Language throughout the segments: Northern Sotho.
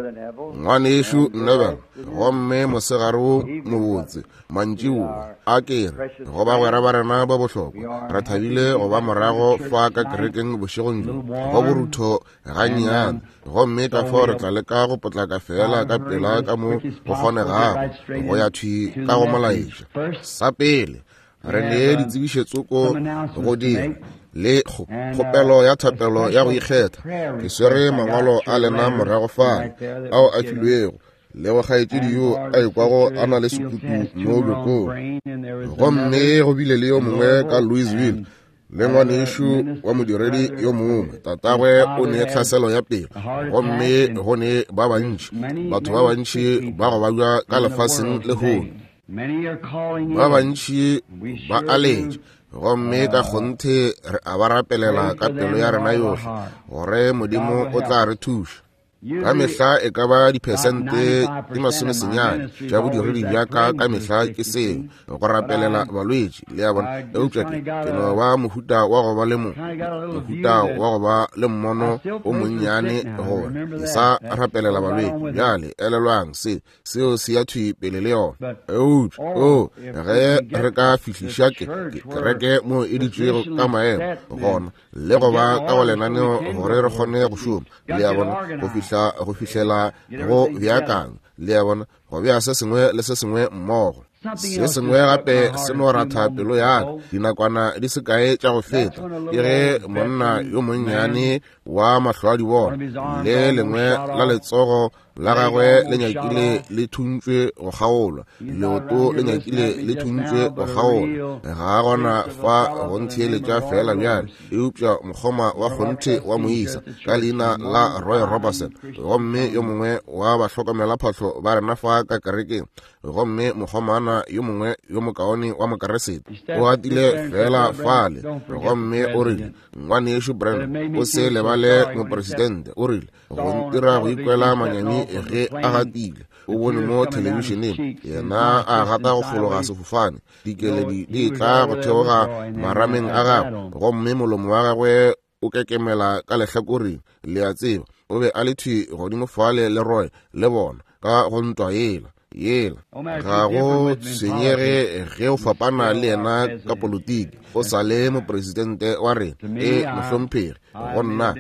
Ngwanešu Neville, gomme mosegare wo mobotse, mantšiboa, a ke re, go bagwera ba rena ba bohlokwa, re thabile go ba morago fa ka kerekeng bošegong bjo, go borutho gannyane, gomme ka fao re tla leka go potlaka feela ka pela ka mo go kgonegago go ya thwi ka go molaetša. Sa pele, re ne ditsebišetsoko go dira le kgopelo ya thapelo ya go ikgetha. Ke swere mangwalo a lena morago fale ao a filwego le go kgaetšedi yo a ikwago a na le sekutu mo bjokong. Gomme go bile le yo mongwe ka Louisville le ngwanešu wa modiredi yo mongwe, tatagwe o ne tlhaselo ya pelo, gomme go ne ba bantši, batho ba bantši ba go babja ka lefaseng lehono. Ba bantši ba a letša, gomme ka kgonthe re a ba rapelela ka pelo ya rena yohle gore Modimo o tla re thuša. Ka mehla e ka ba diphesente di masomesenyane tša bodiredi bja ka ka mehla ke seo, go rapelela balwetši, le a bona. Eupša ke, ke no ba mohuta wa go ba le mo, mohuta wa go ba le mmono o monnyane gore ke sa rapelela balwetši. Bjale elelwang se, seo se ya thwi pele le yona. Eupša, o, ge re ka fihliša ke, ke kereke mo e ditšwego ka maemo gona, le go ba ka go lenaneo gore re kgone go šoma, le a bona, go fihla, go fihlela go beakanywa, le a bona, go bea se sengwe le se sengwe mmogo. Se sengwe gape se no ratha pelo ya ka, dinakwana di se kae tša go feta, ke ge monna yo monnyane wa mahlo a di bona, le lengwe la letsogo la gagwe le nyakile le thuntšwe go kgaolwa, leoto le nyakile le thuntšwe go kgaolwa. Ga a gona fa go ntheeletša feela bjale, eupša mokgoma wa kgonthe wa moisa ka leina la Roy Robertson, gomme yo mongwe wa bahlokomelaphahlo ba rena fa ka kerekeng, gomme mokgomana yo mongwe yo mokaone wa Mokeresete, o gatile feela fale gomme o rile, Ngwanešu Branham, o se lebale mopresidente, o rile, go ntira go ikwela manyami ge a gatile. O bone mo thelebišeneng yena a gata go fologa sefofane, dikeledi di tla go theoga marameng a gagwe, gomme molomo wa gagwe o kekemela ka lehlakoreng, le a tseba. O be a le thwi godimo fale le Roy le bona ka go ntwa yela yela. Ga go tshwenyege ge o fapana le yena ka politiki, o sa le mopresidente wa rena. E, mohlomphegi, go nna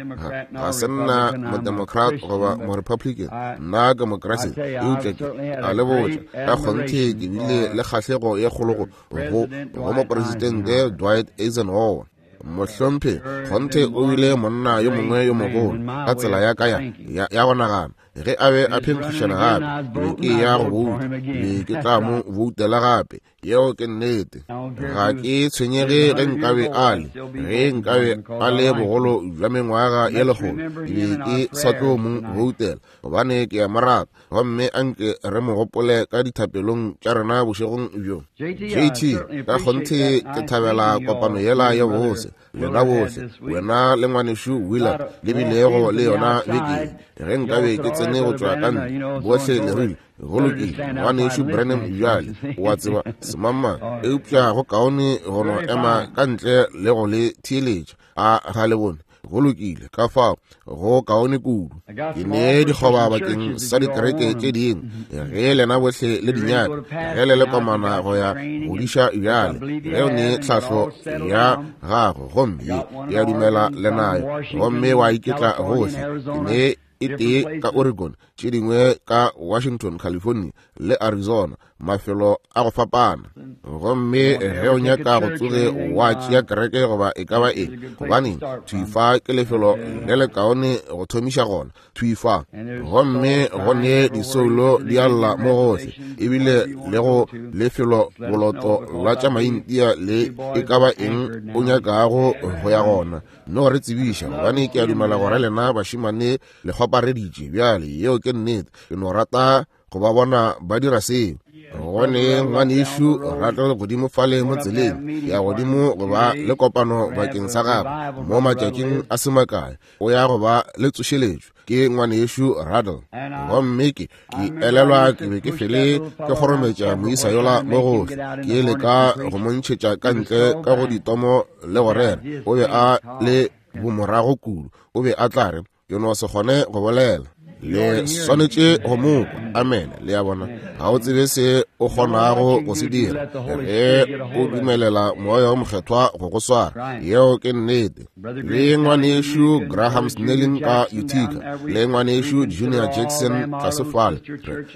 ga se nna modemocrat goba morepublican, nna ke Mokriste. Eupša ke a le botša, ka kgonthe ke bile le kgahlego ye kgolo go, go, go mopresidente Dwight Eisenhower. Mohlomphegi, kgonthe o bile monna yo mongwe yo mogolo ka tsela ya ka ya, ya, ya go nagana. Ge a be a phenkgišana gape, ke be ke ya go bouta, be ke tla mo boutela gape. Yeo ke nnete. Ga ke tshwenyege ge nkabe a le, ge nkabe a le bogolo bja mengwaga ye lekgolo, ke be ke sa tlo mo boutela, gobane ke a mo rata. Gomme a nke re mo gopole ka dithapelong tša rena bošegong bjo. JT, ka kgonthe ke thabela kopano yela ya bose. Lena bohle, wena le ngwanešu Willard, le bilego le yona beke ye. Ge nkabe ke tsene go tšwa ka ntle, bohle le rile, Go lokile, ngwanešu Branham bjale, o a tseba, semangmang. Eupša go kaone go no ema ka ntle le go le theeletša. A ga le bone? Go lokile, ka fao go kaone kudu. Ke ne dikgoba bakeng sa dikereke tše dingwe, ge lena bohle le di nyaka, ge le le komana go ya go diša bjale, ge o ne tlhahlo ya gago gomme ye ya dumela le nayo, gomme wa iketla gohle. Ke ne e tee ka Oregon, tše dingwe ka Washington, California le Arizona, mafelo a go fapana. Gomme ge o nyaka go tsoge wa tšea kereke goba e ka ba eng, gobaneng, thwi fa ke lefelo le lekaone go thomiša gona, thwi fa. Gomme go ne disoulo di a lla mo gohle, ebile le go lefelo boloto la tša maintia le e ka ba eng o nyakago go ya gona. No re tsebiša, gobane ke a dumela gore lena bašemane le kgwapareditše bjale. Yeo ke nnete. Ke no rata go ba bona ba dira seo. Gone ngwanešu Rattle godimo fale mo tseleng ya godimo go ba le kopano bakeng sa gagwe mo matšatšing a se makae, o ya go ba le tsošeletšo. Ke ngwanešu Rattle. Gomme ke, ke elelwa ke be ke fele ke kgorometša moisa yola mo gohle, ke leka go mo ntšhetša ka ntle ka go ditomo le go rera. O be a le bomorago kudu, o be a tla re, Ke no se kgone go bolela. Le swanetše go mo kwa. Amene. Le a bona? Ga o tsebe se o kgonago go se dira ge o dumelela Moya wo Mokgethwa go go swara. Yeo ke nnete. Le ngwanešu Graham Snelling ka Utica, le ngwanešu Junior Jackson tlase fale,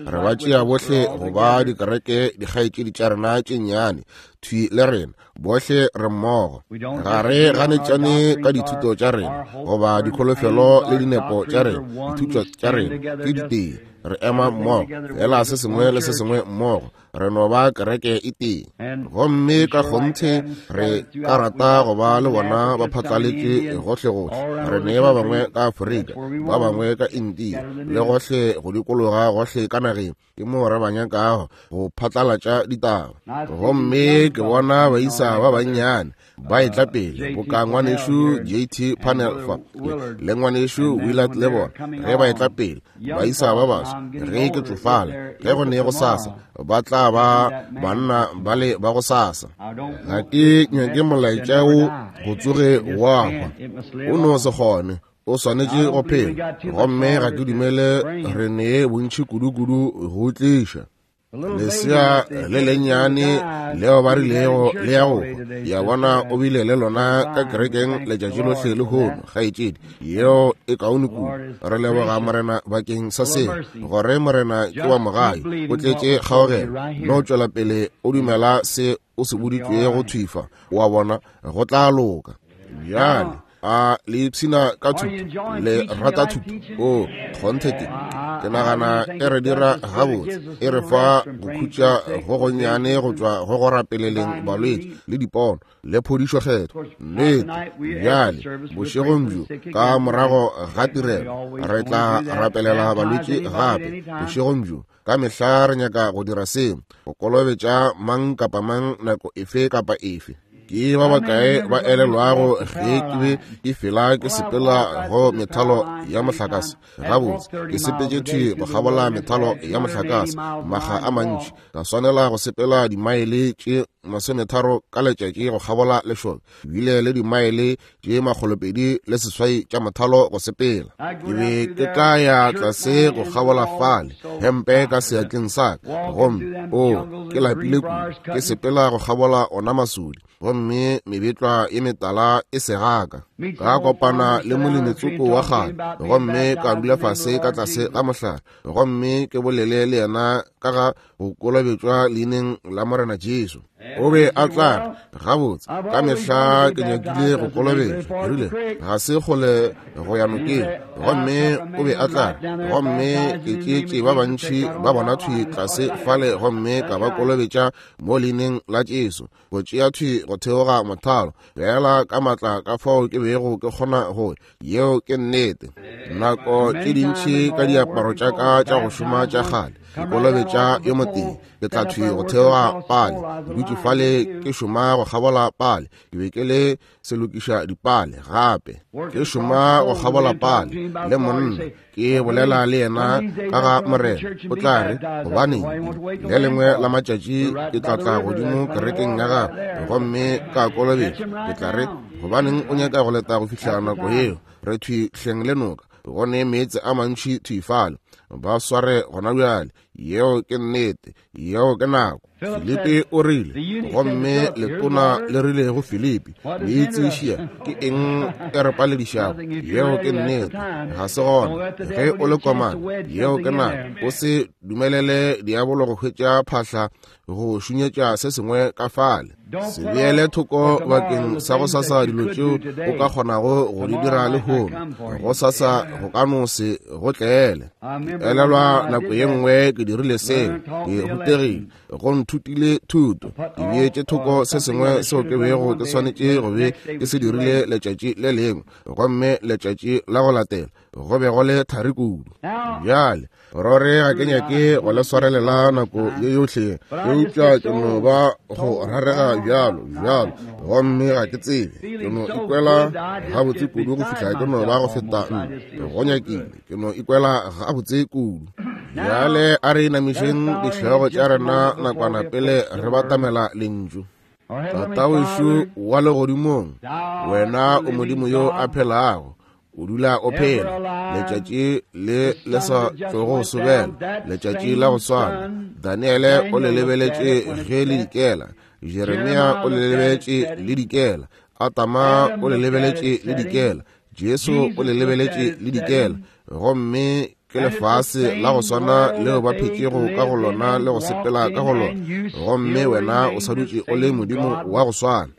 re ba tšea bohle go ba dikereke dikgaetšedi tša rena tše nnyane thwi le rena. Bohle re mmogo. Ga re ganetšane ka dithuto tša rena goba dikholofelo le dinepo tša rena. Dithuto tša rena ke ditee. Re ema mmogo, fela se sengwe le se sengwe mmogo. Re no ba kereke e tee. Gomme ka kgonthe re ka rata go ba le bona ba phatlaletše gohlegohle. Re ne ba bangwe ka Afrika, ba bangwe ka India, le gohle go dikologa gohle ka nageng. Ke moo re ba nyakago go phatlalatša ditaba. Gomme ke bona baisa ba bannyane ba etla pele, boka ngwanešu JT Parnell fa, le ngwanešu Willard le bona, ge ba etla pele, baisa ba baswa, ge ke tsofala, ge go ne go sasa, ba tla ba banna ba le ba go sasa. Ga ke nyake molaetša wo go tsoge wa hwa. O no se kgone. O swanetše go phela. Gomme ga ke dumele re ne bontši kudu-kudu go tliša. Lesea le lennyane leo ba rilego le ya go hwa, ya bona o bile le lona ka kerekeng letšatši lohle lehono, kgaetšedi. Yeo e kaone kudu. Re leboga Morena bakeng sa seo, gore Morena ke wa mogai, o tletše kgaogelo. No tšwela pele o dumela se o se boditšwego thwi fa, wa bona, go tla loka. Bjale a le ipshina ka thuto? Le rata thuto? O kgonthe ke ke nagana e re dira gabotse, e re fa go khutša go gonnyane go tšwa go go rapeleleng balwetši le dipono le phodišo kgetho. Nnete. Bjale bošegong bjo ka morago ga tirelo re tla rapelela balwetši gape bošegong bjo. Ka mehla re nyaka go dira seo, go kolobetša mang kapa mang nako efe kapa efe. Ke ba bakae ba elelwago ge ke be ke fela ke sepela go methalo ya mohlakase? Gabotse, ke sepetše thwi go kgabola methalo ya mohlakase makga a mantši, ka swanela go sepela dimaele tše 30 ka letšatši go kgabola lešoka, bile le dimaele tše 208 tša mothalo go sepela. Ke be ke tla ya tlase go kgabola fale, hempe ka seatleng sa ka, gomme o ke lapile kudu, ke sepela go kgabola ona masodi, gomme mebetlwa ye metala e segaka. Ka kopana le molemitsoko wa kgale, gomme ka dula fase ka tlase ga mohlare, gomme ke bolele le yena ka ga go kolobetšwa leineng la Morena Jesu. O be a tla re, Gabotse, ka mehla ke nyakile go kolobetšwa. Ke rile, Ga se kgole go ya nokeng. Gomme o be a tla re, Gomme ke tšeetše ba bantši ba bona thwi tlase fale gomme ka ba kolobetša mo leineng la Jesu, go tšea thwi go theoga mothalo, feela ka maatla ka fao ke bego ke kgona go. Yeo ke nnete. Nako tše dintši ka diaparo tša ka tša go šoma tša kgale, ke kolobetša yo motee, ke tla thwi go theoga pale, ke dutše fale ke šoma go kgabola pale, ke be ke le selokiša dipale gape, ke šoma go kgabola pale le monna, ke bolela le yena ka ga Morena. O tla re, Gobaneng, le lengwe la matšatši ke tla tla godimo kerekeng ya gago gomme ka kolobetšwa. Ke tla re, Gobaneng o nyaka go leta go fihla nako yeo? Re thwi hleng le noka, go ne meetse a mantši thwi fale. Ba sware gona bjale. Yeo ke nnete. Yeo ke nako. Filipi o rile, gomme letona le rile go Filipi, Meitseešia, ke eng e re paledišago? Yeo ke nnete. Ga se gona. Ge o le komana, yeo ke nako. O se dumelele diabolo go hwetša phahla go šunyetša se sengwe ka fale. Se beele thoko bakeng sa go sasa dilo tšeo o ka kgonago go di dira lehono. Go sasa go ka no se go tlele. Ke elelwa nako ye nngwe ke dirile seo, ke rutegile, go nthutile thuto. Ke beetše thoko se sengwe seo ke bego ke swanetše go be ke se dirile letšatši le lengwe, gomme letšatši la go latela go be go le thari kudu. Bjale rore ga ke nyake go le swarelela nako ye yohle, eupša ke no ba go rarega bjalo bjalo, gomme ga ke tsebe, ke no ikwela gabotse kudu go fihla ke no ba go feta nna go nyakile, ke no ikwela gabotse kudu. Bjale a re inamišeng dihlogo tša rena nakwana pele re batamela Lentšu. Tatawešu wa legodimong, wena o Modimo yo a phelago. O dula o phela. Letšatši le le sa tlogo sobela, letšatši la go swana. Daniele o le lebeletše ge le dikela, Jeremia o le lebeletše le dikela, Adama o le lebeletše le dikela, Jesu o le lebeletše le dikela. Gomme ke lefase la go swana leo ba phetšego ka go lona le go sepela ka go lona, gomme wena o sa dutše o le Modimo wa go swana.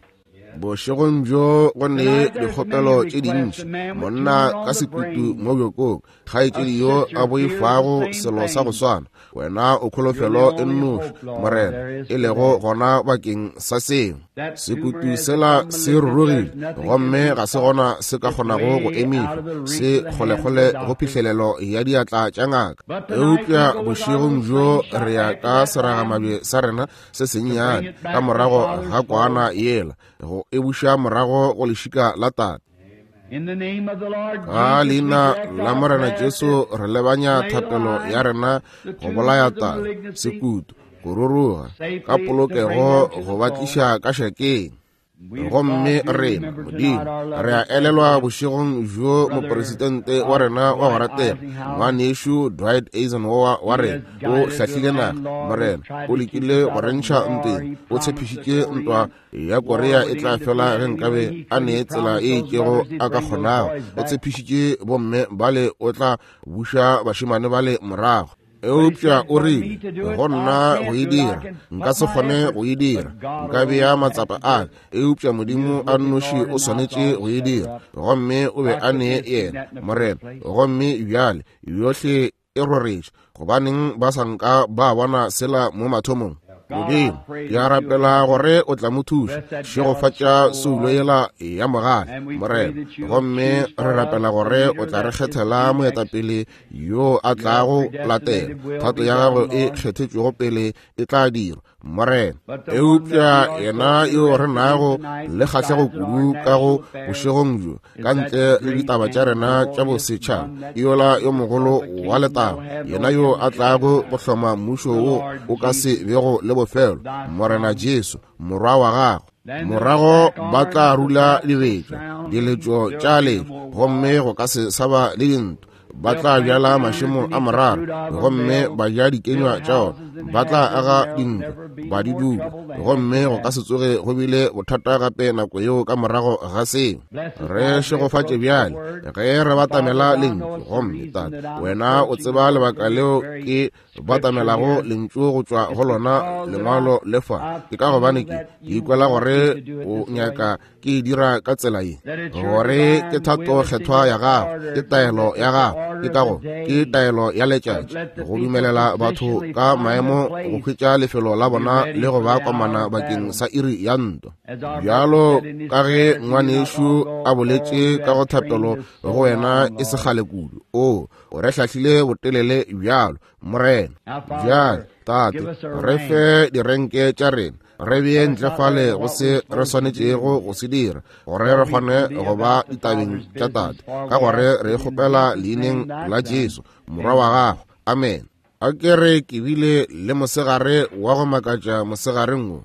Bošegong bjo go ne dikgopelo tše dintši, monna ka sekutu mo bjokong, kgaetšedi yo a boifago selo sa go swana. Wena o kholofelo e nnoši, Morena, e lego gona bakeng sa seo. Sekutu sela se rurugile, gomme ga se gona se ka kgonago go emišwa, se kgolekgole go phihlelelo ya diatla tša ngaka. Eupša bošegong bjo re ya ka seragamabje sa rena se sennyane ka morago ga kwana yela go e buša morago go lešika la tate. Ka leina la Morena Jesu re lebanya thapelo ya rena go bolaya taba, sekutu, go ruruga ka polokego go ba tliša ka šakeng. Gomme rena, Modimo, re a elelwa bošegong bjo mopresidente wa rena wa go ratega, ngwanešu Dwight Eisenhower wa rena, o hlahlile naga. Morena, o lekile go re ntšha ntweng, o tshepišitše ntwa ya Korea e tla fela ge nkabe a ne tsela e itšego a ka kgonago. O tshepišitše bomme bale o tla buša bašemane bale morago. Eupša o rile, Go nna go e dira, nka se kgone go e dira. Nka bea matsapa a ka, eupša Modimo a nnoši o swanetše go e dira. Gomme o be a ne yena, Morena. Gomme bjale yohle e roretše. Gobaneng ba sa nka ba bona sela mo mathomong? Modimo, ke a rapela gore o tla mo thuša. Šegofatša soulo yela ya mogale, Morena. Gomme re rapela gore o tla re kgethela moetapele yo a tlago latela. Thato ya gago e kgethetšwego pele e tla dirwa, Morena. Eupša yena yo re nago le kgahlego kudu ka go bošegong bjo, ka ntle le ditaba tša rena tša bosetšhaba, ke yola yo mogolo wa letago, yena yo a tlago go hloma mmušo wo o ka se bego le bofelo, Morena Jesu, Morwa wa gago. Morago ba tla rula dibetša, diletšo tša letšo, gomme go ka se sa ba le dintwa. Ba tla bjala mašemo a morara gomme ba ja dikenywa tša ona. Ba tla aga dintlo ba di dula, gomme go ka se tsoge go bile bothata gape nako yeo ka morago ga seo. Re šegofatše bjale ge re batamela lentšu. Gomme Tate, wena o tseba lebaka leo ke batamelago lentšu go tšwa go lona lengwalo le fa, ke ka gobane ke ikwela gore o nyaka ke e dira ka tsela ye, gore ke thato kgethwa ya gago, ke taelo ya gago, ke ka go ke taelo ya letšatši go dumelela batho ka maemo go hwetša lefelo la bona le go ba komana bakeng sa iri ya ntwa. Bjalo ka ge ngwanešu a boletše ka go thapelo go wena e se kgale kudu, o o re hlahlile botelele bjalo, Morena. Bjale, Tate, re fe direnke tša rena, re bee ntle fale go se re swanetšego go se dira, gore re kgone go ba ditabeng tša Tate, ka gore re kgopela leineng la Jesu, Morwa wa gago. Amen. A ke re ke bile le mosegare wa go makatša mosegareng wo.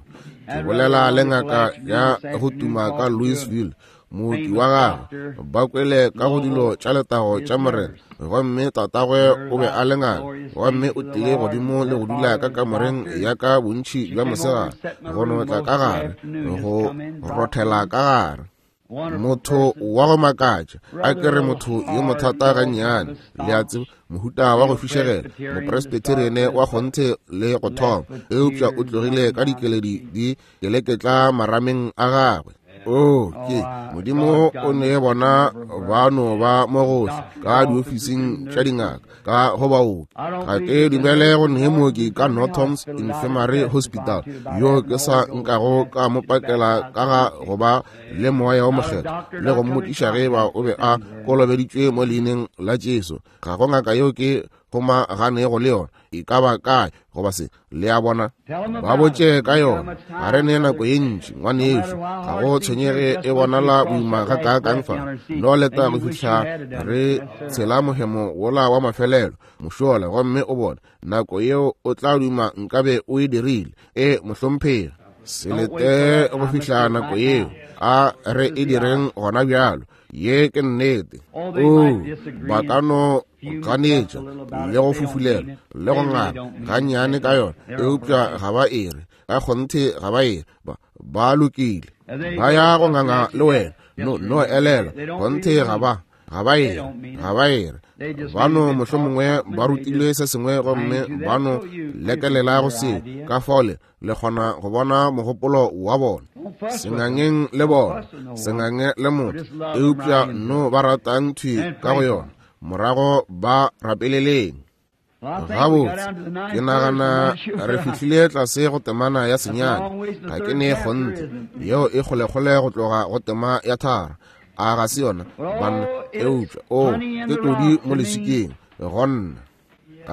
Ke bolela le ngaka ya go tuma ka Louisville, mooki wa gagwe, ba kwele ka go dilo tša letago tša Morena. Gomme tatagwe o be a le ngaka, gomme o tlile godimo le go dula ka kamoreng ya ka bontši bja mosegare, go no tla ka gare, go rothela ka gare. Motho wa go makatša, a ke re motho yo mothata gannyane, le a tseba, mohuta wa go fišegela, mopresbyterian wa kgonthe le go thoma, eupša o tlogile ka dikeledi di keleketla marameng a gagwe. O ke Modimo o ne bona ba no ba mo gohle ka diofising tša dingaka, ka go baoki. Ga ke dumele go ne mooki ka Norton's Infirmary Hospital yo ke sa nkago ka mo pakela ka ga go ba le Moya wo Mokgethwa le go mmotšiša ge eba o be a kolobeditšwe mo leineng la Jesu. Ga go ngaka yeo ke kgomaganego le yona, e ka ba kae goba se. Le a bona? Ba botše ka yona. Ga re ne nako ye ntši, ngwanešu. Ga go tshwenyege e bonala boima gakaakang fa. No leta go fihla re tshela mohemo wola wa mafelelo mošola, gomme o bone nako yeo o tla duma nkabe o e dirile. E, mohlomphegi. Se lete go fihla nako yeo. A re e direng gona bjalo. Ye ke nnete. Oo, ba ka no ganetša le go fufulela le go ngala gannyane ka yona, eupša ga ba e re. Ka kgonthe ga ba e re. Ba lokile. Ba ya go nganga le wena. No, no elelwa. Kgonthe ga ba. Ga ba e re. Ga ba e re. Ba no mohlomongwe ba rutilwe se sengwe gomme ba no lekelela go seo. Ka fao le le kgona go bona mogopolo wa bona. Sengangeng le bona, sengange le motho, eupša no ba ratang thwi ka go yona. Morago ba rapeleleng. Gabotse, ke nagana re fihlile tlase go temana ya senyane. Ga ke ne kgonthe. Yeo e kgolekgole go tloga go tema ya tharo. A ga se yona, banna? Eupša, o, ke todi mo leswikeng, go nna.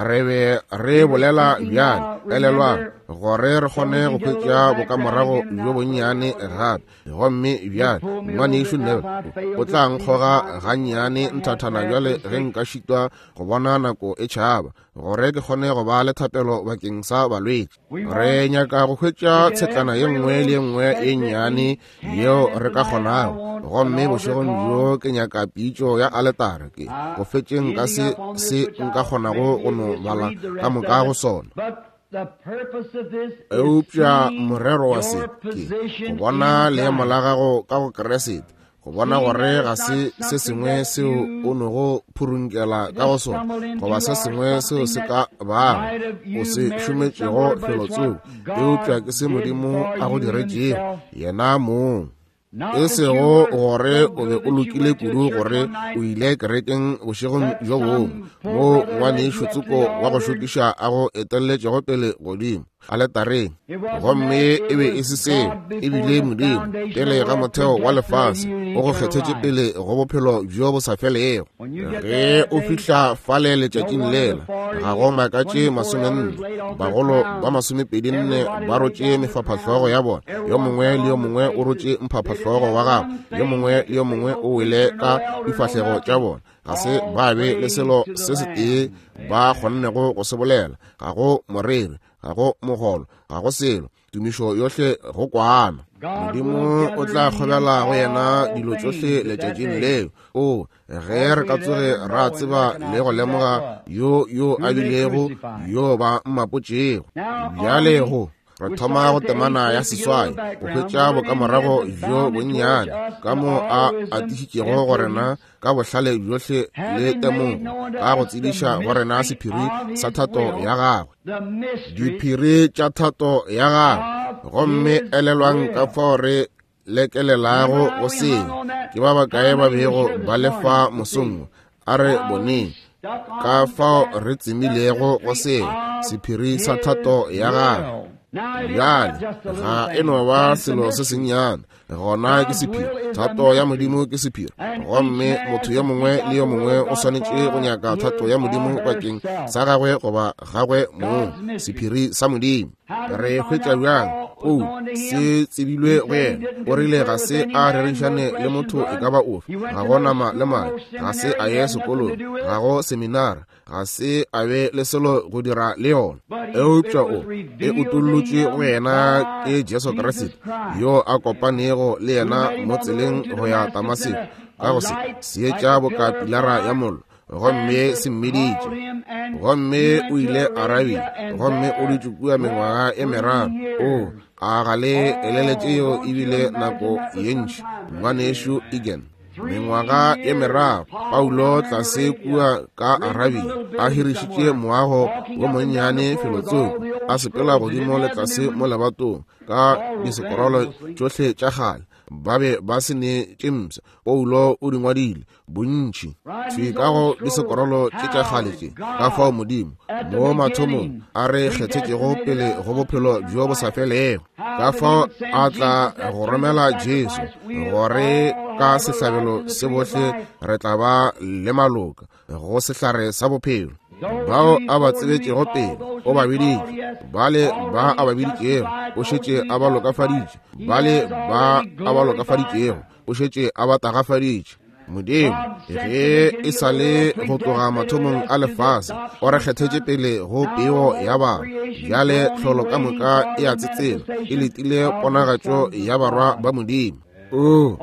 Re be re bolela bjale, elelwang, gore re kgone go hwetša bokamorago bjo bonnyane gape. Gomme bjale, Ngwanešu Neville o tla nkgoga gannyane nthathana bjale ge nka šitwa go bona nako e tšhaba, gore ke kgone go ba le thapelo bakeng sa balwetši. Re nyaka go hwetša tshetlana ye nngwe le ye nngwe ye nnyane yeo re ka kgonago. Gomme bošegong bjo ke nyaka pitšo ya aletare, ke go fetšeng ka se se nka kgonago go no bala ka moka go sona. Eupša morero wa se ke go bona leemo la gago ka go Kriste, go bona gore ga se se sengwe seo o nogo phurunkela ka go sona, goba se sengwe seo se ka bago o se šometšego felotsoko, eupša ke se Modimo a go diretšego yena mong. E sego gore o be o lokile kudu gore o ile kerekeng bošegong bjo bongwe, moo ngwanešu tsoko wa go šokiša a go etelletšego pele godimo aletareng, gomme e be e se seo, e bile Modimo pele ga motheo wa lefase o go kgethetše pele go bophelo bjo bo sa felego. Ge o fihla fale letšatšing lela, ga go makatše 40, bagolo ba 24 ba rotše mefaphahlogo ya bona, yo mongwe le yo mongwe o rotše mphaphahlogo wa gagwe, yo mongwe le yo mongwe o wele ka difahlego tša bona. Ga se ba be le selo se setee ba kgonnego go se bolela, ga go moreri, ga go mogolo, ga go selo, tumišo yohle go kwana. Modimo o tla kgobela go yena dilo tšohle letšatšing leo. O, ge re ka tsoge ra tseba le go lemoga yo yo a bilego yo ba mmapotšego. Bjale go re thoma go temana ya seswai go hwetša bokamorago bjo bonnyane ka mo a atišitšego go rena ka bohlale bjohle le temogo ka go tsebiša go rena sephiri sa thato ya gagwe, diphiri tša thato ya gagwe. Gomme elelwang ka fao re lekelelago go seo. Ke ba bakae ba bego ba le fa mosong? A re boneng ka fao re tsemilego go seo, sephiri sa thato ya gagwe. Bjale ga e no ba selo se sennyane, gona ke sephiri. Thato ya Modimo ke sephiri, gomme motho yo mongwe le yo mongwe o swanetše go nyaka thato ya Modimo bakeng sa gagwe goba gagwe mong, sephiri sa Modimo. Re hwetša bjang? O, se tsebilwe go yena. O rile ga se a rerišane le motho e ka ba ofe, ga go nama le madi, ga se a ye sekolong, ga go seminara, ga se a be le selo go dira le yona. Eupša o e utollotšwe go yena ke Jesu Kriste, yo a kopanego le yena mo tseleng go ya Damaseko, ka go se seetša boka pilara ya mollo, gomme se mmiditše. Gomme o ile Arabia, gomme o dutše kua mengwaga e meraro. O, a ga le eleletše yeo e bile nako ye ntši, ngwanešu Egan? Mengwaga e meraro Paulo tlase kua ka Arabia, a hirišitše moago wo monnyane felotsoko, a sepela godimo le tlase mo lebatong ka disekorolo tšohle tša kgale, ba be ba se ne tše mpsha. Paulo o di ngwadile bontši thwi ka go disekorolo tše tša kgale tše, ka fao Modimo mo mathomong a re kgethetšego pele go bophelo bjo bo sa felego, ka fao a tla go romela Jesu gore ka sehlabelo se bohle re tla ba le maloka go sehlare sa bophelo. Bao a ba tsebetšego pele o ba biditše, bale ba a ba biditšego o šetše a ba lokafaditše, bale ba a ba lokafaditšego o šetše a ba tagafaditše. Modimo ge e sa le go tloga mathomong a lefase o re kgethetše pele go peo ya bana. Bjale tlholo ka moka e a tsetsela, e letile ponagatšo ya barwa ba Modimo. O,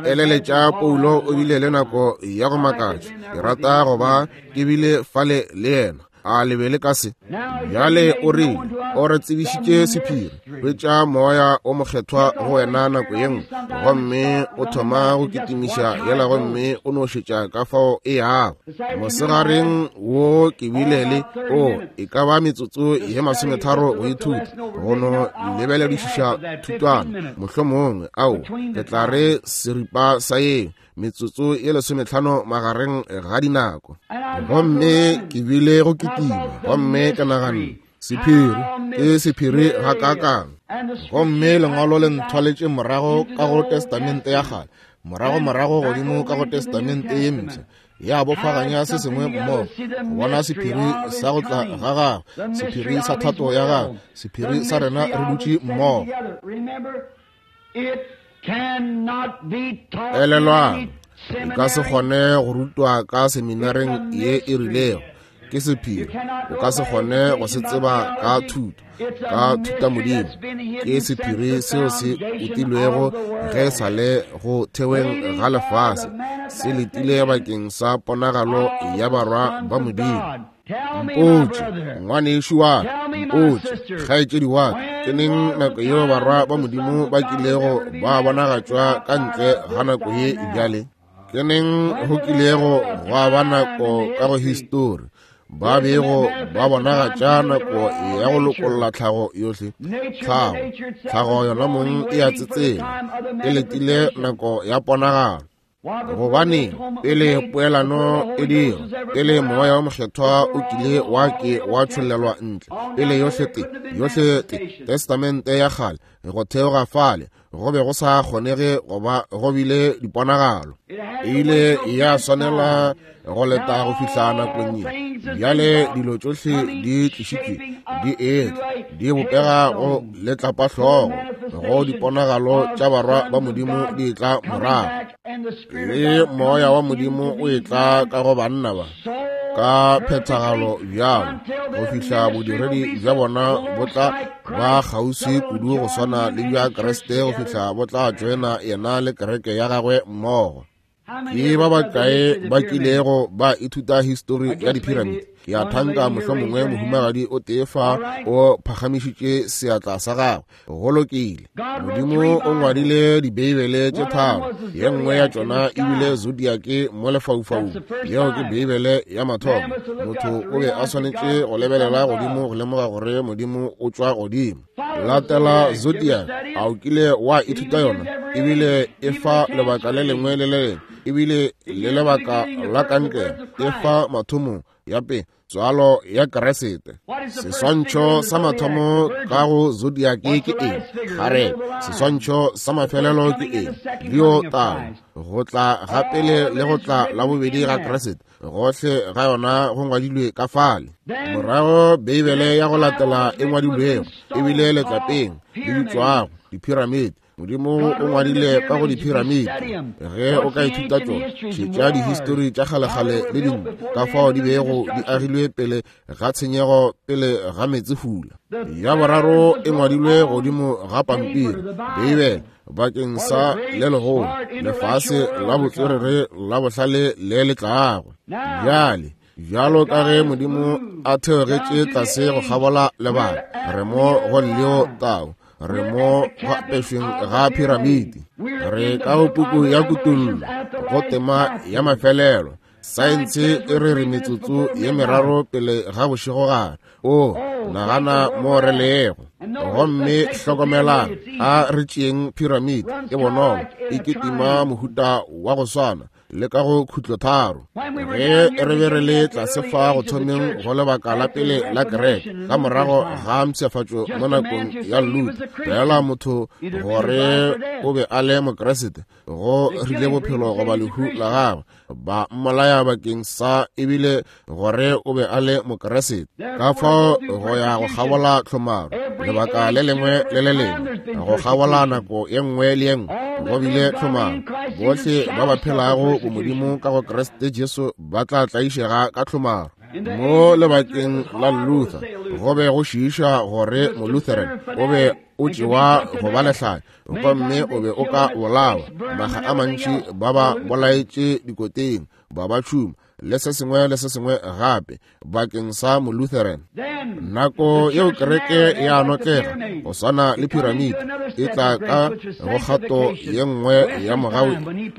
ke eleletša Paulo o bile le nako ya go makatša. Ke rata go ba ke bile fale le yena. A le be le ka se? Bjale o rile, o re tsebišitše sephiri. Hwetša Moya o Mokgethwa go wena nako ye nngwe, gomme o thoma go kitimiša yela gomme o no šetša ka fao e yago. Mosegareng wo ke bile le, o, e ka ba metsotso ye masometharo go ithuta, go no lebeledišiša thutwana, mohlomongwe, ao, ke tla re seripa sa yeo, metsotso ye lesometlhano magareng ga dinako. Gomme ke bile go kitima, gomme ke naganne, sephiri ke sephiri gakaakang. Gomme lengwalo le nthwaletše morago ka go Testamente ya Kgale, morago morago godimo ka go Testamente ye Mpsha, ya bofaganya se sengwe mmogo, go bona sephiri sa go tla ga gagwe, sephiri sa thato ya gagwe, sephiri sa rena re dutše mmogo. Elelwang, e ka se kgone go rutwa ka seminareng ye e rilego. Ke sephiri. O ka se kgone go se tseba ka thuto, ka thutamodimo. Ke sephiri seo se utilwego ge e sa le go theweng ga lefase, se letile bakeng sa ponagalo ya barwa ba Modimo. Mpotše, ngwanešu wa ka, mpotše, kgaetšedi wa ka, ke neng nako yeo barwa ba Modimo ba kilego ba bonagatšwa ka ntle ga nako ye bjale? Ke neng go kilego gwa ba nako ka go histori ba bego ba bonagatša nako ya go lokolla tlhago yohle? Tlhago, tlhago yona mong e a tsetsela, e letile nako ya ponagalo. Gobane pele poelano e dira, pele Moya wo Mokgethwa o kile wa ke wa tšhollelwa ntle, pele yohle te, yohle te, Testamente ya Kgale, go theoga fale, go be go sa kgonege go ba go bile diponagalo. E ile ya swanela go leta go fihla nakong ye. Bjale dilo tšohle di tlišitšwe, di etla, di bopega go letlapahlogo, go diponagalo tša barwa ba Modimo di etla morago. Le Moya wa Modimo o etla ka go banna ba ka phethagalo bjalo go fihla bodiredi bja bona bo tla ba kgauswi kudu go swana le bja Kriste go fihla bo tla tšoena yena le kereke ya gagwe mmogo. Ke ba bakae ba kilego ba ithuta histori ya diphiramiti? Ke a thanka mohlomongwe mohumagadi o tee fa o phagamišitše seatla sa gagwe. Go lokile. Modimo o ngwadile Dibeibele tše tharo. Ye nngwe ya tšona e bile zodiake mo lefaufaung. Yeo ke Beibele ya mathomo. Motho o be a swanetše go lebelela godimo go lemoga gore Modimo o tšwa godimo. Latela zodiac. A o kile wa ithuta yona? Ebile e fa lebaka le lengwe le le lengwe, ebile le lebaka la kankere. E fa mathomo ya pele, tswalo ya Kriste. Seswantšho sa mathomo ka go zodiac ke eng? Kgarebe. Seswantšho sa mafelelo ke eng? Leo tau. Go tla ga pele le go tla la bobedi ga Kriste. Gohle ga yona go ngwadilwe ka fale. Morago Beibele ya go latela e ngwadilwego e bile letlapeng le bitšwago diphiramiti. Modimo o ngwadile ka go diphiramiti. Ge o ka ithuta tšona, šetša dihistori tša kgalekgale le dingwe ka fao di bego di agilwe pele ga tshenyego pele ga meetsefula. Ya boraro e ngwadilwe godimo ga pampiri, Beibele, bakeng sa le legolo lefase la botswerere la bohlale le le tlago. Bjale, bjalo ka ge Modimo a theogetše tlase go kgabola lebaka, re mo go Leo Tau, re mo go apešweng ga phiramiti, re ka go puku ya Kutollo, go tema ya mafelelo. Saense e re re metsotso ye meraro pele ga bošegogare. O nagana mo re lego. Gomme hlokomelang, a re tšeeng phiramiti e bonolo, e kitima mohuta wa go swana le ka go khutlotharo. Ge re be re le tlase fa go thomeng go lebaka la pele la kereke, ka morago ga mpshafatšo mo nakong ya Luther, feela motho gore o be a le Mokriste, go rile bophelo goba lehu la gagwe, ba mmolaya bakeng sa ebile gore o be a le Mokriste. Ka fao go ya go kgabola tlhomaro lebaka le lengwe le le lengwe, go kgabola nako ye nngwe le ye nngwe go bile tlhomaro. Bohle ba ba phelago bomodimo ka go Kriste Jesu ba tla tlaišega ka tlhomaro. Mo lebakeng la Luther, go be go šiiša gore Molutheran o be o tšewa go ba lehlanya, gomme o be o ka bolawa. Makga a mantši ba ba bolaetše dikoteng, ba ba tšhuma, le se sengwe le se sengwe gape bakeng sa Molutheran. Nako yeo kereke ya notlega go swana le piramidi, e tla ka go kgato ye nngwe ya mogau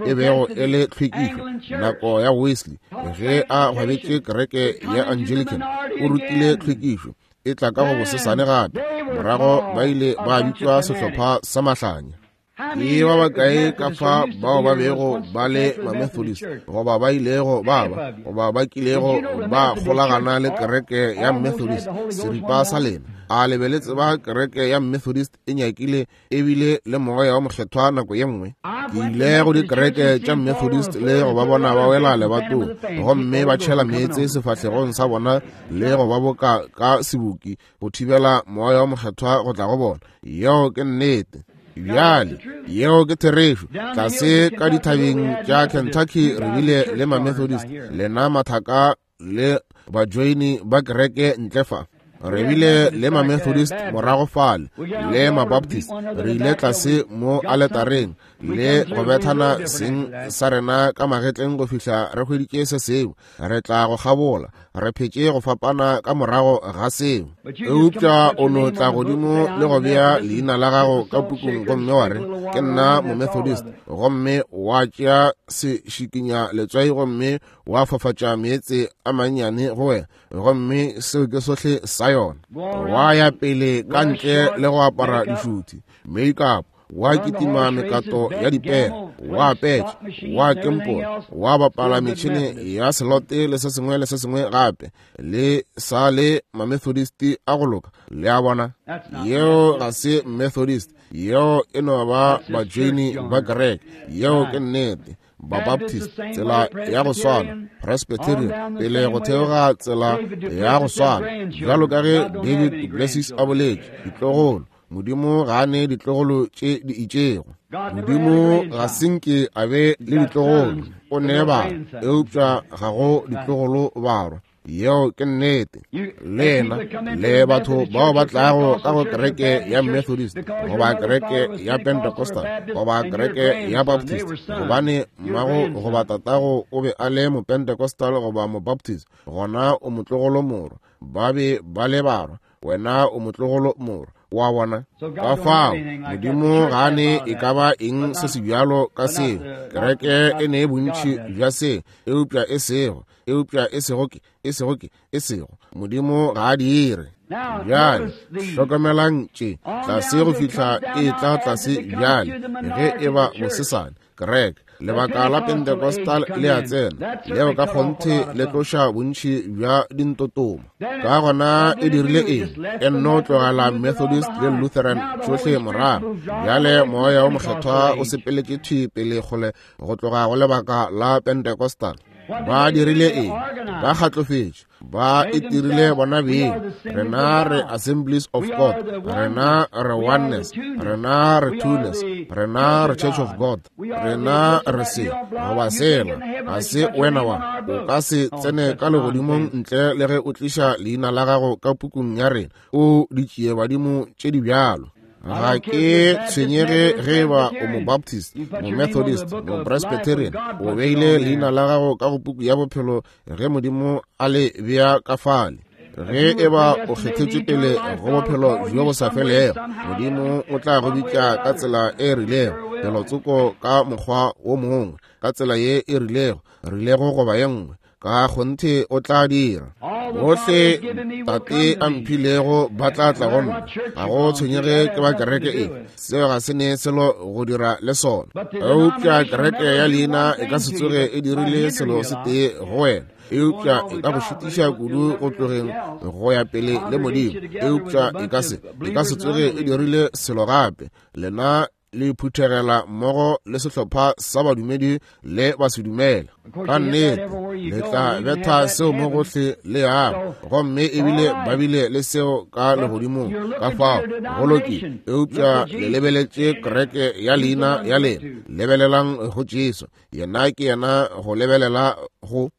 e bego e le tlhwekišo. Nako ya Wesley, ge a hwabetše kereke ya Anglican, o rutile tlhwekišo, e tla ka go bosesane gape. Morago ba ile ba bitšwa sehlopha sa mahlanya. Ke ba bakae ka fa bao ba bego ba le Mamethodist, goba ba ilego ba ba, goba ba kilego ba kgolagana le kereke ya Methodist, seripa sa lena? A le be le tseba kereke ya Methodist e nyakile ebile le Moya wa Mokgethwa nako ye nngwe? Ke ile go dikereke tša Methodist le go ba bona ba wela lebatong, gomme ba tšhela meetse sefahlegong sa bona le go ba boka ka seboki go thibela Moya wa Mokgethwa go tla go bona. Yeo ke nnete. Bjale, yeo ke therešo. Tlase ka dithabeng tša Kentucky re bile le Mamethodist, lena mathaka le bajoini ba kereke ntle fa. Re bile le Mamethodist morago fale, le Mabaptist. Re ile tlase mo aletareng le go bethana seng sa rena ka magetleng go fihla re hweditše se sengwe. Re tla go kgabola, re phetše go fapana ka morago ga seo. Eupša o no tla godimo le go bea leina la gago ka pukung gomme wa re, ke nna Momethodist, gomme wa tšea sešikinya letswai gomme wa fafatša meetse a mannyane go wena, gomme seo ke sohle sa yona. Wa ya pele ka ntle le go apara dišuthi, make-up, wa kitima mekato ya dipere, wa petša, wa kempola, wa bapala metšhene ya selote le se sengwe le se sengwe gape, le sa le Mamethodist a go loka. Le a bona? Yeo ga se Methodist, yeo e no ba bajoini ba kereke. Yeo ke nnete. Babaptist, tsela ya go swana, Presbyterian, pele go theoga tsela ya go swana, bjalo ka ge David duPlessis a boletše, ditlogolo. Modimo ga a ne ditlogolo tše di itšego. Modimo ga se nke a be le ditlogolo, o ne bana, eupša ga go ditlogolo barwa. Yeo ke nnete. Lena le batho bao ba tlago ka go kereke ya Methodist goba kereke ya Pentecostal goba kereke ya Baptist, gobane mmago goba tatago o be a le Mopentecostal goba Mobaptist, gona o motlogolo morwa. Ba be ba le barwa, wena o motlogolo morwa wa bona. Ka fao Modimo ga a ne e ka ba eng se se bjalo ka seo. Kereke e ne bontši bja seo, eupša e sego, eupša e sego ke, e sego ke, e sego. Modimo ga a dire. Bjale hlokomelang tše tlase go fihla e tla tlase bjale, ge e ba bosesane kereke. Lebaka la Pentecostal le a tsena, leo ka kgonthe le tloša bontši bja dintotoma. Ka gona e dirile eng? E nno tlogela Methodist le Lutheran tšohle morago. Bjale Moya wo Mokgethwa o sepeletše thwi pele kgole go tloga go lebaka la Pentecostal. Ba dirile eng? Ba kgatlofetše, ba itirile bona beng. Rena re Assemblies of God, rena re Oneness, rena re Twoness, rena re Church of God, rena re se goba sela. Ga se wena wa, o ka se tsene ka legodimong ntle le ge o tliša leina la gago ka pukung ya rena. O ditšie badimo tše di bjalo. Ga ke tshwenyege ge e ba o Mobaptist, Momethodist, Mopresbyterian, o beile leina la gago ka go puku ya bophelo ge Modimo a le bea ka fale. Ge e ba o kgethetšwe pele go bophelo bjo bo sa felego, Modimo o tla go bitša ka tsela e rilego, felotsoko ka mokgwa wo mongwe, ka tsela ye e rilego, rilego goba ye nngwe. Ka kgonthe o tla dira. Bohle Tate a mphilego ba tla tla go nna. Ga go tshwenyege ke ba kereke efe, seo ga se ne selo go dira le sona. Eupša kereke ya leina e ka se tsoge e dirile selo se tee go wena, eupša e ka go šitiša kudu go tlogeng go ya pele le Modimo. Eupša e ka se, e ka se tsoge e dirile selo gape. Lena. Le phuthegela mmogo le sehlopha sa badumedi le basedumele. Ka nnete, le tla betha seo mo gohle le yago, gomme ebile ba bile le seo ka legodimong. Ka fao, go lokile. Eupša le lebeletše kereke ya leina ya lena. Lebelelang go Jesu. Yena ke yena go lebelela go.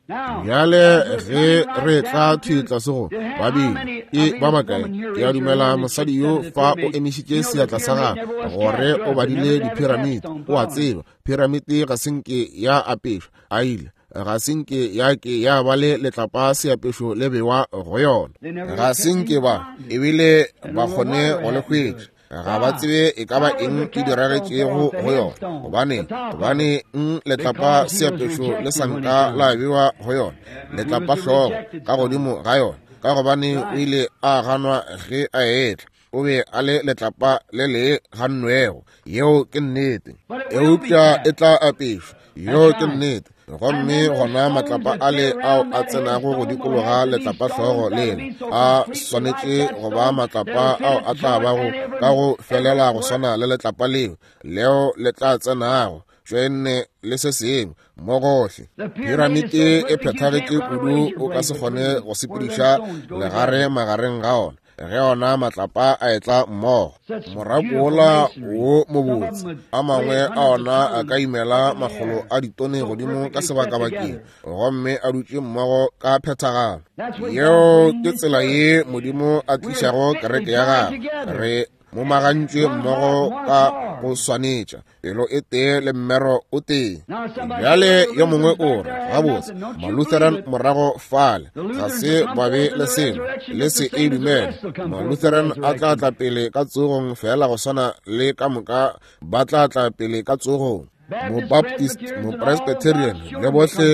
Bjale ge re tla thwi tlase go babedi ke ba bakae? Ke a dumela mosadi yo fa o emišitše seatla sa gagwe gore o badile diphiramiti. O a tseba, phiramiti ga se nke ya apešwa, a ile ga se nke ya ke ya ba le letlapa seapešo le bewa go yona. Ga se nke ba ebile ba kgone go le hwetša. Ga ba tsebe e ka ba eng e diragetšego go yona. Gobaneng? Gobaneng letlapa seapešo le sa nka la bewa go yona, letlapa hlogo ka godimo ga yona? Ka gobane o ile a ganwa ge a etla. O be a le letlapa le le gannwego. Yeo ke nnete. Eupša e tla apešwa. Yeo ke nnete. Gomme gona matlapa ale ao a tsenago go dikologa letlapahlogo lela a swanetše go ba matlapa ao a tla bago ka go felela go swana le letlapa leo leo le tla tsenago tšwenne le se sengwe mo gohle. Piramite e phethagetše kudu o ka se kgone go sepediša legare magareng ga ona. Ge ona matlapa a etla mmogo, morako wola wo mobotse, a mangwe a ona a ka imela makgolo a ditone godimo ka sebakabakeng, gomme a dutše mmogo ka phethagalo. Yeo ke tsela ye Modimo a tlišago kereke ya gagwe. Re momagantšwe mmogo ka go swanetša, pelo e tee le mmero o tee. Bjale yo mongwe o re, gabotse, Malutheran morago fale ga se ba be le selo, le se e dumele. Malutheran a tla tla pele ka tsogong fela go swana le ka moka ba tla tla pele ka tsogong. Mobaptist, Mopresbyterian le bohle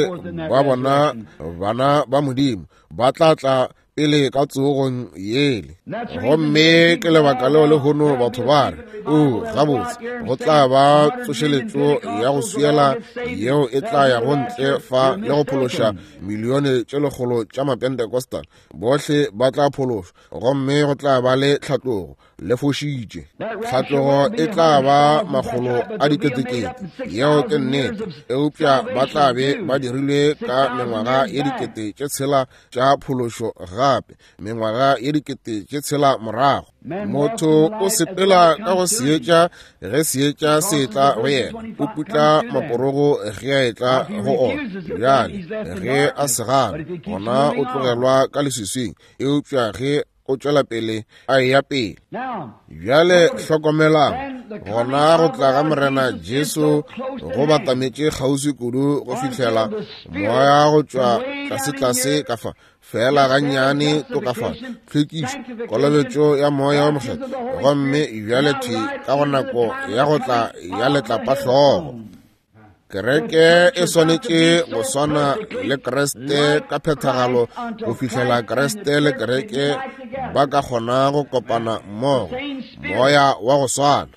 ba bona bana ba Modimo ba tla tla pele ka tsogong yele. Gomme ke lebaka leo lehono batho ba re, O, gabotse, go tla ba tsošeletšo ya go swiela yeo e tla yago ntle fa le go phološa milione tše lekgolo tša Mapentecostal. Bohle ba tla phološwa, gomme go tla ba le tlhatlogo. Le fošitše. Tlhatlogo e tla ba makgolo a diketekete. Yeo ke nnete. Eupša ba tla be ba dirilwe ka mengwaga ye dikete tše tshela tša phološo gape, mengwaga ye dikete tše tshela morago. Motho o sepela ka go seetša ge seetša se etla go yena, o putla maporogo ge a etla go ona. Bjale ge a se gana, gona o tlogelwa ka leswiswing, eupša ge o tšwela pele a eya pele. Bjale hlokomelang, gona go tla ga Morena Jesu go batametše kgauswi kudu go fihlela moya go tšwa tlasetlase ka fa, feela gannyane tokafalo, tlhwekišo, kolobetšo ya Moya wo Mokgethwa, gomme bjale thwi ka go nako ya go tla ya letlapahlogo. Kereke e swanetše go swana le Kriste ka phethagalo go fihlela Kriste le kereke ba ka kgona go kopana mmogo, moya wa go swana.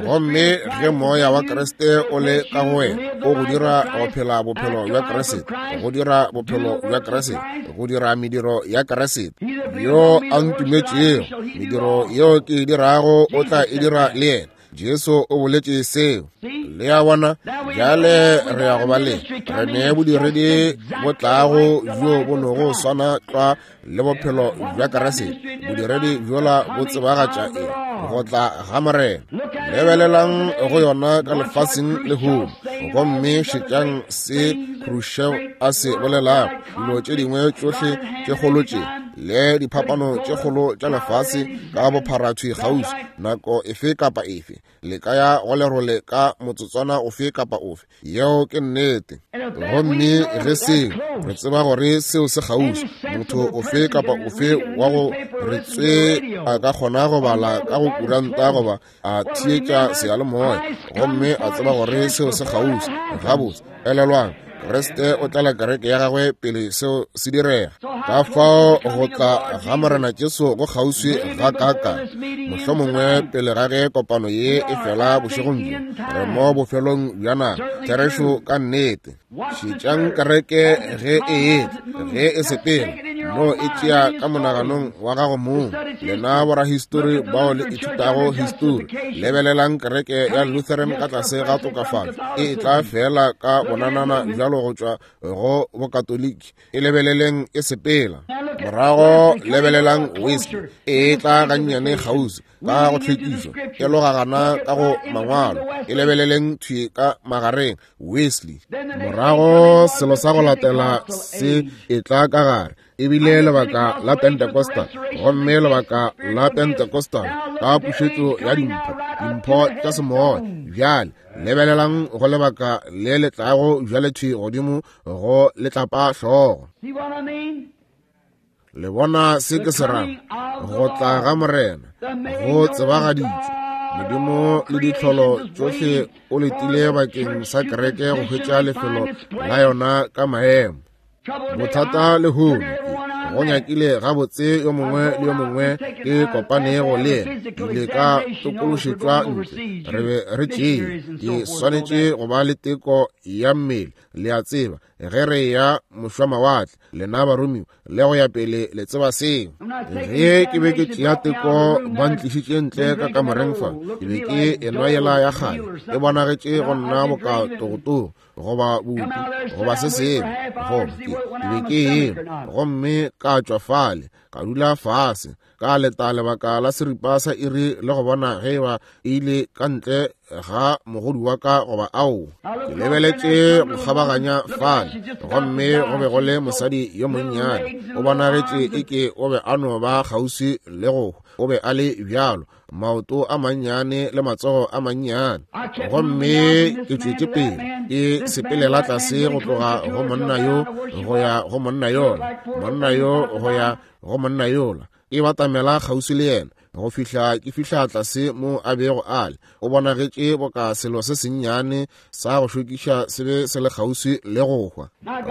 Gomme ge moya wa Kriste o le ka go wena, o go dira go phela bophelo bja Kriste, go dira bophelo bja Kriste, go dira mediro ya Kriste. Yo a ntumetšego, mediro yeo ke e dirago o tla e dira le yena. Jesu o boletše seo. Le a bona? Bjale re ya go ba le re ne bodiredi bo tlago bjo bo nogo swana tlwa le bophelo bja Kriste. Bodiredi bjola bo tsebagatša eng? Go tla ga Morena. Lebelelang go yona ka lefaseng lehono, gomme šetšang se Khrushchev a se bolelago, dilo tše dingwe tšohle tše kgolo tše le diphapano tše kgolo tša lefase ka bophara thwi kgauswi, nako efe kapa efe le ka ya go lerole ka motsotswana ofe kapa ofe. Yeo ke nnete. Gomme ge seo, re tseba gore seo se kgauswi, motho ofe kapa ofe wa go re tswe a ka kgona go bala ka go kuranta goba a theetša seyalemoya gomme a tseba gore seo se kgauswi. Gabotse, elelwang, Kriste o tlala kereke ya gagwe pele seo se direga. Ka fao go tla ga Morena Jesu go kgauswi ga kaka, mohlomongwe pele ga ge kopano ye e fela bošegong bjo, re mo bofelong bja nako. Therešo ka nnete. Šetšang kereke ge e etla, ge e sepela. No e tšea ka monaganong wa gago mong. Lena borahistori bao le ithutago histori, lebelelang kereke ya Lutheran ka tlase ga tokafatšo e tla fela ka bonanana bjalo go tšwa go Bokatoliki. E lebeleleng e sepela. Morago lebelelang Wesley e tla gannyane kgauswi ka go tlhwekišo, e logagana ka go mangwalo. E lebeleleng thwi ka magareng Wesley. Morago selo sa go latela se e tla ka gare ebile lebaka la Pentecostal, gomme lebaka la Pentecostal ka pušetšo ya dimpho, dimpho tša semoya. Bjale lebelelang go lebaka le le tlago bjale thwi godimo go letlapa hlogo. Le bona se ke se rago? Go tla ga Morena go tsebagaditšwe. Modimo le ditlholo tšohle o letile bakeng sa kereke go hwetša lefelo la yona ka maemo. Bothata lehono ke go nyakile gabotse yo mongwe le yo mongwe ke kopanego le yena, ke ile ka tokološetšwa ntle. Re be re tšee, ke swanetše go ba le teko ya mmele, le a tseba, ge re ya mošwamawatle, lena baromiwa le go ya pele, le tseba seo. Ge ke be ke tšea teko, ba ntlišitše ntle ka kamoreng fa, ke be ke enwa yela ya kgale, e bonagetše go nna boka togotogo goba bupi goba se sengwe, goba ke be ke enwa, gomme ka tšwa fale, ka dula fase, ka leta lebaka la seripa sa iri le go bona ge eba e ile ka ntle ga mogodu wa ka goba aowa. Ke lebeletše go kgabaganya fale, gomme go be go le mosadi yo monnyane, o bonagetše eke o be a no ba kgauswi le go hwa, o be a le bjalo, maoto a mannyane le matsogo a mannyane. Gomme ke tšwetše pele ke sepelela tlase go tloga go monna yo go ya go monna yola, monna yo go ya go monna yola, ke batamela kgauswi le yena go fihla ke fihla tlase mo a bego a le. O bonagetše boka selo se sennyane sa go šokiša se be se le kgauswi le go hwa.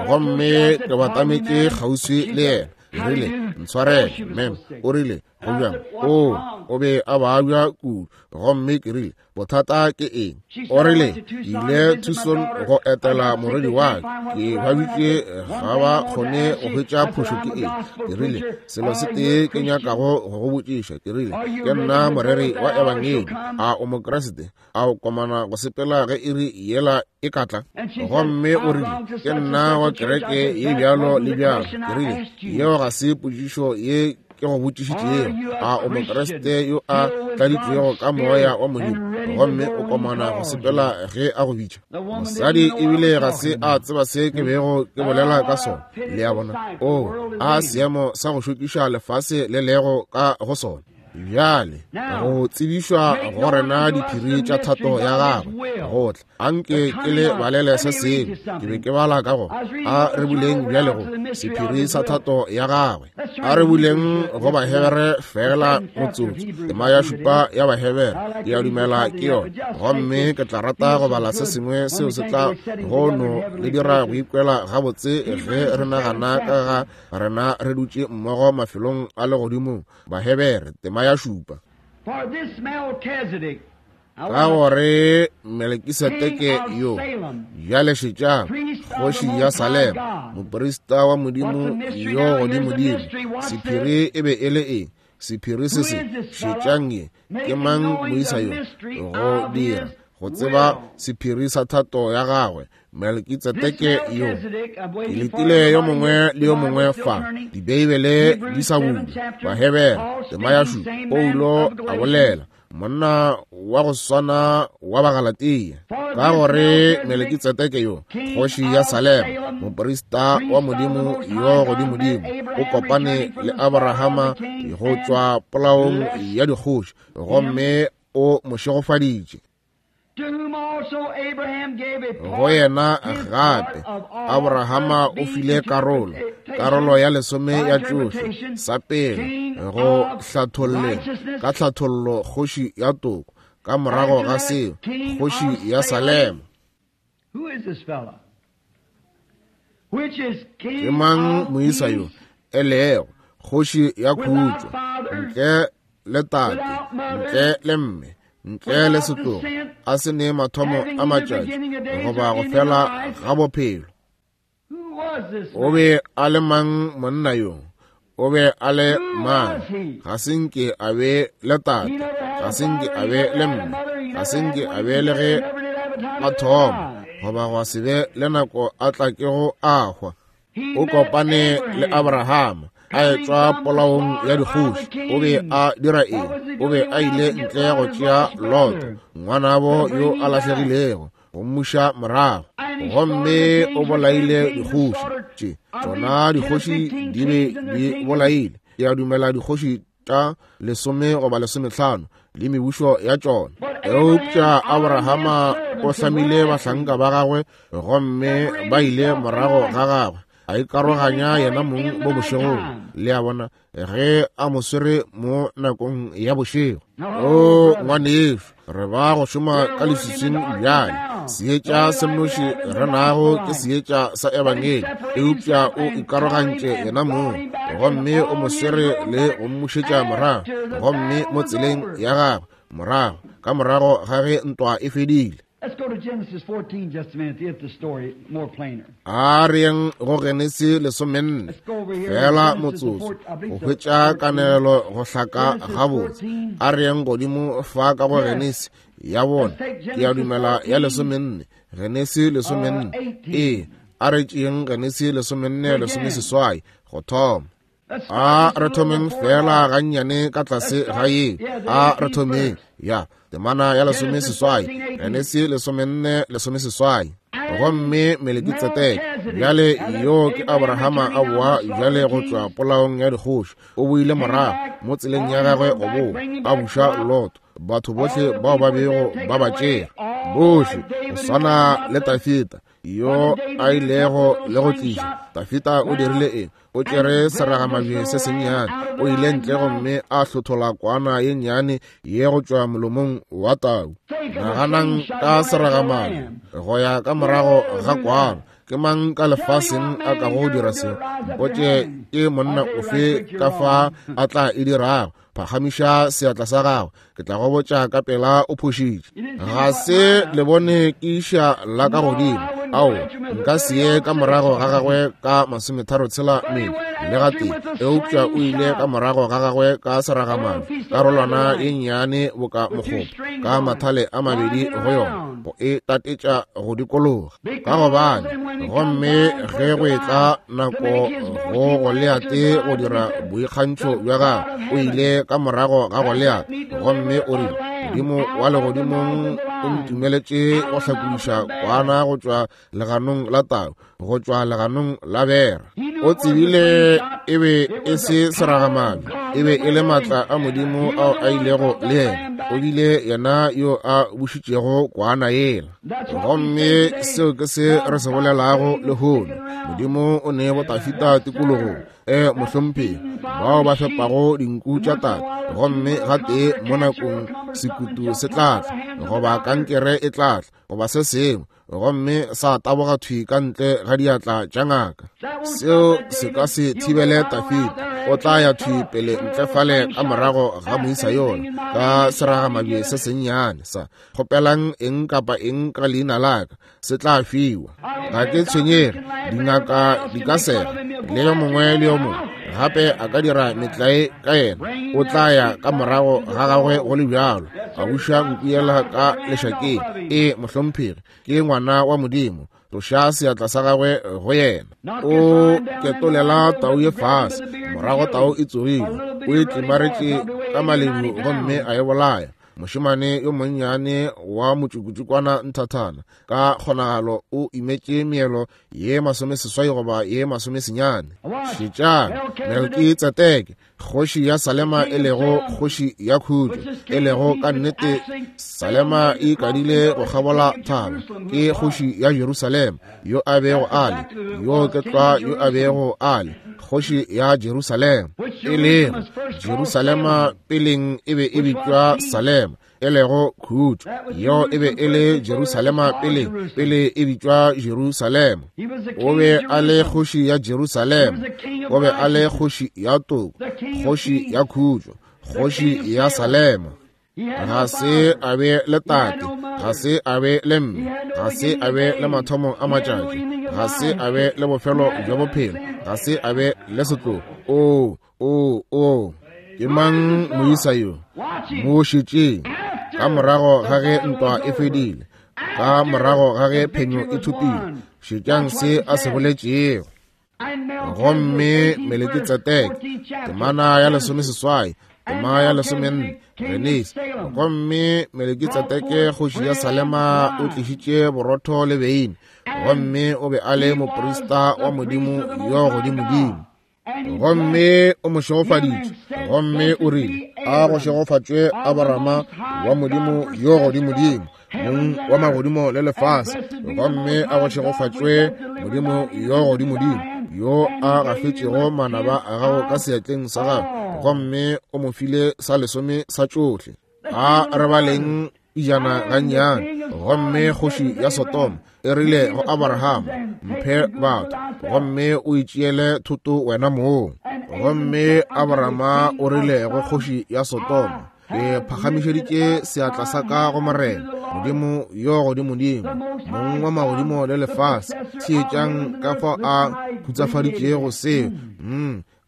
Gomme ke batametše kgauswi le yena. Ke rile, Ntshwarele, mem. O rile, Go bjang? O, o be a babja kudu. Gomme ke rile, Bothata ke eng? O rile, Ke ile Tucson go etela morwedi wa ka, ke babitše ga ba kgone go hwetša phošo ke eng. Ke rile, Selo se tee ke nyakago go go botšiša. Ke rile, Ke nna moreri wa Ebangedi. A o Mokriste? A o komana go sepela ge iri yela e ka tla? Gomme o rile, Ke nna wa kereke ye bjalo le bjalo. Ke rile, Yeo ga se potšišo ye ke go botšišitšego. A o Mokriste yo a tladitšwego ka Moya wa Modimo, gomme o komana go sepela ge a go bitša? Mosadi ebile ga se a tseba se ke bego ke bolela ka sona. Le a bona? Oo, a seemo sa go šokiša lefase le lego ka go sona. Bjale go tsebišwa go rena diphiri tša thato ya gagwe go tla. Anke ke le balele se sengwe. Ke be ke bala ka go a re buleng bjale go sephiri sa thato ya gagwe. A re buleng go Bahebere fela motsotso, tema ya 7 ya Bahebere, ke a dumela ke yona. Gomme ke tla rata go bala se sengwe seo se tla go no le dira go ikwela gabotse ge re nagana ka ga rena re dutše mmogo mafelong a legodimong. Bahebere tema ya 7. Ka gore Melkisedeke yo, bjale šetšang, kgoši ya Salema, moprista wa Modimo yo godimodimo. Sephiri e be e le eng? Sephiri se se, šetšang ye, ke mang moisa yo? Go dira, go tseba sephiri sa thato ya gagwe, Melkitsedeke yo. Ke letile yo mongwe le yo mongwe fa, Dibeibele di sa bulwa. Bahebere, tema ya 7, Paulo a bolela, monna wa go swana wa Bagalatia, ka gore Melkitsedeke yo, kgoši ya Salema, moprista wa Modimo yo godimodimo, o kopane le Abrahama go tšwa polaong ya dikgoši, gomme o mo šegofaditše. Go yena gape Abrahama o file karolo, karolo ya lesome ya tšohle, sa pele go hlatholleng ka hlathollo kgoši ya toko, ka morago ga seo kgoši ya Salema. Ke mang moisa yo e lego kgoši ya khutšo, ntle le tate, ntle le mme, ntle le setlogo, a se ne mathomo a matšatši goba go fela ga bophelo? O be a le mang monna yo? O be a le mang? Ga se nke a be le tate, ga se nke a be le mme, ga se nke a be le ge a thoma, goba gwa se be le nako a tla kego a hwa. O kopane le Abrahama a etšwa polaong ya dikgoši. O be a dira eng? O be a ile ntle go tšea Lot, ngwanabo yo a lahlegilego, go mmuša morago. Gomme o bolaile dikgoši tše, tšona dikgoši di be di bolaile, ke a dumela dikgoši tša 10 goba 15 le mebušo ya tšona. Eupša Abrahama o hlamile bahlanka ba gagwe gomme ba ile morago ga gagwe, a ikaroganya yena mong mo bošegong. Le a bona, ge a mo swere mo nakong ya bošego. O ngwanešu, re ba go šoma ka leswiswing bjale. Seetša se mnoši re nago ke seetša sa ebangedi, eupša o ikarogantše yena mong gomme o mo swere le go mmušetša morago, gomme mo tseleng ya gagwe morago ka morago ga ge ntwa e fedile. Let's go to Genesis 14 just a minute to get the story more plainer. A re yeng go Genesi 14 fela motsotso go hwetša kanegelo go hlaka gabotse. A re yeng godimo fa ka go Genesi ya bone, ke a dumela ya 14, Genesi 14. Ee, a re tšeeng Genesi 14 18 go thoma. A re thomeng fela gannyane ka tlase ga ye. A re thomeng ya temana ya 18, Genesi 14 18. Gomme Melekitsedeke, bjale yo ke Abrahama a boa bjale go tšwa polaong ya dikgoši, o boile morago mo tseleng ya gagwe go boa, a buša Lot, batho bohle bao ba bego ba ba tšere, bohle go swana le Dafida yo a ilego le go tliša. Dafida o dirile eng? O tšere seragamabje se sennyane, o ile ntle gomme a hlothola kwana ye nnyane ye go tšwa molomong wa tau. Naganang ka seragamabje go ya ka morago ga kwana. Ke mang ka lefaseng a kago dira seo? Mpotše ke monna ofe ka fa a tla e dirago. Phagamiša seatla sa gago, ke tla go botša ka pela o phošitše. Ga se le bone ke iša la ka godimo. Ao, nka se ye ka morago ga gagwe ka 36 mil le gatee, eupša o ile ka morago ga gagwe ka seragamane, karolwana ye nnyane boka mokgopa, ka mathale a mabedi go yona, go e tatetša go dikologa. Ka gobane, gomme ge go etla nako go Goliate go dira boikgantšho bja gagwe, o ile ka morago ga Goliate gomme o rile, Modimo wa legodimong o ntumeletše go hlakodiša kwana go tšwa leganong la tau, go tšwa leganong la bera. O tsebile e be e se seragamabje, e be e le maatla a Modimo ao a ilego le yena. O bile yena yo a bušitšego kwana yela. Gomme seo ke se re se bolelago lehono. Modimo o ne boTafita tikologong, e mohlomphegi, bao ba fepago dinku tša tate, gomme gatee mo nakong sekutu se tla tla, goba kankere e tla tla, goba se sengwe, gomme sa taboga thwi ka ntle ga diatla tša ngaka. Seo se ka se thibele Tafita. O tla ya thwi pele ntle fale ka morago ga moisa yola ka seragamabje se sennyane sa kgopelang eng kapa eng ka leina la ka, se tla fiwa. Ga ke tshwenyege, dingaka di ka sega le yo mongwe le yo mongwe gape a ka dira metlae ka yena, o tla ya ka morago ga gagwe go le bjalo, a buša nku yela ka lešakeng. Ee, mohlomphegi, ke ngwana wa Modimo. Tloša seatla sa gagwe go yena. O ketolela tau ye fase, morago tau e tsogile, o e tlimaretše ka malebu gomme a e bolaya. Mošemane yo monnyane wa motšukutšukwana nthathana ka kgonagalo o imetše meelo ye 80 goba ye 90. Šetšang Melkitsedeke, kgoši ya Salema, e lego kgoši ya khutšo, e lego ka nnete Salema e ikadile go kgabola thaba, ke kgoši ya Jerusalema, yo a bego a le, yo ke tlwa yo a bego a le kgoši ya Jerusalema, e lego Jerusalema peleng e be e bitšwa Salema, e lego khutšo. Yo e be e le Jerusalema peleng, pele e bitšwa Jerusalema. O be a le kgoši ya Jerusalema, o be a le kgoši ya toko, kgoši ya khutšo, kgoši ya Salema. Ga se a be le tate, ga se a be le mme, ga se a be le mathomo a matšatši, ga se a be le bofelo bja bophelo, ga se a be le setlogo. Oo, Oo, oo, ke mang moisa yo? Mo šetšeng. Ka morago ga ge ntwa e fedile, ka morago ga ge phenyo e thopile, šetšang se a se boletšego. Gomme Melekitsedeke, temana ya 18, tema ya 14, Genesi. Gomme Melekitsedeke kgoši ya Salema o tlišitše borotho le beine, gomme o be a le moprista wa Modimo yo godimodimo. Gomme o mo šegofaditše, gomme o rile, A go šegofatšwe Abrahama wa Modimo yo godimodimo, mong wa magodimo le lefase. Gomme a go šegofatšwe Modimo yo godimodimo, yo a gafetšego manaba a gago ka seatleng sa gago. Gomme o mo file sa lesome sa tšohle. A re baleng pijana gannyane. Gomme kgoši ya Sodoma e rile go Abrahama, Mphe batho, gomme o itšeele thoto wena mong. Gomme Abrahama o rile go kgoši ya Sodoma, Ke phagamišeditše seatla sa ka go Morena, Modimo yo godimodimo, mong wa magodimo le lefase. Theetšang ka fao a khutsafaditšego seo.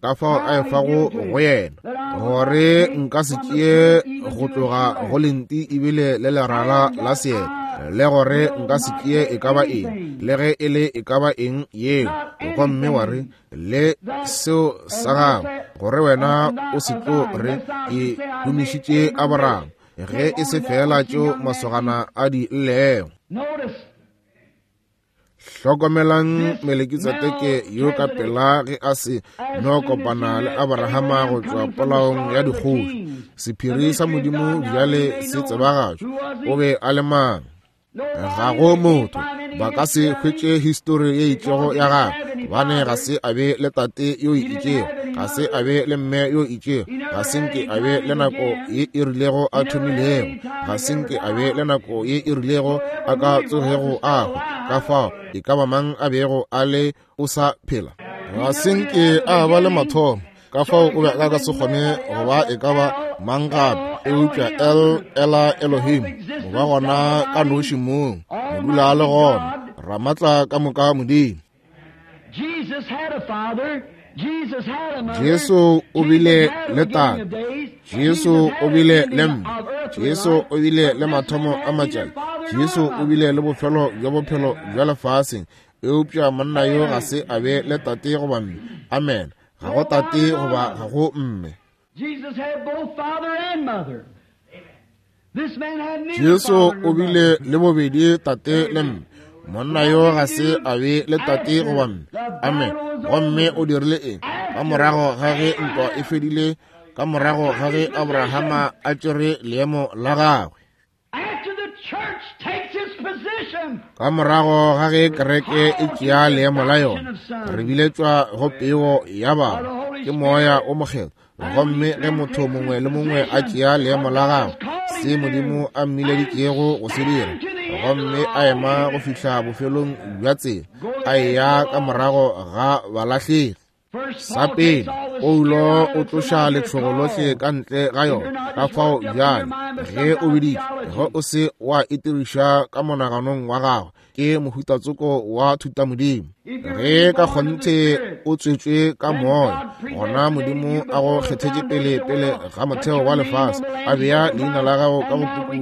Ka fao a efago go yena, gore nka se tšee go tloga go lenti ebile le lerala la seeta, le gore nka se tšee e ka ba eng, le ge e le e ka ba eng yeo. Gomme wa re, le seo sa gago, gore wena o se tlo re, ke humišitše Abraham, ge e se feela tšeo masogana a di llego. Hlokomelang Melekitsedeke yo ka pela ge a se no kopana le Abrahama go tšwa polaong ya dikgoši. Sephiri sa Modimo bjale se tsebagatšwa. O be a le mang? Ga go motho ba ka se hwetše histori ye itšego ya gagwe, gobane ga se a be le tate yo itšego, ga se a be le mme yo itšego, ga se nke a be le nako ye e rilego a thomilego, ga se nke a be le nako ye e rilego a ka tsogego a hwa. Ka fao e ka ba mang a bego a le, o sa phela. Ga se nke a ba le mathomo, ka fao o be a ka se kgone go ba e ka ba mang gape eupša El Ela Elohim, go ba gona ka noši mong, modula a le gona, Ramatla ka moka Modimo. Jesu o bile le tate, Jesu o bile le mme, Jesu o bile le mathomo a matšatši, Jesu o bile le bofelo bja bophelo bja lefaseng, eupša monna yo ga se a be le tate goba mme. Amen. Ga go tate goba ga go mme. Jesu o bile le bobedi tate le mme. Monna yo ga se a be le tate goba mme. Amen. Gomme o dirile eng? Ka morago ga ge ntwa e fedile, ka morago ga ge Abrahama a tšere leemo la gagwe, ka morago ga ge kereke e tšea leemo la yona, re biletšwa go peo ya bana ke Moya o Mokgethwa. Gomme ge motho mongwe le mongwe a tšea leemo la gagwe, se Modimo a mmileditšego go se dira, gomme a ema go fihla bofelong bja tsela, a eya ka morago ga balahlegi. Sa pele, Paulo o tloša letšhogo lohle ka ntle ga yona. Ka fao bjale, ge o biditšwe, ge o se wa itiriša ka monaganong wa gago, ke mohutatsoko wa thutamodimo. Ge ka kgonthe o tswetšwe ka moya, gona Modimo a go kgethetše pele pele ga motheo wa lefase, a bea leina la gago ka go puku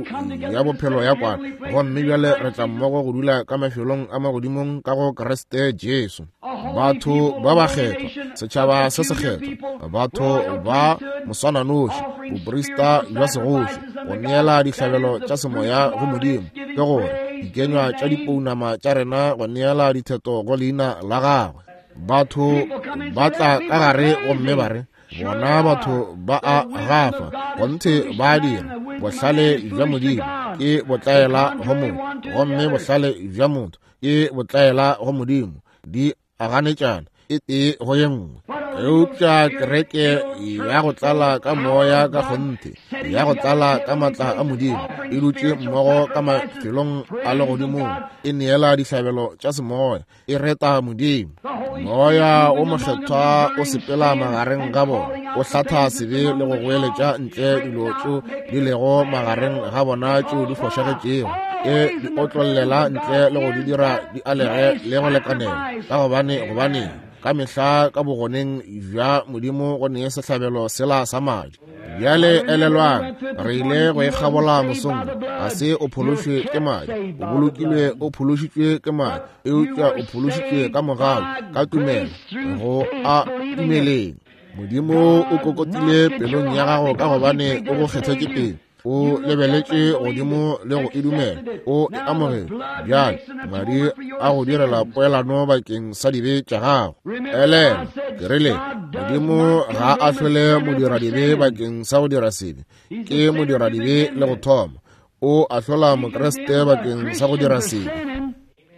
ya bophelo ya kwana, gomme bjale re tla mmogo go dula ka mafelong a magodimong ka go Kriste Jesu. Batho ba bakgethwa, setšhaba se sekgethwa, batho ba moswananoši, boprista bja segoši, go neela dihlabelo tša semoya go Modimo, ke gore dikenywa tša dipounama tša rena go neela ditheto go leina la gagwe. Batho ba tla ka gare gomme ba re, bona batho ba a gafa, gonthe ba a dira. Bohlale bja Modimo ke botlaela go motho, gomme bohlale bja motho ke botlaela go Modimo, di a ganetšana e tee go ye nngwe. Eupša kereke ya go tlala ka moya ka kgonthe, ya go tlala ka matla a Modimo, e dutše mmogo ka mafelong a legodimong, e neela dihlabelo tša semoya, e reta Modimo. Moya o Mokgethwa o sepela magareng ga bona, o hlatha sebe le go goeletša ntle dilo tšeo di lego magareng ga bona tšeo di fošagetšego, e di otlollela ntle le go di dira di alege le go lekanela. Ka gobane, gobaneng? Ka mehla ka bogoneng bja Modimo go ne sehlabelo sela sa madi. Bjale elelwang, re ile go e kgabola mosong. Ga se o phološwe ke madi, o bolokilwe, o phološitšwe ke madi, eupša o phološitšwe ka mogau, ka tumelo, go a dumeleng. Modimo o kokotile pelong ya gago ka gobane o go kgethetše pele. O lebeletše godimo le go e dumela, o e amogela. Bjale madi a go direla poelano bakeng sa dibe tša gago. Elelwa, ke rile Modimo ga a ahlole modiradibe bakeng sa go dira sebe. Ke modiradibe le go thoma. O ahlola Mokriste bakeng sa go dira sebe.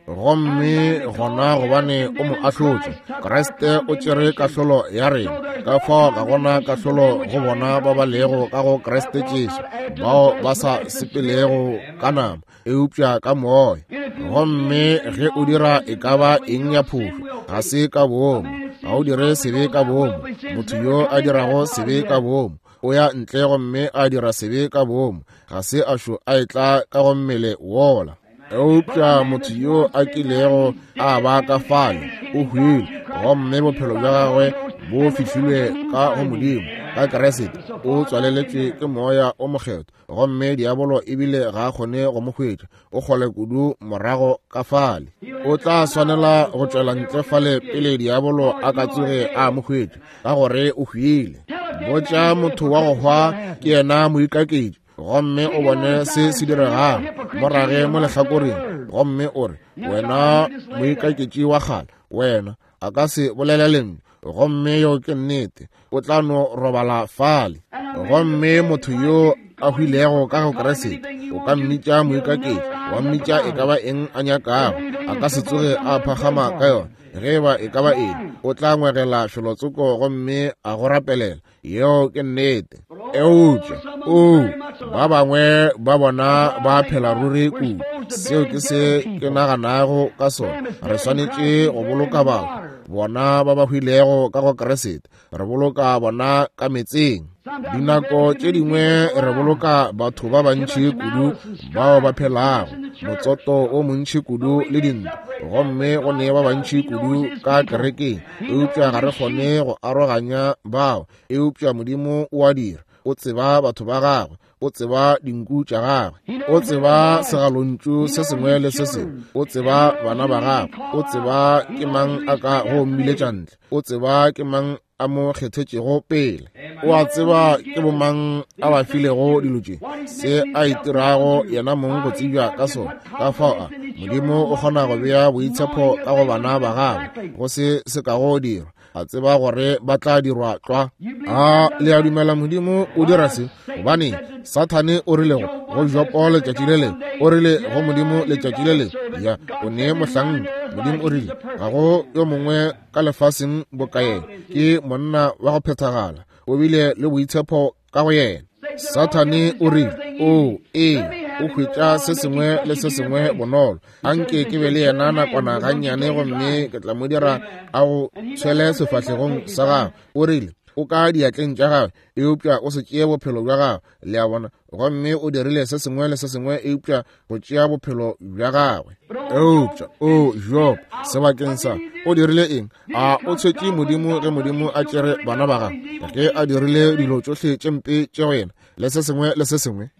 Gomme gona gobane o mo ahlotše, Kriste o tšere kahlolo ya rena. Ka fao ga gona kahlolo go bona ba ba lego ka go Kriste Jesu, bao ba sa sepelego ka nama, eupša ka moya. Gomme ge o dira e ka ba eng ya phošo, ga se ka boomo. Ga o dire sebe ka boomo. Motho yo a dirago sebe ka boomo o ya ntle gomme a dira sebe ka boomo, ga se a šo a etla ka go mmele wola. Eupša motho yo a kilego a ba ka fale o hwile, gomme bophelo bja gagwe bo fihlilwe ka go Modimo ka Kriste, o tswaleletšwe ke Moya o Mokgethwa, gomme diabolo ebile ga a kgone go mo hwetša, o kgole kudu morago ka fale. O tla swanela go tšwela ntle fale pele diabolo a ka tsoge a mo hwetša, ka gore o hwile. Botša motho wa go hwa ke yena moikaketši, gomme o bone se se diregago morage mo lehlakoreng, gomme o re, wena moikaketši wa kgale, wena, a ka se bolele lentšu, gomme yo ke nnete, o tla no robala fale. Gomme motho yo a hwilego ka go Kriste, o ka mmitša moikaketši, wa mmitša e ka ba eng a nyakago, a ka se tsoge a phagama ka yona. Ge eba e ka ba eng, o tla ngwegela felotsoko gomme a go rapelela. Yeo ke nnete. Eupša o, ba bangwe ba bona ba phela ruri kudu. Seo ke se ke naganago ka sona. Re swanetše go boloka batho, bona ba ba hwilego ka go Kriste. Re boloka bona ka metseng. Dinako tše dingwe re boloka batho ba bantši kudu bao ba phelago, motsoto o montši kudu le dintwa, gomme go ne ba bantši kudu ka kerekeng, eupša ga re kgone go aroganya bao. Eupša Modimo o a dira. O tseba batho ba gagwe, o tseba dinku tša gagwe, o tseba segalontšu se sengwe le se sengwe, o tseba bana ba gagwe, o tseba ke mang a ka go mmiletša ntle, o tseba ke mang a mo kgethetšego pele, o a tseba ke bomang a ba filego dilo tše, se a itirago yena mong go tsebja ka sona. Ka fao a Modimo o kgona go bea boitshepo ka go bana ba gagwe, go se se kago dirwa, a tseba gore ba tla dirwa tlwa. A le a dumela Modimo o dira se? Gobane Sathane o rile go Jopo letšatši le lengwe, o rile go Modimo letšatši le lengwe, ya o ne mohlanka. Modimo o rile ga go yo mongwe ka lefaseng boka yena, ke monna wa go phethagala, o bile le boitshepo ka go yena. Sathane o rile, o ee, o hwetša se sengwe le se sengwe bonolo, anke ke be le yena nakwana gannyane gomme ke tla mo dira a go tshwele sefahlegong sa gagwe. O rile, o ka diatleng tša gagwe, eupša o se tšee bophelo bja gagwe. Le a bona? Gomme o dirile se sengwe le se sengwe eupša go tšea bophelo bja gagwe. Eupša o Job, sebakeng sa, o dirile eng? A o tshetše Modimo ge Modimo a tšere bana ba gagwe, ge a dirile dilo tšohle tše mpe tše go yena le se sengwe le se sengwe?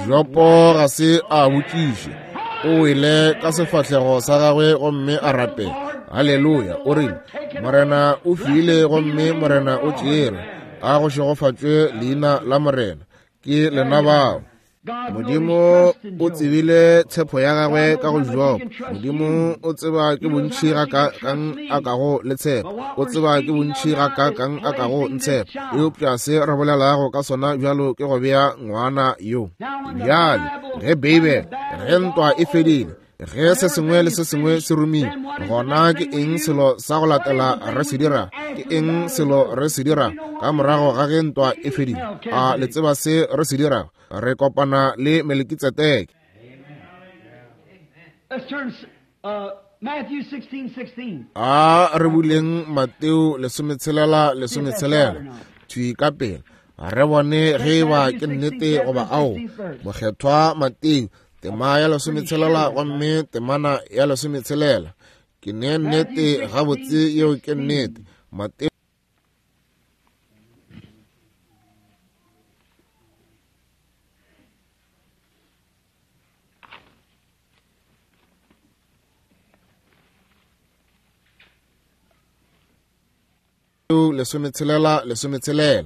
Jopo ga se a botšiše, o wele ka sefahlego sa gagwe gomme a rapela. Haleluya! O rile, Morena o file gomme Morena o tšere, a go šegofatšwe leina la Morena. Ke lena bao. Modimo o tsebile tshepo ya gagwe ka go Job. Modimo o tseba ke bontši ga ka kang a kago le tshepo, o tseba ke bontši ga ka kang a kago ntshepo. Eupša se re bolelago ka sona bjalo ke go bea ngwana yo. Bjale ge Beibele, ge ntwa e fedile, ge se sengwe le se sengwe se romile, gona ke eng selo sa go latela re se dira? Ke eng selo re se dira ka morago ga ge ntwa e fedile? A le tseba se re se dirago? Re kopana le Melekitsedeke. Let's turn Matthew 16:16. A re buleng Mateo 16:16 thwi ka pele, re bone ge e ba ke nnete goba ao. Mokgethwa Mateo tema ya 16 gomme temana ya 16. Ke ne nnete gabotse yeo ke nnete. Mateo 16 16.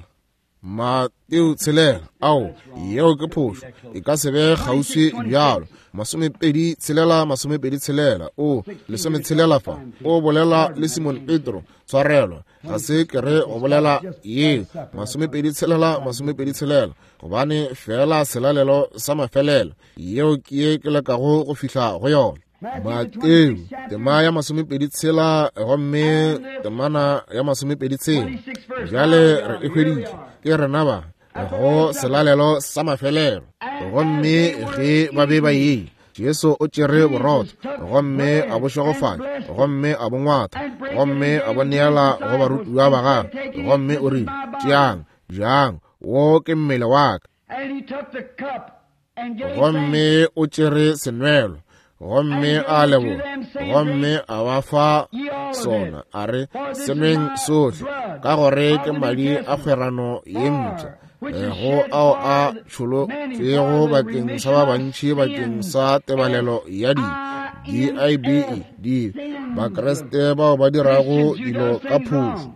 Mateo 6. Ao, yeo ke phošo. E ka se be kgauswi bjalo. 26 26. O 16 fa. O bolela le Simon Petro. Tshwarelo. Ga se ke re go bolela yeo. 26 26. Gobane fela selalelo sa mafelelo. Yeo ke ye ke lekago go fihla go yona. Mateo tema ya 26 gomme temana ya 26. Bjale re e hweditše, ke rena ba go selalelo sa mafelelo. Gomme ge ba be ba ye, Jesu o tšere borotho gomme a bo šegofatša gomme a bo ngwatha gomme a bo neela go barutiwa ba gagwe gomme o rile, Tšeang, jang, wo ke mmele wa ka. Gomme o tšere senwelo gomme a leboga gomme a ba fa sona, a re, Senweng sohle, ka gore ke madi a kgwerano ye mpsha, go ao a tšholotšwego bakeng sa ba bantši bakeng sa tebalelo ya dibe. D-I-B-E, dibe. Bakriste bao ba dirago dilo ka phošo.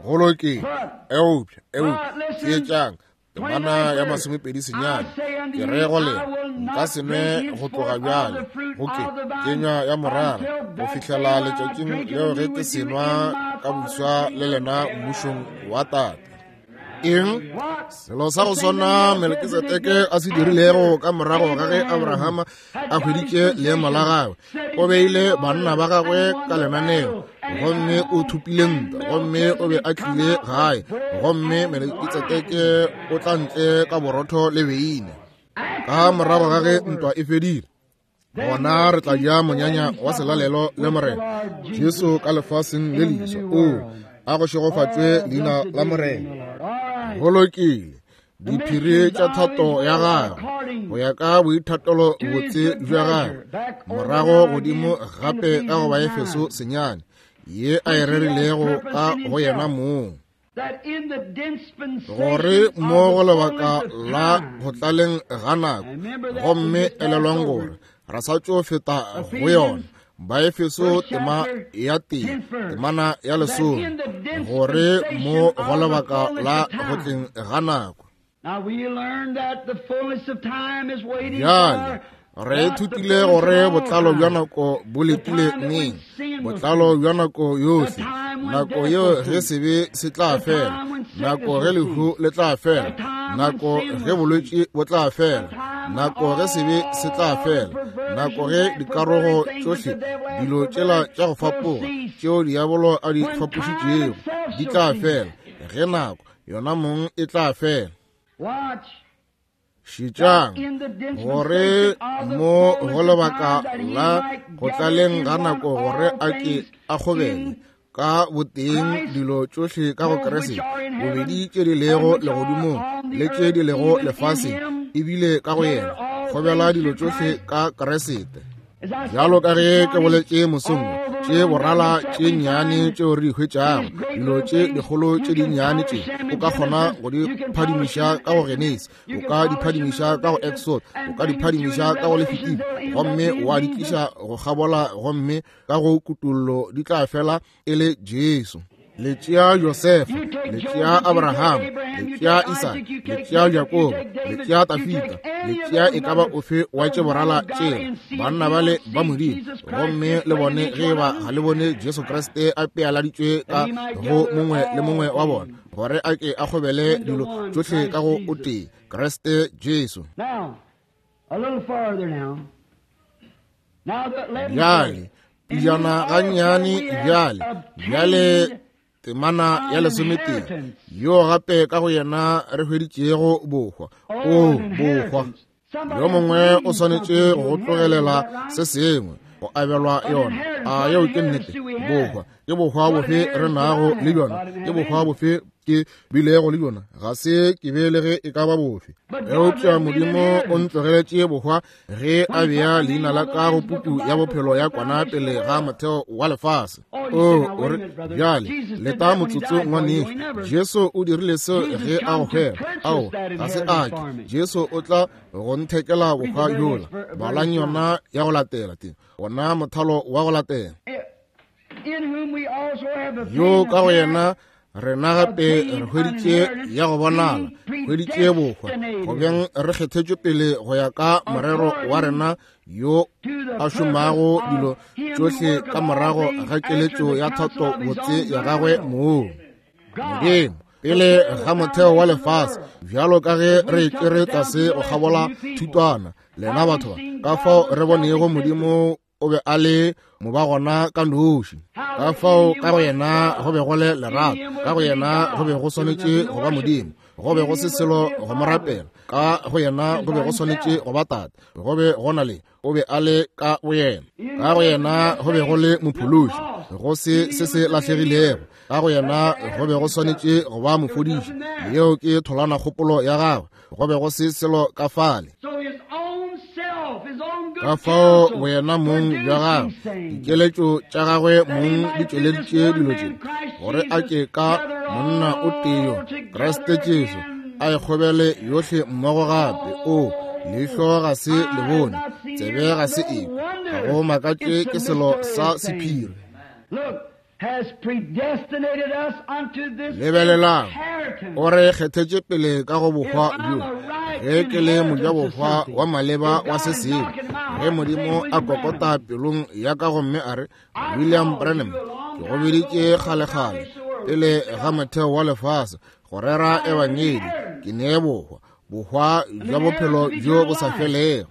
Go lokile. Eupša, eupša, theetšang, temana ya 29, ke re go lena, nka se nwe go tloga bjale go ke kenywa ya morara go fihlela letšatšing leo ge ke senwa ka boswa le lena mmušong wa Tate. Eng? Selo sa go swana Melkisedeke a se dirilego ka morago ga ge Abrahama a hweditše leemo la gagwe. O beile banna ba gagwe ka lenaneo gomme o thopile ntwa gomme o be a tlile gae gomme Melkisedeke o tla ntle ka borotho le beine. Ka morago ga ge ntwa e fedile, gona re tla ja monyanya wa selalelo le Morena Jesu ka lefaseng le leswa. O a go šegofatšwe leina la Morena. Go lokile. Diphiri tša thato ya gagwe go ya ka boithatelo botse bja gagwe, morago godimo gape ka go Baefeso 9, ye a e rerilego ka go yena mong, gore mo go lebaka la go tlaleng ga nako, gomme elelwang gore ra sa tšo feta go yona. Baefeso tema ya 1 temana ya 10, gore mo go lebaka la go tleng ga nako. Bjale re ithutile gore botlalo bja nako bo letile neng, botlalo bja nako yohle, nako yeo ge sebe se tla fela, nako ge lehu le tla fela, nako ge bolwetši bo tla fela, nako ge sebe se tla fela, nako ge dikarogo tšohle, dilo tšela tša go fapoga tšeo diabolo a di fapošitšego di tla fela, ge nako yona mong e tla fela. Šetšang gore mo go lebaka la go tlaleng ga nako gore a ke a kgobele ka boteng dilo tšohle ka go Kriste, bobedi tše di lego legodimong le tše di lego lefaseng, ebile ka go yena kgobela dilo tšohle ka Kriste. Bjalo ka ge ke boletše mosong, tše borala tše nnyane tšeo re di hwetšago, dilo tše dikgolo tše dinnyane tše o ka kgona go di phadimiša ka go Genesi, o ka di phadimiša ka go Exod, o ka di phadimiša ka go Lefitiko, gomme wa di tliša go kgabola, gomme ka go Kutollo di tla fela e le Jesu. Le tšea Josefa, le tšea Abraham, le tšea Isaka, le tšea Jakobo, le tšea Tafita, le tšea e ka ba ofe wa tše borala tšela, banna bale ba Modimo, gomme le bone ge ba ga le bone Jesu Kriste a pealaditšwe ka go mongwe le mongwe wa bona, gore a ke a kgobele dilo tšohle ka go o tee, Kriste Jesu. Bjale, pejana gannyane bjale, bjale temana ya 11, yo gape ka go yena re hweditšego bohwa. O bohwa. Yo mongwe o swanetše go tlogelela se sengwe go abelwa yona. A yeo ke nnete? Bohwa. Ke bohwa bofe re nago le bjona? Ke bohwa bofe? ke bilego le yona ga se ke be le ge e ka ba bofe. Eupša Modimo o ntlogeletše bohwa ge a bea leina la ka go puku ya bophelo ya kwana pele ga motheo wa lefase. O o re, bjale leta motsotso ngwanešu. Jesu o dirile seo ge a go hwela. Ao, ga se a ke. Jesu o tla go nthekela bohwa bjola. Balang yona ya go latela te, ona mothalo wa go latela. Yo ka go yena rena gape re hweditše ya go bonala, hweditše bohwa, go beng re kgethetšwe pele go ya ka morero wa rena yo a šomago dilo tšohle ka morago ga keletšo ya thato botse ya gagwe mong. Modimo pele ga motheo wa lefase, bjalo ka ge re tšere tlase go kgabola thutwana, lena batho ba, ka fao re bonego Modimo o be a le moba gona ka noši. Ka fao ka go yena go be go le lerato, ka go yena go be go swanetše go ba Modimo, go be go se selo go mo rapela, ka go yena go be go swanetše go ba Tate, go be go na le, o be a le ka go yena, ka go yena go be go le Mophološi, go se se se lahlegilego, ka go yena go be go swanetše go ba mofodiši, yeo ke tholwana kgopolo ya gagwe, go be go se selo ka fale. Ka fao boyena mong bja gagwe, dikeletšo tša gagwe mong di tšweleditše dilo tše, gore a ke ka monna o tee yo, Kriste Jesu, a e kgobele yohle mmogo gape. O, leihlo ga se le bone, tsebe ga se ekwe, ga go makatše ke selo sa sephiri. Lebelelang, o re kgethetše pele ka go bohwa bjo. Ge ke le mojabohwa wa maleba wa se sengwe, ge Modimo a kokota pelong ya ka gomme a re, William Branham, ke go biditše kgalekgale pele ga motheo wa lefase go rera ebangedi, ke nee bohwa, bohwa bja bophelo bjo bo sa felego.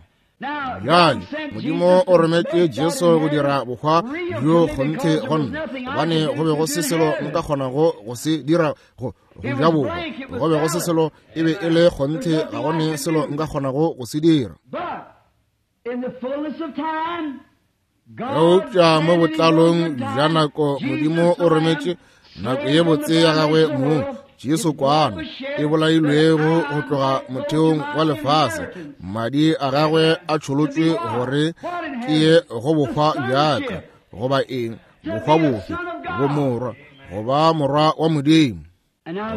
Bjale Modimo o rometše Jesu go dira bohwa bjo kgonthe go nna, gobane go be go se selo nka kgonago go se dira go ja bohwa. Go be go se selo, e be e le kgonthe, ga go ne selo nka kgonago go se dira. Eupša mo botlalong bja nako Modimo o rometše nako ye botse ya gagwe mong, Jesu kwana e bolailwego go tloga motheong wa lefase, madi a gagwe a tšholotšwe gore ke ye go bohwa bjaka, goba eng, bohwa bofe, bomorwa, goba morwa wa Modimo.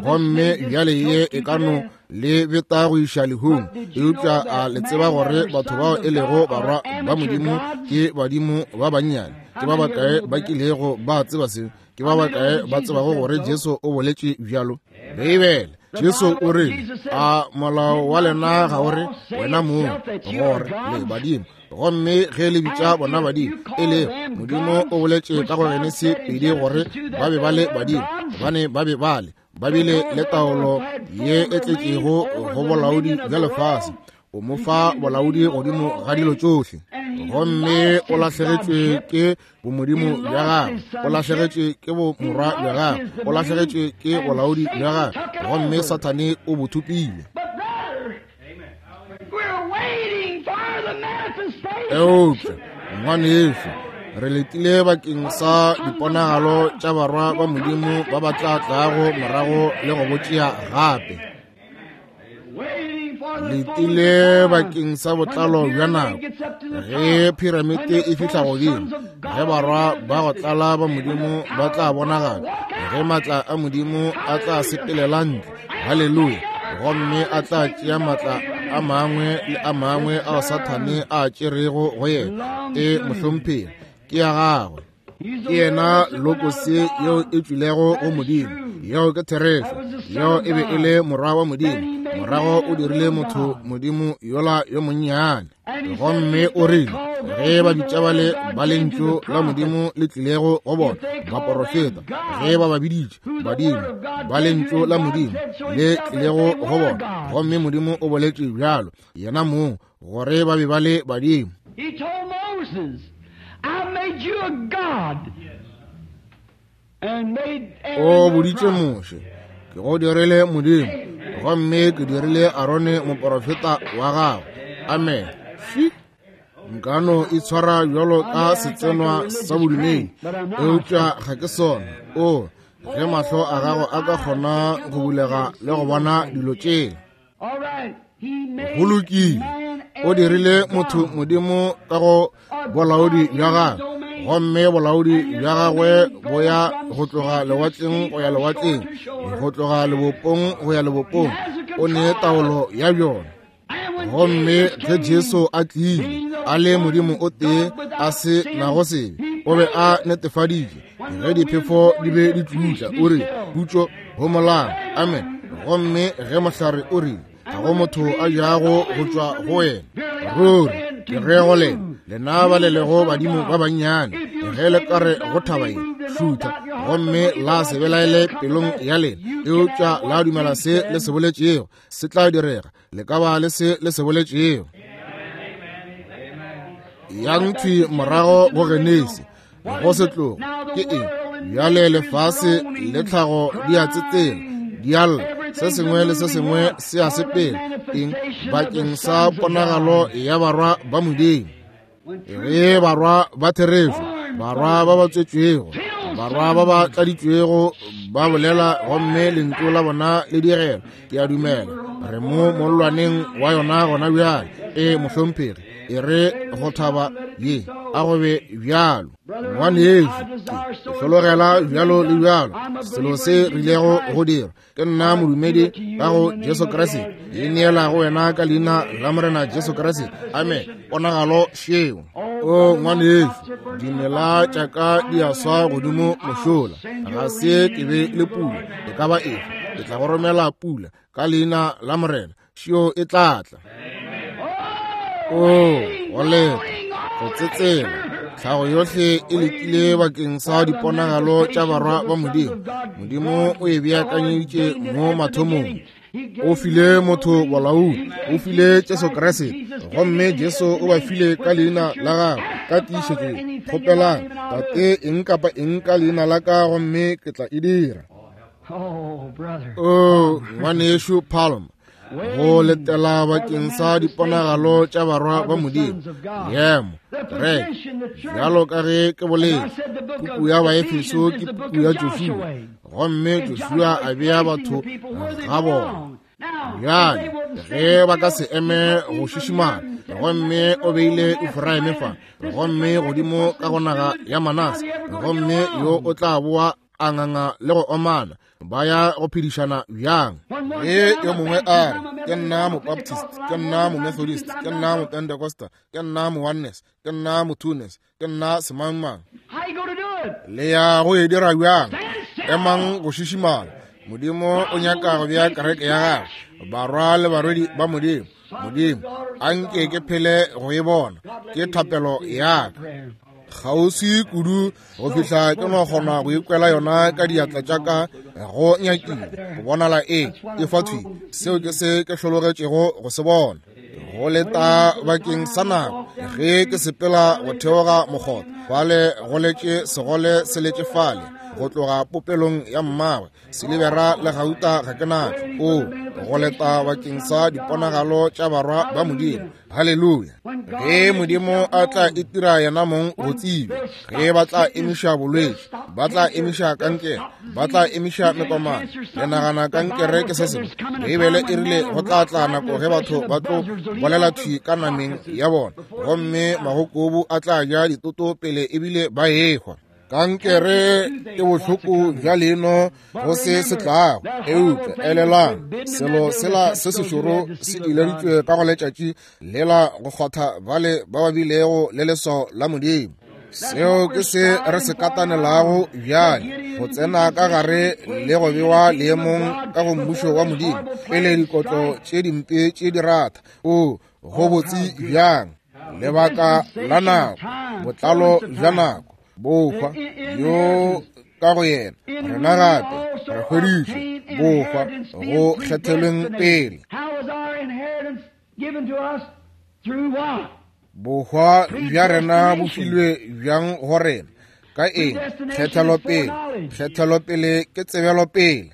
Gomme bjale ye e ka no le beta go iša lehung, eupša a le tseba gore batho bao e lego barwa ba Modimo ke badimo ba bannyane? Ke ba bakae ba kilego ba tseba se? Ke ba bakae ba tsebago gore Jesu o boletše bjalo? Beibele, Jesu o rile, a molao wa lena ga o re, wena mong, gore le badimo? Gomme ge le bitša bona badimo, e le Modimo o boletše ka go Genesi 2 gore ba be ba le badimo, gobane ba be ba le, ba bile le taolo ye e tletšego go bolaodi bja lefase. O mo fa bolaodi godimo ga dilo tšohle. Gomme o lahlegetšwe ke bomodimo bja gagwe, o lahlegetšwe ke bomorwa bja gagwe, o lahlegetšwe ke bolaodi bja gagwe, gomme Sathane o bo thopile. Eupša, ngwanešu, re letile bakeng sa diponagalo tša barwa ba Modimo ba ba tla tlago morago le go botšea gape. Letile bakeng sa botlalo bja nako, ge piramite e fihla godimo, ge barwa ba go tlala ba Modimo ba tla bonagala, ge maatla a Modimo a tla sepelela ntle, haleluya, gomme a tla tšea maatla a mangwe le a mangwe ao Sathane a tšerego go yena. E mohlomphegi, ke ya gagwe. Ke yena lokose yeo e tšwilego go Modimo. Yeo ke therešo. Yeo e be e le morwa wa Modimo. Morago o dirile motho Modimo yola yo monnyane. Gomme o rile, ge ba bitša bale ba lentšu la Modimo le tlilego go bona, baporofeta, ge ba ba biditše badimo ba lentšu la Modimo le tlilego go bona, gomme Modimo o boletše bjalo yena mong gore ba be ba le badimo. He told Moses, I made you a god and made Aaron O your boditše prophet. Moshe, ke go dirile Modimo, gomme ke dirile Arone moporofeta wa gago. Amen. Fi. Nka no itshwara bjalo ka setsenwa sa bodumedi, eupša ga ke sona. O, Ge mahlo a gago a ka kgona go bulega le go bona dilo tšela. Go lokile. O dirile motho Modimo ka go bolaodi bja gagwe, gomme bolaodi bja gagwe bo ya go tloga lewatleng go ya lewatleng, go tloga lebopong go ya lebopong. O ne taolo ya bjona. Gomme ge Jesu a tlile, a le Modimo o tee a se nago sebe, o be a netefaditše ge diphefo di be di tlutla, o re, Khutšo, homolang. Amen. Gomme ge mohlare o rile, ga go motho a jago go tšwa go wena, ruri ke re go lena, lena ba le lego badimo ba bannyane, ge le ka re go thaba ye, šutha, gomme la se belaele pelong ya lena, eupša la dumela se le se boletšego, se tla direga. Le ka ba le se le se boletšego. Yang thwi morago go Genesi, go setlogo ke eng? Bjale lefase le tlhago di a tsetsela, di a lla, se sengwe le se sengwe se a sepela. Eng? Bakeng sa ponagalo ya barwa ba Modimo. Ge barwa ba therešo, barwa ba ba tswetšwego, barwa ba ba tladitšwego ba bolela, gomme lentšu la bona le direla, ke a dumela re mo mollwaneng wa yona gona bjale. E mohlomphegi, e re go thaba ye a go be bjalo. Ngwanešu, ke hlologela bjalo le bjalo selo se rilego go dira. Ke nna modumedi ka go Jesu Kriste, ke neela go wena ka leina la Morena Jesu Kriste. Amen. Ponagalo šeo. O ngwanešu, dimela tša ka di a swa godimo mošola, ga se ke be le pula e ka ba efe. Ke tla go romela pula ka leina la Morena, šeo e tla tla. O go leta, go tsetsela, tlhago yohle e letile bakeng sa diponagalo tša barwa ba Modimo. Modimo o e beakanyeditše mo mathomong. O file motho bolaodi, o file Jesu Kriste, gomme Jesu o ba file ka leina la gagwe ka tiišetšo. Kgopelang Tate eng kapa eng ka leina la ka, gomme ke tla e dira. O ngwanešu Palm, go letela bakeng sa diponagalo tša barwa ba Modimo. Leemo, kereke, bjalo ka ge ke boletše, puku ya Baefeso ke puku ya Joshua, gomme Joshua a bea batho ga bona. Bjale ge ba ka se eme go šišimala, gomme o beile Efraime fa, gomme godimo ka go naga ya Manase, gomme yo o tla boa a nganga le go omana, ba ya go phedišana bjang? Ge yo mongwe a re, ke nna Mobaptist, ke nna Momethodist, ke nna Mopentecosta, ke nna Mooneness, ke nna Motwoness, ke nna semangmang, le ya go e dira bjang? Emang go šišimala. Modimo o nyaka go bea kereke ya gagwe, barwa le barwedi ba Modimo. Modimo, a nke ke phele go e bona, ke thapelo ya ka. Kgauswi kudu go fihla ke no kgona go ikwela yona ka diatla tša ka, go nyakile go bonala e e fa thwi. Seo ke se ke hlologetšego go se bona. Go leta bakeng sa nako ge ke sepela go theoga mokgotha, fale go letše segole se letše fale go tloga popelong ya mmagwe, silibera le gauta ga ke natšo. O go leta bakeng sa diponagalo tša barwa ba Modimo. Haleluya! Ge Modimo a tla itira yena mong go tsebja, ge ba tla emiša bolwetši, ba tla emiša kankere, ba tla emiša mekomana. Le nagana kankere ke se sengwe? Beibele e rile go tla tla nako ge batho ba tlo bolela thwi ka nameng ya bona, gomme magokobu a tla ja ditoto pele ebile ba ehwa. Kankere ke bohloko bja leino go se se tlago, eupša elelang, selo sela se sešoro se ileditšwe ka go letšatši lela go kgwatha bale ba ba bilego le leswao la Modimo. Seo ke se re se katanelago bjale, go tsena ka gare le go bewa leemong ka go mmušo wa Modimo pele dikotlo tše dimpe tše di ratha. O go botse bjang! Lebaka la nako, botlalo bja nako, bohwa yo ka go yena rena gape re hweditšwe bohwa go kgethelweng pele. Bohwa bja rena bo filwe bjang go rena? Ka eng? Kgethelopele. Kgethelopele ke tsebelopele.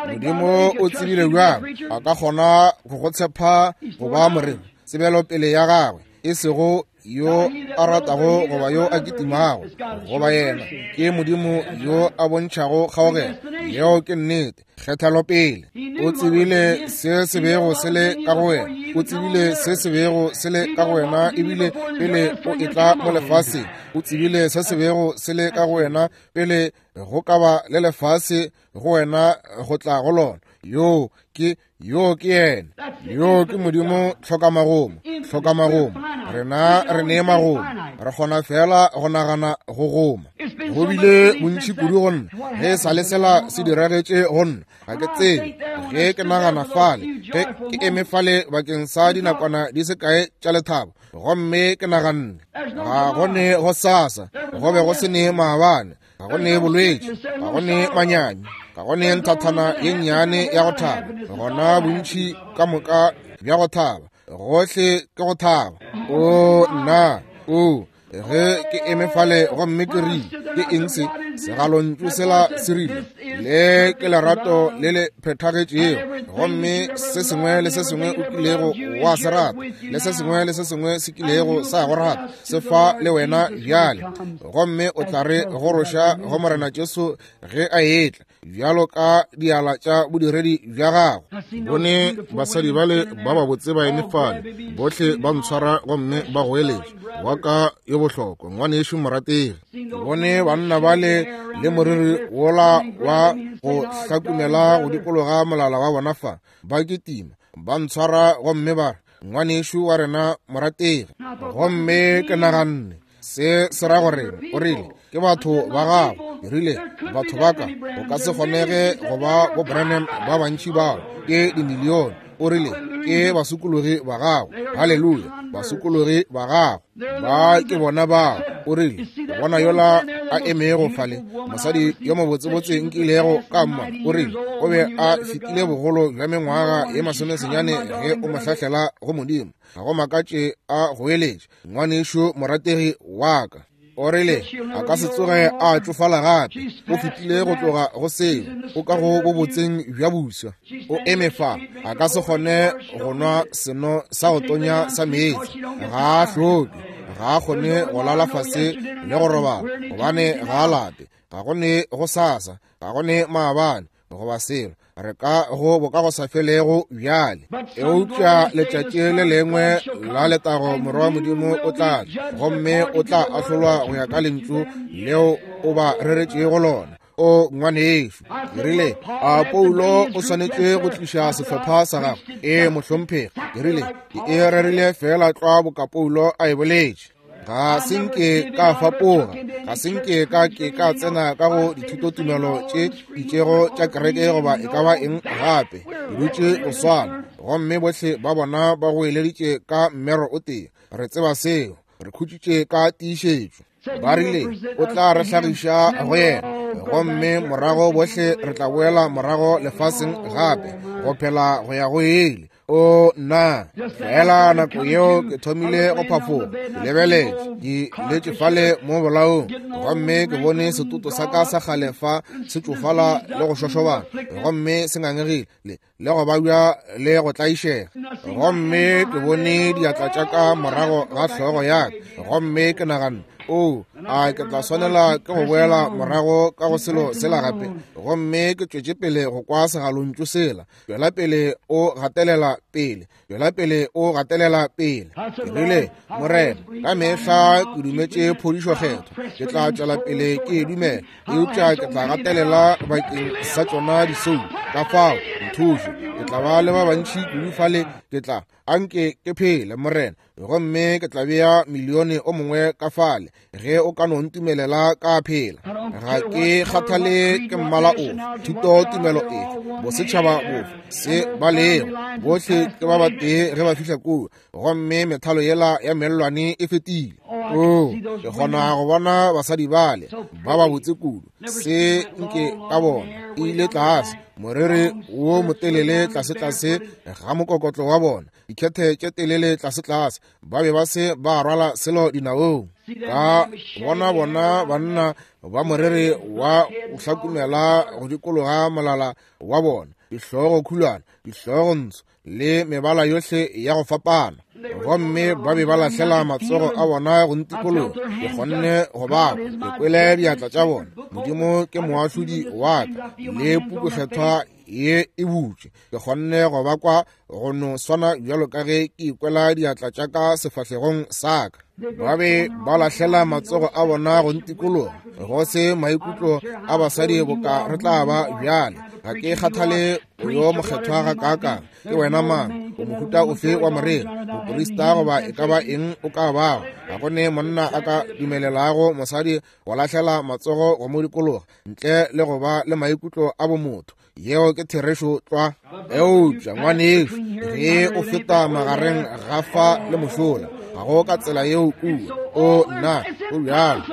Modimo o tsebile bjang a ka kgona go go tshepa go ba moreri? Tsebelopele ya gagwe, e sego yo a ratago goba yo a kitimago goba yena, ke Modimo yo a bontšhago kgaogelo. Yeo ke nnete. Kgethelopele. O tsebile se se bego se le ka go wena. O tsebile se se bego se le ka go wena ebile pele o etla mo lefaseng. O tsebile se se bego se le ka go wena pele go ka ba le lefase go wena go tla go lona. Yoo ke Yoo ke yena. Yoo ke Modimo tlhokamagomo, tlhokamagomo. Rena re ne magomo, re kgona fela go nagana go goma. Go bile bontši kudu go nna ge sa le sela se diragetše go nna, ga ke tsebe. Ge ke nagana fale, ge ke eme fale bakeng sa dinakwana di se kae tša lethabo, gomme ke naganne, ga go ne go sasa, go be go se ne maabane, ga go ne bolwetši, ga go ne manyami, ga go ne nthathana ye nnyane ya go thaba, gona bontši ka moka bja go thaba, gohle ke go thaba. O nna, o ge ke eme fale gomme ke rile, ke eng se? Segalontšu sela se rile, le ke lerato le le phethagetšego, gomme se sengwe le se sengwe o kilego wa se rata, le se sengwe le se sengwe se kilego sa go rata, se fa le wena bjale, gomme o tla re goroša go Morena Jesu ge a etla, bjalo ka diala tša bodiredi bja gago. Bone basadi bale ba babotse ba eme fale, bohle ba ntshwara gomme ba goeletša, wa ka yo bohlokwa, ngwanešu morategi. Bone banna bale le moriri wola wa go hlakumela go dikologa molala wa bona fa, ba kitima, ba ntshwara gomme ba re, ngwanešu wa rena morategi. Gomme ke naganne, se se ra gore o rile ke batho ba gago. Ke rile, batho ba ka, go ka se kgonege go ba bo Branham ba bantši bao, ke dimilione. O rile, ke basokologi ba gago. Haleluya, basokologi ba gago. Ba ke bona bao. O rile, bona yola a emego fale, mosadi yo mobotsebotse nkilego ka mmona. O rile, o be a fetile bogolo bja mengwaga ye masomesenyane ge o mo hlahlela go Modimo. Ga go makatše a goeletša, ngwanešu morategi wa ka. O rile, a ka se tsoge a tšofala gape. O fetile go tloga go seo, o ka go bobotseng bja buswa. O eme fa, a ka se kgone go nwa seno sa go tonya sa meetse. Ga a hloke, ga a kgone go lala fase le go robala, gobane ga a lape. Ga go ne go sasa, ga go ne maabane, goba selo. Re ka go bokagosafelego bjale. Eupša letšatši le lengwe la letago Morwa wa Modimo o tla tla, gomme o tla ahlolwa go ya ka lentšu leo o ba reretšego lona. O ngwanešu, ke rile, a Paulo o swanetše go tliša sehlopha sa gagwe? Ee, mohlomphegi. Ke rile, ke e rerile feela tlwa boka Paulo a e boletše. Ga se nke ka fapoga, ga se nke ka ke ka tsena ka go dithutotumelo tše itšego tša kereke goba e ka ba eng gape. Ke dutše go swana, gomme bohle ba bona ba goeleditše ka mmero o tee. Re tseba seo, re khutšitše ka tiišetšo. Ba rile, o tla re hlagiša go yena, gomme morago bohle re tla boela morago lefaseng gape, go phela go ya go ile. O nna, fela nako yeo ke thomile go phafoga, ke lebeletše, ke letše fale mo bolaong, gomme ke bone setoto sa ka sa kgale fa se tšofala le go šošobana, gomme se ngangegile le, le go babja le go tlaišega. Gomme ke bone diatla tša ka morago ga hlogo ya ka, gomme ke naganne, O, a ke tla swanela ke go boela morago ka go selo sela gape? Gomme ke tšwetše pele go kwa segalontšu sela, tšwela pele o gatelela pele, tšwela pele o gatelela pele. Ke rile, Morena, ka mehla ke dumetše phodišo kgethwa, ke tla tšwela pele ke e dumela, eupša ke tla gatelela bakeng sa tšona disoulo. Ka fao, nthuše, ke tla ba le ba bantši kudu fale, ke tla, anke ke phele, Morena, gomme ke tla bea milione o mongwe ka fale ge o ka no ntumelela ka phela. Ga ke kgathale ke mmala ofe, thuto tumelo efe, bosetšhaba bofe, se ba lego, bohle ke ba batee ge ba fihla kua, gomme methalo yela ya mellwane e fetile. O, ke kgona go bona basadi bale ba ba botse kudu, se nke ka bona e ile tlase, moriri wo motelele tlasetlase ga mokokotlo wa bona, dikhethe tše telele tlasetlase, ba be ba se ba rwala selo dinaong. Ka bona bona banna ba moriri wa go hlakumela go dikologa molala wa bona, dihlogo khulwana, dihlogo ntsho, le mebala yohle ya go fapana. Gomme ba be ba lahlela matsogo a bona go ntikologa. Ke kgonne go ba kwa, ke kwele diatla tša bona. Modimo ke moahlodi wa ka, le pukukgethwa ye e butšwe. Ke kgonne go ba kwa go no swana bjalo ka ge ke ikwela diatla tša ka sefahlegong sa ka. Ba be ba lahlela matsogo a bona go ntikologa, go se maikutlo a basadi boka re tla ba bjale. Ga ke kgathale o yo mokgethwa ga kaakang, ke wena mang, o mohuta ofe wa moreri, moporista goba e ka ba eng o ka bago. Ga go ne monna a ka dumelelago mosadi go lahlela matsogo go mo dikologa ntle le go ba le maikutlo a bomotho. Yeo ke therešo tlwa. Eupša ngwanešu, ge o feta magareng ga fa le mošola, ga go ka tsela yeo kua. O nna, go bjalo,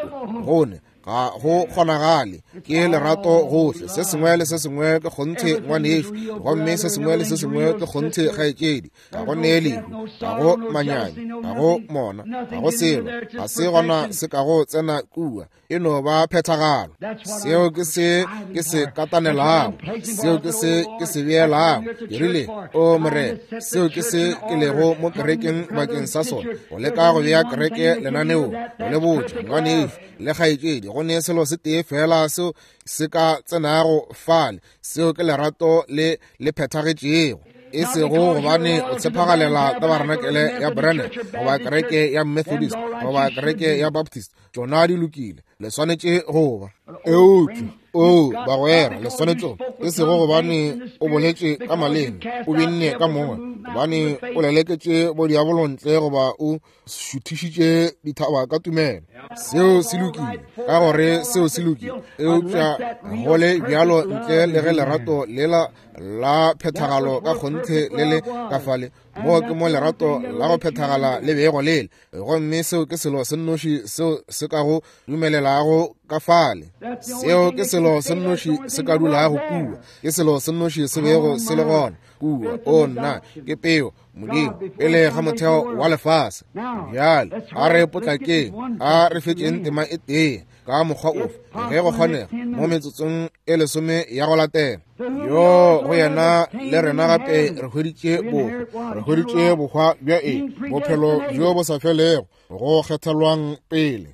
gone ga go kgonagale. Ke lerato gohle, se sengwe le se sengwe ke kgonthe ngwanešu, gomme se sengwe le se sengwe ke kgonthe kgaetšedi. Ga go nee lehu, ga go manyami, ga go mona, ga go selo, ga se gona se ka go tsena kua. E no ba phethagalo. Seo ke se ke se katanelago, seo ke se ke se beelago. Ke rile, O Morena, seo ke se ke lego mo kerekeng bakeng sa sona, go leka go bea kereke lenaneong, go le botša ngwanešu le kgaetšedi, go ne selo se tee fela seo se ka tsenago fale, seo ke lerato le le phethagetšego. E sego gobane o tshepagalela tabarenakele ya Branham goba kereke ya Methodist goba kereke ya Baptist, tšona di lokile, le swanetše go ba. Eupša, o bagwera, le swanetše, e sego gobane o boletše ka maleme, o binne ka moya, gobane o leleketše bodiabolo ntle goba o šuthišitše dithaba ka tumelo. Seo se lokile, ka gore seo se lokile. Eupša go le bjalo ntle le ge lerato lela la phethagalo ka kgonthe le le ka fale, moo ke mo lerato la go phethagala le bego le le. Gomme seo ke selo se nnoši seo se ka go dumelelago ka fale. Seo ke selo se nnoši se ka dulago kua. Ke selo se nnoši se bego se le gona kua. O nna, ke peo Modimo pele ga motheo wa lefase. Bjale a re potlakeng, a re fetšeng tema e tee ka mokgwa ofe ge go kgonega mo metsotsong e lesome ya go latela. Yo go yena le rena gape re hweditše bohwa, re hweditše bohwa bja eng? Bophelo bjo bo sa felego, go kgethelwang pele.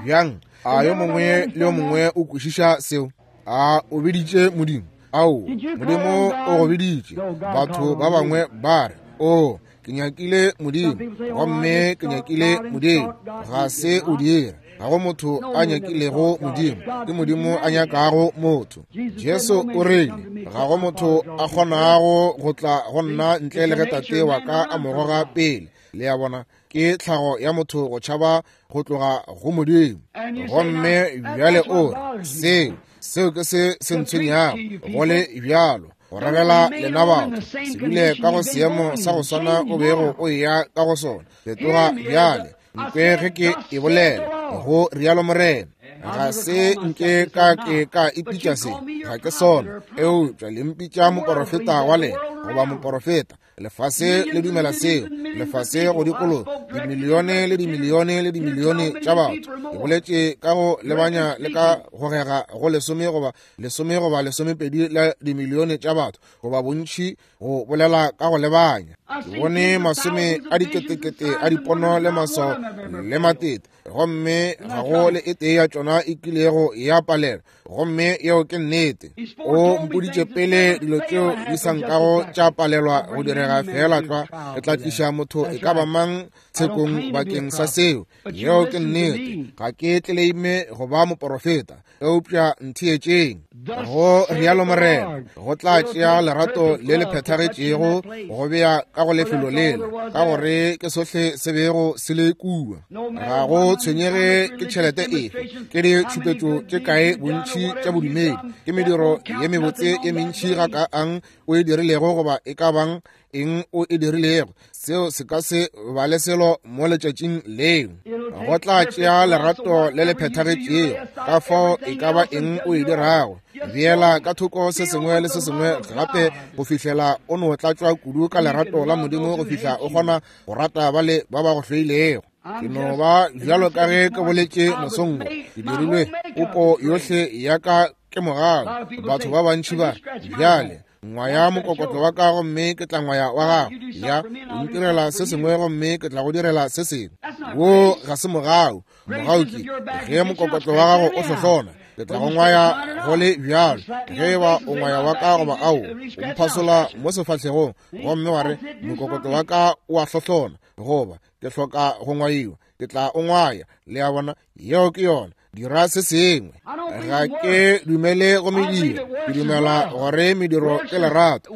Bjang? A yo mongwe le yo mongwe o kwešiša seo? A o biditše Modimo? Ao, Modimo o go biditše. Batho ba bangwe ba re, O, ke nyakile Modimo, gomme ke nyakile Modimo. Ga se o dira. Ga go motho a nyakilego Modimo, ke Modimo a nyakago motho. Jesu o rile, ga go motho a kgonago go tla go nna ntle le ge Tate wa ka a mo goga pele. Le a bona, ke tlhago ya motho go tšhaba go tloga go Modimo. Gomme bjale o re, seo, seo ke se se ntshwenyago, go le bjalo, go rerela lena batho, se dule ka go seemo sa go swana o bego o eya ka go sona. Fetoga bjale, nkwe ge ke e bolela, go rialo Morena. Ga se nke ka ke ka ipitša se, ga ke sona, eupša le mpitša moporofeta wa lena, goba moporofeta. Lefase le dumela seo, lefase go dikologa, dimilione le dimilione le dimilione tša batho. Ke boletše ka go lebanya le ka gogega go lesome goba lesome goba lesomepedi la dimilione tša batho, goba bontši, go bolela ka go lebanya. Ke bone masome a diketekete a dipono le maswao le matete, gomme ga go le e tee ya tšona e kilego ya palelwa. Gomme yeo ke nnete. O mpoditše pele dilo tšeo di sa nkago tša palelwa go direga feela tlwa. Re tla tliša motho e ka ba mang tshekong bakeng sa seo. Yeo ke nnete. Ga ke tleleime go ba moporofeta, eupša ntheetšeng. Go rialo Morena, go tla tšea lerato le le phethagetšego go bea ka go lefelo lela, ka gore ke sohle se bego se le kua. Ga go tshwenyege ke tšhelete efe, ke ditšhupetšo tše kae bontši tša bodumedi, ke mediro ye mebotse ye mentši gakaang o e dirilego, goba e ka bang eng o e dirilego, seo se ka se ba le selo mo letšatšing leo. Go tla tšea lerato le le phethagetšego. Ka fao e ka ba eng o e dirago, beela ka thoko se sengwe le se sengwe gape go fihlela o no tlatšwa kudu ka lerato la Modimo go fihla o kgona go rata bale ba ba go hloilego. Ke no ba bjalo ka ge ke boletše mosong wo, ke dirilwe popo yohle ya ka ke mogau. Batho ba bantši ba re, bjale Ngwaya mokokotlo wa ka gomme ke tla ngwaya wa gago. Ya, o ntirela se sengwe gomme ke tla go direla se sengwe. Wo ga se mogau. Mogau ke ge mokokotlo wa gago o hlohlona, ke tla go ngwaya go le bjalo. Ge e ba o ngwaya wa ka goba ao, o mphasola mo sefahlegong gomme wa re mokokotlo wa ka o a hlohlona, goba ke hloka go ngwaiwa, ke tla o ngwaya. Le a bona? Yeo ke yona. Dira se sengwe. Ga ke dumele go mediro. Ke dumela gore mediro ke lerato.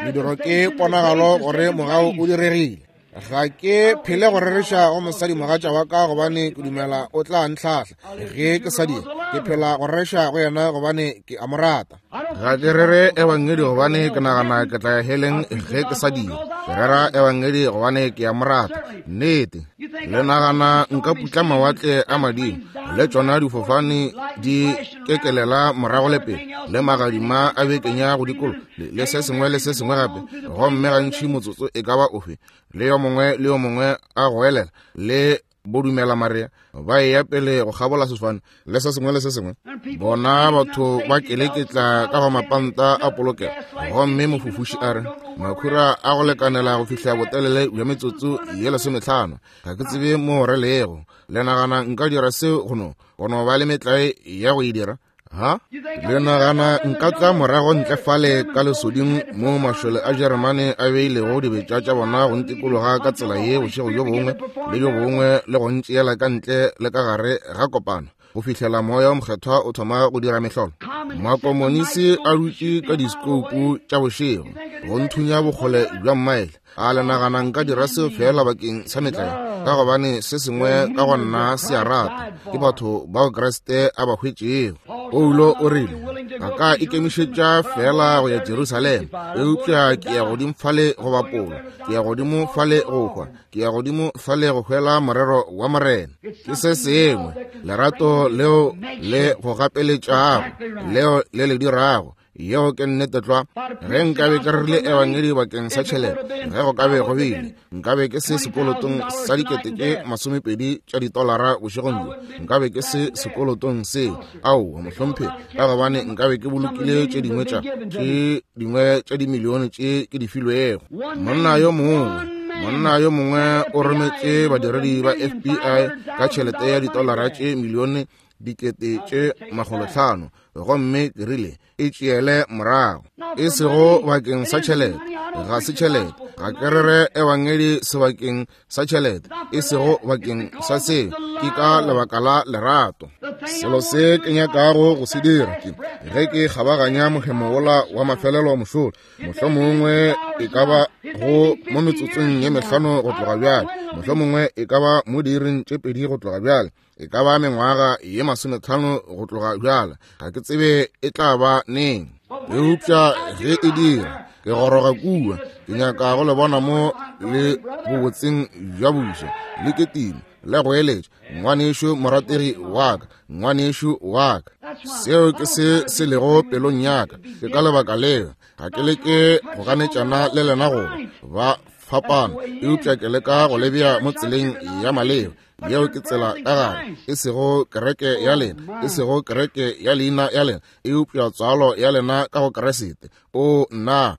Mediro ke ponagalo gore mogau o diregile. Ga ke phele go rereša go mosadimogatša wa ka gobane ke dumela o tla ntlhahla. Ge ke sa dira, ke phela go rereša go yena gobane ke a mo rata. Ga ke rere ebangedi gobane ke nagana ke tla ya heleng ge ke sa dira. Ke rera ebangedi gobane ke a mo rata. Nnete. Le nagana nka putla mawatle a madimo le tšona difofane di kekelela morago le pele le magadima a bekenya go dikolo le se sengwe le se sengwe gape, gomme gantši motsotso e ka ba ofe le yo mongwe le yo mongwe a goelela le bodumela Maria ba eya pele go kgabola sefofane le se sengwe le se sengwe. Bona batho ba keleketla ka go mapanta a polokelo, gomme mofofuši a re makhura a go lekanela go fihla botelele bja metsotso ye 15. Ga ke tsebe mo re lego. Le nagana nka dira seo go no ba le metlae ya go e dira? Ha? Le nagana nka tla morago ntle fale ka lesoding mo mašole a Jeremane a beilego dibetša tša bona go ntikologa ka tsela ye bošego bjo bongwe le bjo bongwe le go ntšeela ka ntle le ka gare ga kopano go fihlela moya o mokgethwa o thoma go dira mehlolo? Makomonisi a dutše ka diskoupu tša bošego go nthunya bokgole bja mmaele. A le nagana nka dira seo fela bakeng sa metlae? Ka gobane se sengwe ka go nna se a rata. Ke batho bao Kriste a ba hwetšego. Paulo o rile, ga ka ikemišetša fela go ya Jerusalema, eupša ke ya godimo fale go bapolwa, ke ya godimo fale go hwa, ke ya godimo fale go hwela morero wa Morena. Ke se sengwe, lerato leo le go gapeletšago, leo le le dirago. Yeo ke nnete tlwa. Ge nkabe ke rerile ebangedi bakeng sa tšhelete, ge go ka be go bile, nkabe ke se sekolotong sa 20,000 tša ditolara bošegong bjo. Nkabe ke se sekolotong seo. Aowa, mohlomphegi, ka gobane nkabe ke bolokile tše dingwe tša tše dingwe tša dimilione tše ke di filwego. Monna yo mongwe o rometše badiredi ba FBI ka tšhelete ya ditolara tše milione 500,000, gomme ke rile, e tšeele morago. E sego bakeng sa tšhelete, ga se tšhelete. Ga ke rere ebangedi sebakeng sa tšhelete, e sego bakeng sa seo, ke ka lebaka la lerato. Selo se ke nyakago go se dira ke ge ke kgabaganya mohemo wola wa mafelelo mošola, mohlomongwe e ka ba go mo metsotsong ye 5 go tloga bjale, mohlomongwe e ka ba mo diiring tše 2 go tloga bjale, e ka ba mengwaga ye 50 go tloga bjale, ga ke tsebe e tla ba neng. Eupša ge e dira, ke goroga kua, ke nyaka go le bona mo le bobotseng bja buša le ketimo le go eletša, ngwanešu morategi wa ka, ngwanešu wa ka. Seo ke se se lego pelong ya ka. Ke ka lebaka leo ga ke leke go ganetšana le lena go ba fapana, eupša ke leka go le bea mo tseleng ya maleba. Yeo ke tsela ka gare, e sego kereke ya lena, e sego kereke ya leina ya lena, eupša tswalo ya lena ka go Kriste. O nna,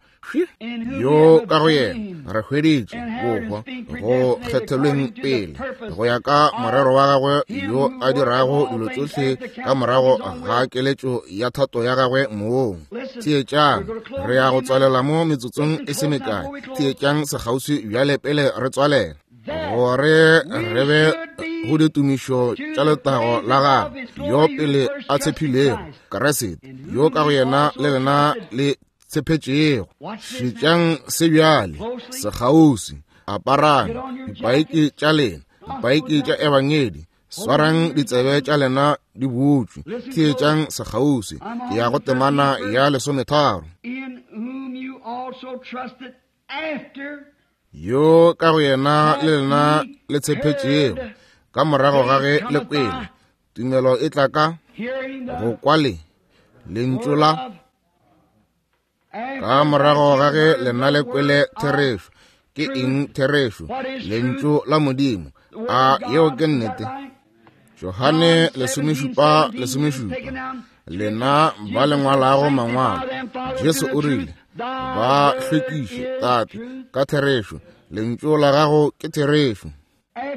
yo ka go yena re hweditše bohwa go kgethelweng pele go ya ka morero wa gagwe, yo a dirago dilo tšohle ka morago ga keletšo ya thato ya gagwe mong. Theetšang, re ya go tswalela mo metsotsong e se mekae. Theetšang sekgauswi bjale pele re tswalela, gore re be go ditumišo tša letago la gagwe, yo pele a tshephilego Kriste, yo ka go yena le lena le tshephetšego. Šetšang se bjale sekgauswi, aparang dipaiki tša lena, dipaiki tša ebangedi, swarang ditsebe tša lena di butšwe, theetšang sekgauswi. Ke ya go temana ya 13. Yo ka go yena le lena le tshephetšego, ka morago ga ge le kwele, tumelo e tla ka go kwa le lentšu la, ka morago ga ge lena le kwele therešo. Ke eng therešo? Lentšu la Modimo. A yeo ke nnete? Johane 17:17. Lena ba le ngwalago mangwalo, Jesu o rile, ba hlwekiše, Tate, ka therešo. Lentšu la gago ke therešo.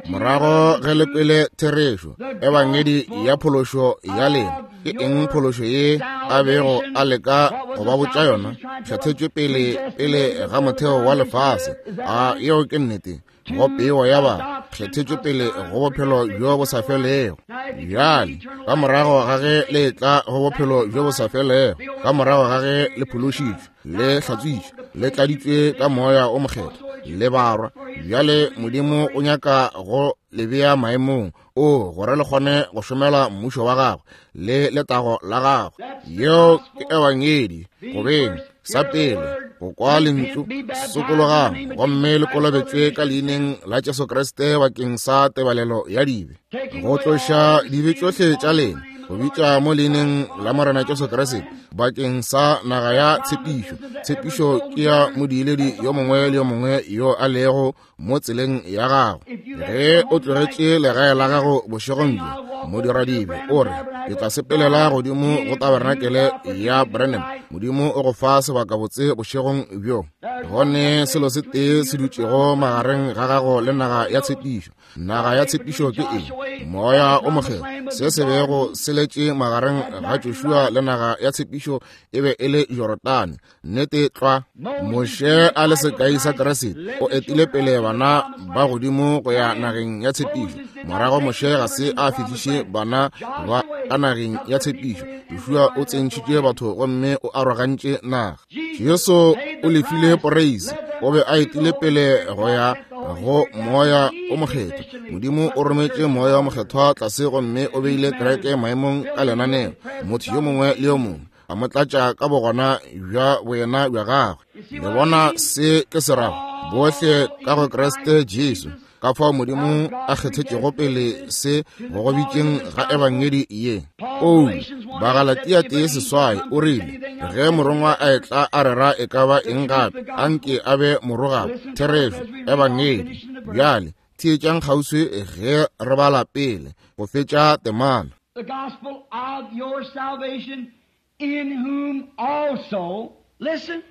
Morago ge le kwele therešo, ebangedi ya phološo ya lena, ke eng phološo ye a bego a leka go ba botša yona? Kgethetšwe pele pele ga motheo wa lefase. A yeo ke nnete? Go peo ya ba kgethetšwe pele go bophelo bjo bo sa felego. Bjale, ka morago ga ge le etla go bophelo bjo bo sa felego, ka morago ga ge le phološitšwe, le hlatswitšwe, le tladitšwe ka Moya o Mokgethwa, le barwa, bjale Modimo o nyaka go le bea maemong o gore le kgone go šomela mmušo wa gagwe le letago la gagwe. Yeo ke ebangedi. Go beng sa pele go kwa lentšu, sokologang gomme le kolobetšwe ka leineng la Jesu Kriste bakeng sa tebalelo ya dibe, go tloša dibe tšohle tša lena, go bitša mo leineng la Morena Jesu Kriste bakeng sa naga ya tshepišo. Tshepišo ke ya modiiledi yo mongwe le yo mongwe yo a lego mo tseleng ya gago. Ge o tlogetše legae la gago bošegong bjo, modiradibe, o re, ke tla sepelela godimo go tabernakele ya Branham. Modimo o go fa sebakabotse bošegong bjo. Go ne selo se tee se dutšego magareng ga gago le naga ya tshepišo. Naga ya tshepišo ke eng? Moya o Mokgethwa. Se se bego se letše magareng ga Joshua le naga ya tshepišo e be e le Jorodane. Nnete tlwa. Moshe a le sekai sa Kriste, o etile pele bana ba godimo go ya nageng ya tshepišo. Morago Moshe ga se a fihliše bana ba ka nageng ya tshepišo. Joshua o tsentšhitše batho gomme o arogantše naga. Jesu o lefile poreisi, o be a etile pele go ya go Moya o Mokgethwa. Modimo o rometše Moya o Mokgethwa tlase gomme o beile kereke maemong ka lenaneo, motho yo mongwe le yo mongwe a mo tlatša ka bogona bja boyena bja gagwe. Le bona se ke se rago? Bohle ka go Kriste Jesu. Ka fao Modimo a kgethetšego pele se go go bitšeng ga ebangedi ye. Paulo, Bagalatia 1:8, o rile, ge morongwa a etla a rera e ka ba eng gape, a nke a be morogabo. Therešo, ebangedi. Bjale, theetšang kgauswi ge re bala pele go fetša temana. The gospel of your salvation, in whom also, listen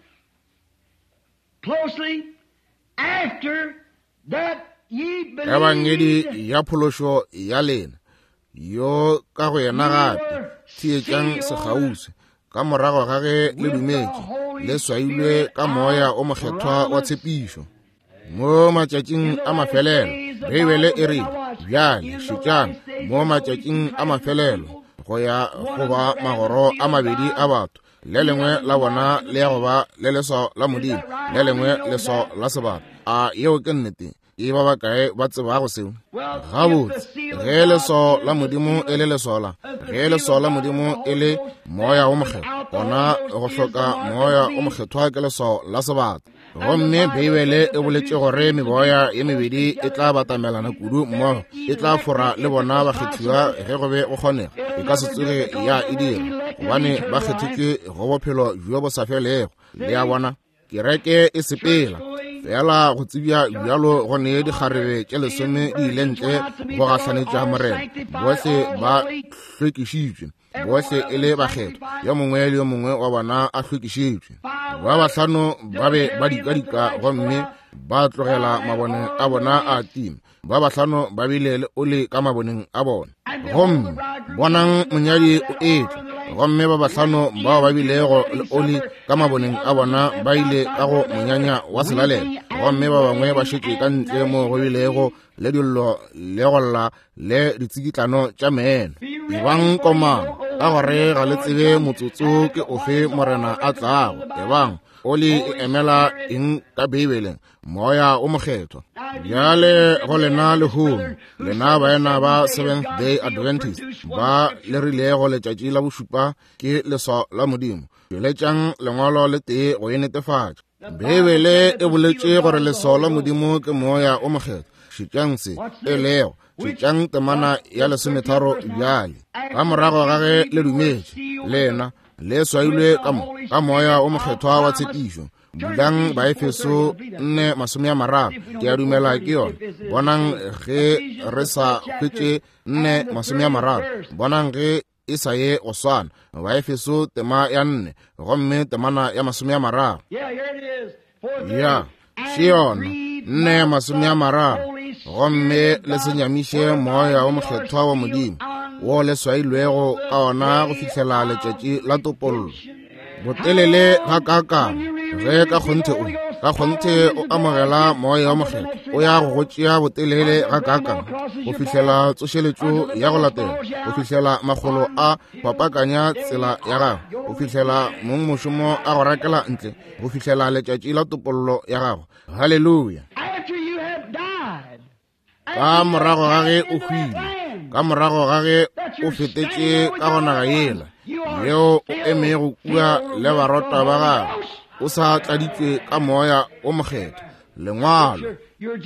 closely, after that ye believed, Ebangedi ya phološo ya lena, yo ka go yena gape, theetšang sekgauswi, ka morago ga ge le dumetše, le swailwe ka Moya o Mokgethwa wa tshepišo. Mo matšatšing a mafelelo, Beibele e rile, bjale šetšang, mo matšatšing a mafelelo go ya go ba magoro a mabedi a batho, le lengwe la bona le ya go ba le leswao la Modimo, le lengwe leswao la sebata. A yeo ke nnete? E ba bakae ba tsebago seo? Gabotse, ge leswao la Modimo e le leswao la, ge leswao la Modimo e le Moya wo Mokgethwa, gona go hloka Moya wo Mokgethwa ke leswao la sebata. Gomme Beibele e boletše gore meboya ye mebedi e tla batamelana kudu mmogo, e tla fora le bona bakgethiwa ge go be go kgonega. E ka se tsoge ya e dira, gobane ba kgethetšwe go bophelo bjo bo sa felego. Le a bona? Kereke e sepela fela go tsebja bjalo go ne dikgarebe tše lesome di ile ntle go gahlanetša Morena. Bohle ba hlwekišitšwe, bohle e le bakgethwa, yo mongwe le yo mongwe wa bona a hlwekišitšwe. Ba bahlano ba be ba dikadika gomme ba tlogela mabone a bona a tima. Ba bahlano ba bile le oli ka maboneng a bona. Gomme bonang monyadi o etla, gomme ba bahlano bao ba bilego le oli ka maboneng a bona ba ile ka go monyanya wa selalelo, gomme ba bangwe ba šetše ka ntle mo go bilego le dillo le go lla le ditsikitlano tša meno. Ebang komang, ka gore ga le tsebe motsotso ke ofe Morena a tlago. Ebang oli e emela eng ka Beibeleng? Moya o Mokgethwa. Bjale go lena lehono, lena baena ba Seventh Day Adventist ba le rilego letšatši la bošupa ke leswao la Modimo, tšweletšang lengwalo le tee go e netefatša. Beibele e boletše gore leswao la Modimo ke Moya o Mokgethwa. Šetšang se e lego. Šetšang temana ya 13 bjale. Ka morago ga ge le dumetše, lena le swailwe ka mo ka Moya o Mokgethwa wa tshepišo. Bulang Baefeso 4:30, ke a dumela ke yona. Bonang ge re sa hwetše 4:30, bonang ge e sa ye go swana. Baefeso tema ya 4 gomme temana ya 30. Ya, še yona, 4:30. Gomme le se nyamiše moya wo mokgethwa wa Modimo, wo le swailwego ka ona go fihlela letšatši la topollo. Botelele ga kakang ge ka kgonthe o ka kgonthe o amogela moya wa mokgethwa, o ya go go tšea botelele ga kakang go fihlela tsošeletšo ya go latela, go fihlela makgolo a fapakanya tsela ya gago, go fihlela mong mošomo a go rakela ntle, go fihlela letšatši la topollo ya gago. Haleluya! Ka morago ga ge o hwile, ka morago ga ge o fetetše ka go naga yela yeo o emego kua le barota ba gago, o sa tladitšwe ka moya o mokgethwa, lengwalo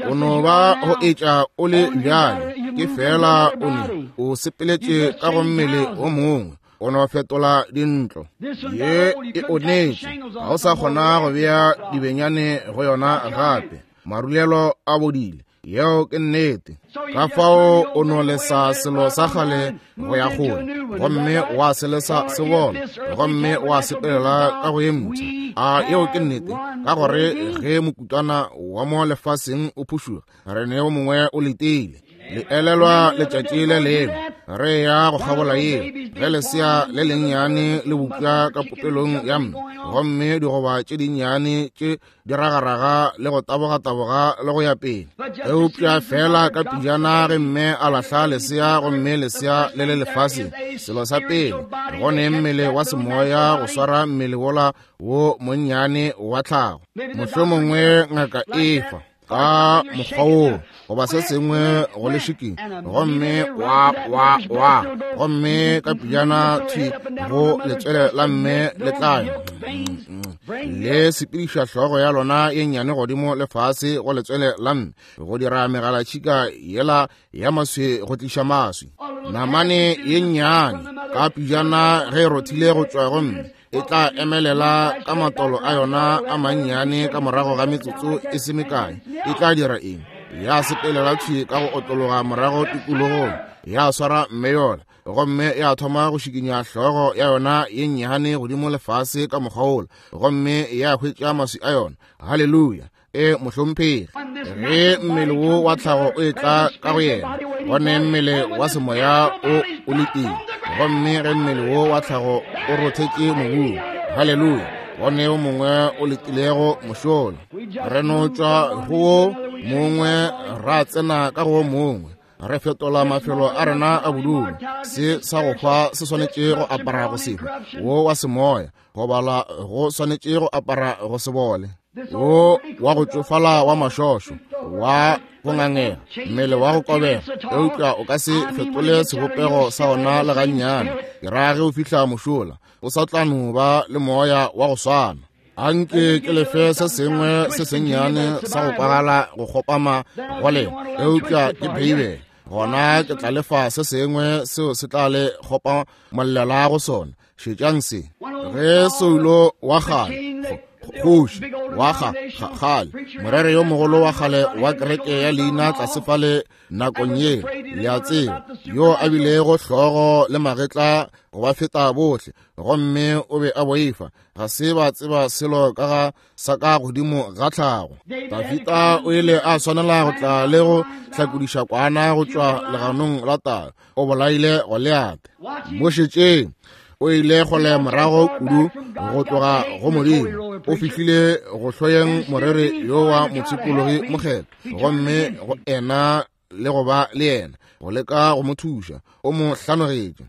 o no ba go etša o le bjale, ke fela o ne o sepeletše ka go mmele o mongwe, o no fetola dintlo. Ye e onetše, ga o sa kgona go bea dibenyane go yona gape, marulelo a bodile. Yeo ke nnete. Ka fao o no lesa selo sa kgale go ya kgole, gomme wa se lesa se bola, gomme wa sepelela ka go ye mpsha. A yeo ke nnete, ka gore ge mokutwana wa mo lefaseng o phušuga, re ne o mongwe o letile. Le elelwa letšatši le lengwe re ya go kgabola yeo, ge lesea le lennyane le bupša ka popelong ya mme, gomme digoba tše dinnyane tše di ragaraga le go tabogataboga le go ya pele. Eupša fela ka pejana ge mme a lahla lesea, gomme lesea le le lefaseng, selo sa pele go ne mmele wa semoya go swara mmele wola wo monnyane wa tlhago. Mohlomongwe ngaka efa ka mokgwa woo goba se sengwe go lešiking, gomme wa wa wa, gomme ka pejana thwi go letswele la mme le tla le sepediša hlogo ya lona ye nnyane godimo le fase go letswele la mme, go dira megalatšhika yela ya maswi go tliša maswi. Namane ye nnyane ka pejana ge e rothile go tšwa go mme, e tla emelela ka matolo a yona a mannyane ka morago ga metsotso e se mekae. E tla dira eng? Ya sepelela thwi ka go otlologa morago tikologong, ya swara mme yola, gomme ya thoma go šikinya hlogo ya yona ye nnyane godimo lefase ka mokgwa wola, gomme ya hwetša maswi a yona. Haleluya! E mohlomphegi, ge mmele wo wa tlhago o etla ka go yena, gone mmele wa semoya o o letile. Gomme ge mmele wo wa tlhago o rothetše mobung, haleluya, gone o mongwe o letilego mošola. Re no tšwa go wo mongwe ra tsena ka go wo mongwe, re fetola mafelo a rena a bodulo. Se sa go hwa se swanetše go apara go se hwe, wo wa semoya go bala go swanetše go apara go se bole, wo wa go tšofala wa mašošo wa go ngangega, mmele wa go kobega, eupša o ka se fetole sebopego sa ona le gannyane. Ke ra ge o fihla mošola, o sa tla no ba le moya wa go swana. Anke ke lefe se sengwe se sennyane sa go kwagala go kgopama go lena, eupša ke Beibele. Gona ke tla lefa se sengwe seo se tla le kgopa mollela go sona. Šetšang se. Ge Saulo wa kgale, kgoši wa kgale, morere yo mogolo wa kgale wa kereke ya leina tlase fale nakong ye, le a tseba, yo a bilego hlogo le magetla go ba feta bohle, gomme o be a boifa, ga se ba tseba selo ka ga sa ka godimo ga tlhago. Dafita o ile a swanela go tla le go hlakodiša kwana go tšwa leganong la tau, o bolaile Goliate. Mo šetšeng, o ile kgole morago kudu go tloga go Modimo, o fihlile go hloyeng morere yo wa mopshikologi mokgethwa, gomme go ena le go ba le yena go leka go mo thuša, o mo hlanogetše.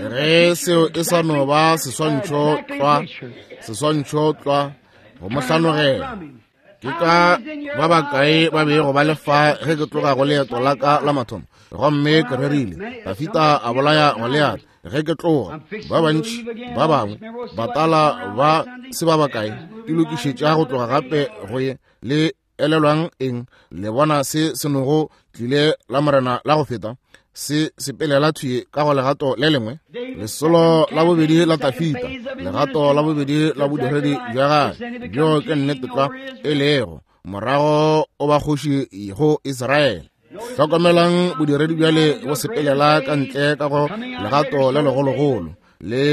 Ge seo e sa no ba seswantšho tlwa, seswantšho tlwa go mo hlanogela. Ke ka ba bakae ba bego ba le fa ge ke tloga go leeto la ka la mathomo, gomme ke rerile Dafita a bolaya Goliate ge ke tloga. Ba bantši ba bangwe batala ba se ba bakae ke lokišetša go tloga gape go ye. Le elelwang eng? Le bona se se nogo tlile la morena la go feta, se sepelela thwi ka go legato le lengwe, lesolo la bobedi la Dafita, legato la bobedi la bodiredi bja gagwe, bjo ke nnete tlwa e lego morago o ba kgoši go Israele. Hlokomelang bodiredi bjale bo sepelela ka ntle ka go legato le legologolo, le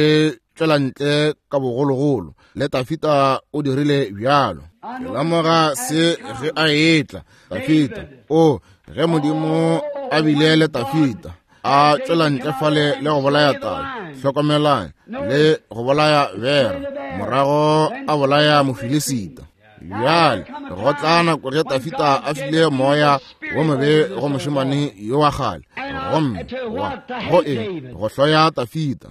tšwela ntle ka bogologolo, le Tafita o dirile bjalo. Ke lemoga se ge a etla, Tafita, o ge Modimo a bile le Tafita, a tšwela ntle fale le go bolaya tau, hlokomelang, le go bolaya bera, morago a bolaya Mofilisita. Bjale go tla nako ge Tafita a file moya wo mobe go mošemane yo wa kgale, gomme wa go eng go hloya Tafita.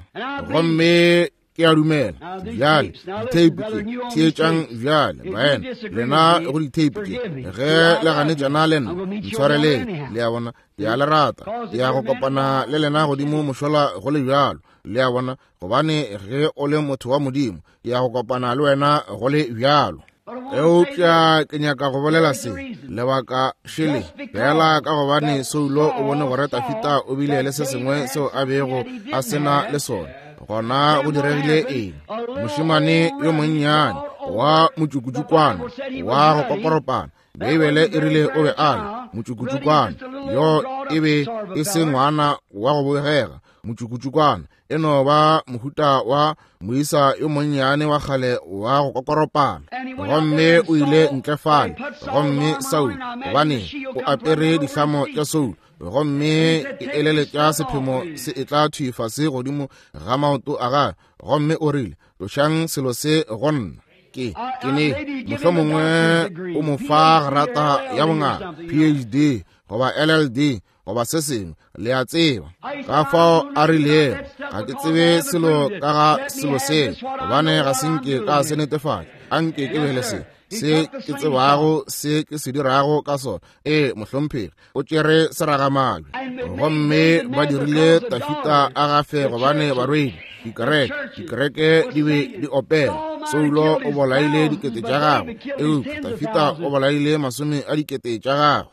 Gomme ke a dumela bjale ditheipi tše, theetšang bjale baena, lena go ditheipi tše, ge le ganetšana le nna, ntshwareleng, le a bona, ke a le rata, ke ya go kopana le lena godimo mošola go le bjalo, le a bona, gobane ge o le motho wa Modimo, ke ya go kopana le wena go le bjalo. Eupša ke nyaka go bolela se, lebaka šele, fela ka gobane Saulo o bone gore Tafita o bile le se sengwe seo a bego a se na le sona. Gona go diregile eng? Mošemane yo monnyane wa motšukutšukwana wa go kokoropana, Beibele e rile o be a le motšukutšukwana, yo e be e se ngwana wa go bogega, motšukutšukwana e no ba mohuta wa moisa yo monnyane wa kgale wa go kokoropana. Gomme o ile ntle fale, gomme Saul, gobane o apere dihlamo tša Saul, gomme ke eleletša sephemo se etla thwi fase godimo ga maoto a gagwe, gomme o rile, Tlošang selo se go nna. Ke, ke ne, mohlomongwe o mo fa grata ya bongaka, PhD goba LLD goba se sengwe, le a tseba. Ka fao a rilego, ga ke tsebe selo ka ga selo seo, gobane ga se nke ka se netefatša. A nke ke be le se, se ke tsebago se ke se dirago ka sona. Ee, mohlomphegi, o tšere seragamabje. Gomme ba dirile Tafita a gafe gobane barwedi, dikereke, dikereke di be di opela. Saulo o bolaile dikete tša gagwe, eupša Tafita o bolaile masome a dikete tša gagwe.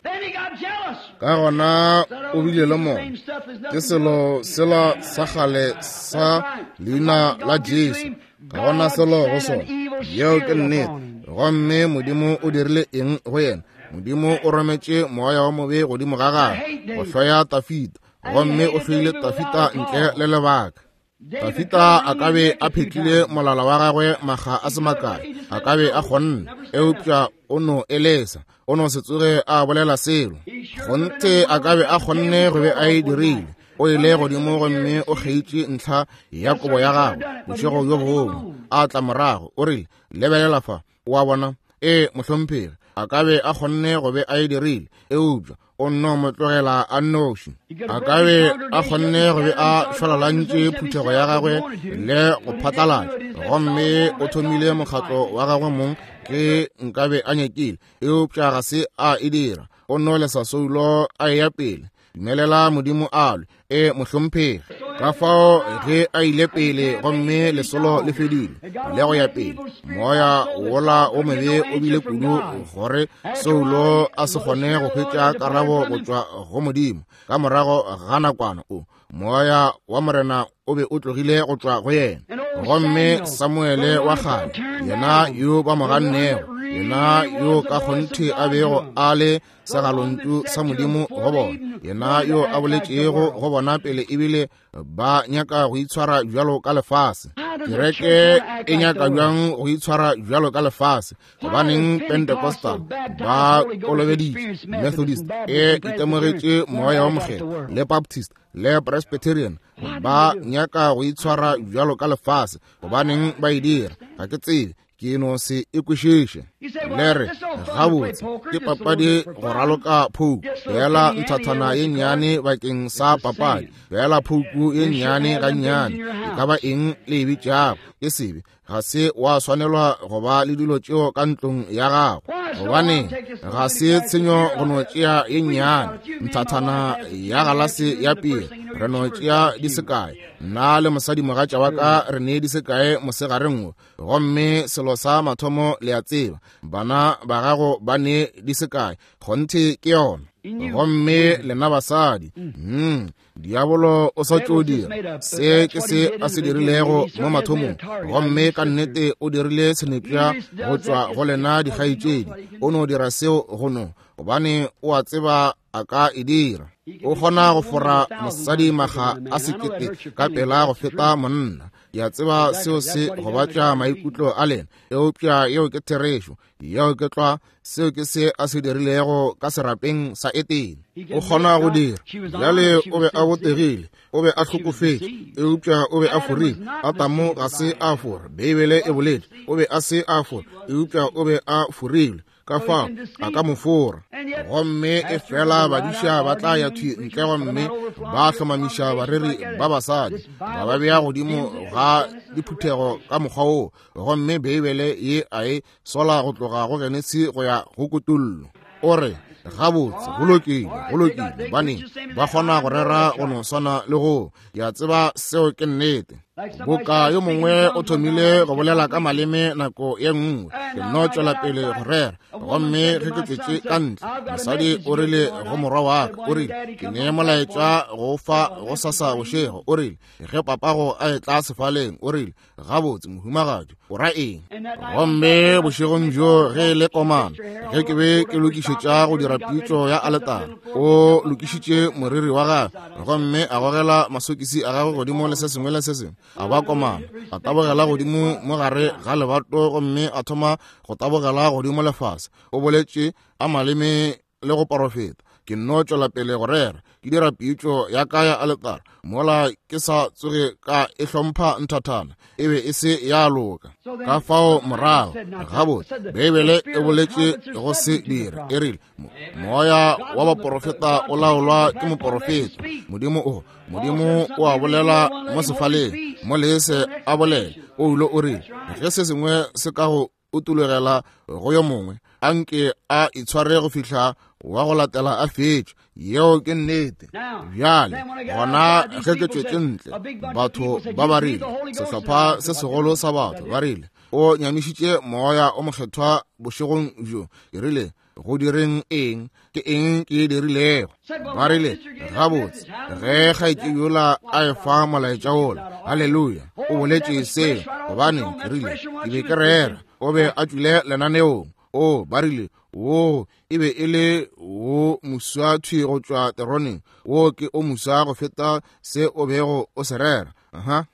Ka gona o bile le mona, ke selo sela sa kgale sa leina la Jesu, ga gona selo go sona. Yeo ke nnete. Gomme Modimo o dirile eng go yena? Modimo o rometše moya wa mobe godimo ga gagwe go hloya Tafita, gomme o hloile Tafita ntle le lebaka. Tafita a ka be a phetlile molala wa gagwe makga a se makae, a ka be a kgonne, eupša o no elesa, o no se tsoge a bolela selo. Kgonthe a ka be a kgonne go be a e dirile. O ile godimo gomme o kgeitše ntlha ya kobo ya gagwe bošego bjo bongwe, a tla morago, o rile, Lebelela fa, o a bona? Ee, mohlomphegi, a ka be a kgonne go be a e dirile, eupša o nno mo tlogela a nnoši. A ka be a kgonne go be a šwalalantše phuthego ya gagwe le go phatlalatša, gomme o thomile mokgatlo wa gagwe mong ge nkabe a nyakile, eupša ga se a e dira. O nno lesa Saulo a eya pele. Dumelela Modimo a lwe. E, mohlomphegi. Ka fao ge a ile pele gomme lesolo le fedile le go ya pele, moya wola o mobe o bile kudu gore Saulo a se kgone go hwetša karabo go tšwa go Modimo. Ka morago ga nakwana o moya wa Morena o be o tlogile go tšwa go yena. Gomme Samuele wa kgale, yena yo ba mo gannego, yena yo ka kgonthe a bego a le segalontšu sa Modimo go bona, yena yo a boletšego go bona pele ebile ba nyaka go itshwara bjalo ka lefase. Kereke e nyaka bjang go itshwara bjalo ka lefase? Gobaneng Pentecostal ba kolobeditše, Methodist e itemogetše moya wa Mokgethwa, le Baptist le Presbyterian ba nyaka go itshwara bjalo ka lefase. Gobaneng ba e dira? Ga ke tsebe, ke no se e kwešiše. Le re, gabotse, ke papadi go raloka phouku, feela nthathana ye nnyane bakeng sa papadi, feela phouku ye nnyane gannyane, e ka ba eng le e bitšago, ke sebe. Ga se wa swanelwa go ba le dilo tšeo ka ntlong ya gago. Gobaneng, ga se tshenyo go no tšea ye nnyane nthathana ya galase ya piri, re no tšea di sekae. Nna le mosadimogatša wa ka re ne di sekae mosegareng wo. Gomme selo sa mathomo le a tseba, bana ba gago ba ne di sekae. Kgonthe ke yona. Gomme lena basadi, diabolo o sa tšo dira se ke se a se dirilego mo mathomong, gomme ka nnete o dirile senepša go tšwa go lena dikgaetšedi. O no dira seo go no gobane o a tseba a ka e dira. O kgona go fora mosadi maga a 1000 ka pela go feta monna. Ke a tseba seo se gobatša maikutlo a lena, eupša yeo ke therešo. Yeo ke tlwa seo ke se a se dirilego ka serapeng sa Etene. O kgona go dira. Bjale o be a botegile, o be a hlokofetše, eupša o be a forile. Adamo ga se a fora, Beibele e boletše, o be a se a fora, eupša o be a forilwe. Ka fao a ka mo fora. Gomme e fela badiša ba tla ya thwi ntle gomme ba hlomamiša bareri ba basadi, ba ba bea godimo ga diphuthego ka mokgwa woo. Gomme Beibele ye a e sola go tloga go Genesi go ya go Kutullo. O re, gabotse, go lokile, go lokile, bane ba kgona go rera go no swana le go. Ke a tseba seo ke nnete. Boka yo mongwe o thomile go bolela ka maleme nako ye nngwe, ke nno tšwela pele go rera. Gomme ge ke tšwetše ka ntle, mosadi o rile go morwa wa ka, o rile, ke ne molaetša go fa go sasa bošego. O rile, ge papago a etla sefaleng, o rile, gabotse mohumagadi, o ra eng? Gomme bošegong bjo ge e le komana, ge ke be ke lokišetša go dira pitšo ya aletara, o lokišitše moriri wa gagwe gomme a gogela masokisi a gagwe godimo le se sengwe le se sengwe, a ba komana, a tabogela godimo mo gare ga lebato gomme a thoma go tabogela godimo lefase. O boletše a maleme le go porofeta. Ke nno tšwela pele go rera, ke dira pitšo ya ka ya aletara mola ke sa tsoge ka e hlompha nthathana, e be e se ya loka. Ka fao morago gabotse Beibele e boletše go se dira, e rile moya wa baporofeta o laolwa ke moporofeta. Modimo o a bolela mo sefaleng, mo lese a bolela. Paulo o rile ge se sengwe se ka go utulogela go yo mongwe, a nke a itshware go fihla wa go latela a fetše. Yeo ke nnete. Bjale gona ge ke tšwetše ntle, batho ba ba rile, sehlopha se segolo sa batho ba rile, o nyamišitše moya o mokgethwa bošegong bjo. Ke rile, go direng eng? Ke eng ke e dirilego? Ba rile, gabotse, ge kgaetšedi yola a efa molaetša wola, haleluya, o boletše seo. Gobane ke rile, ke be ke rera, o be a tšwile lenaneong. O, ba rile, wo e be e le wo moswa thwi go tšwa teroneng, wo ke o moswa go feta se o bego o se rera. Aha.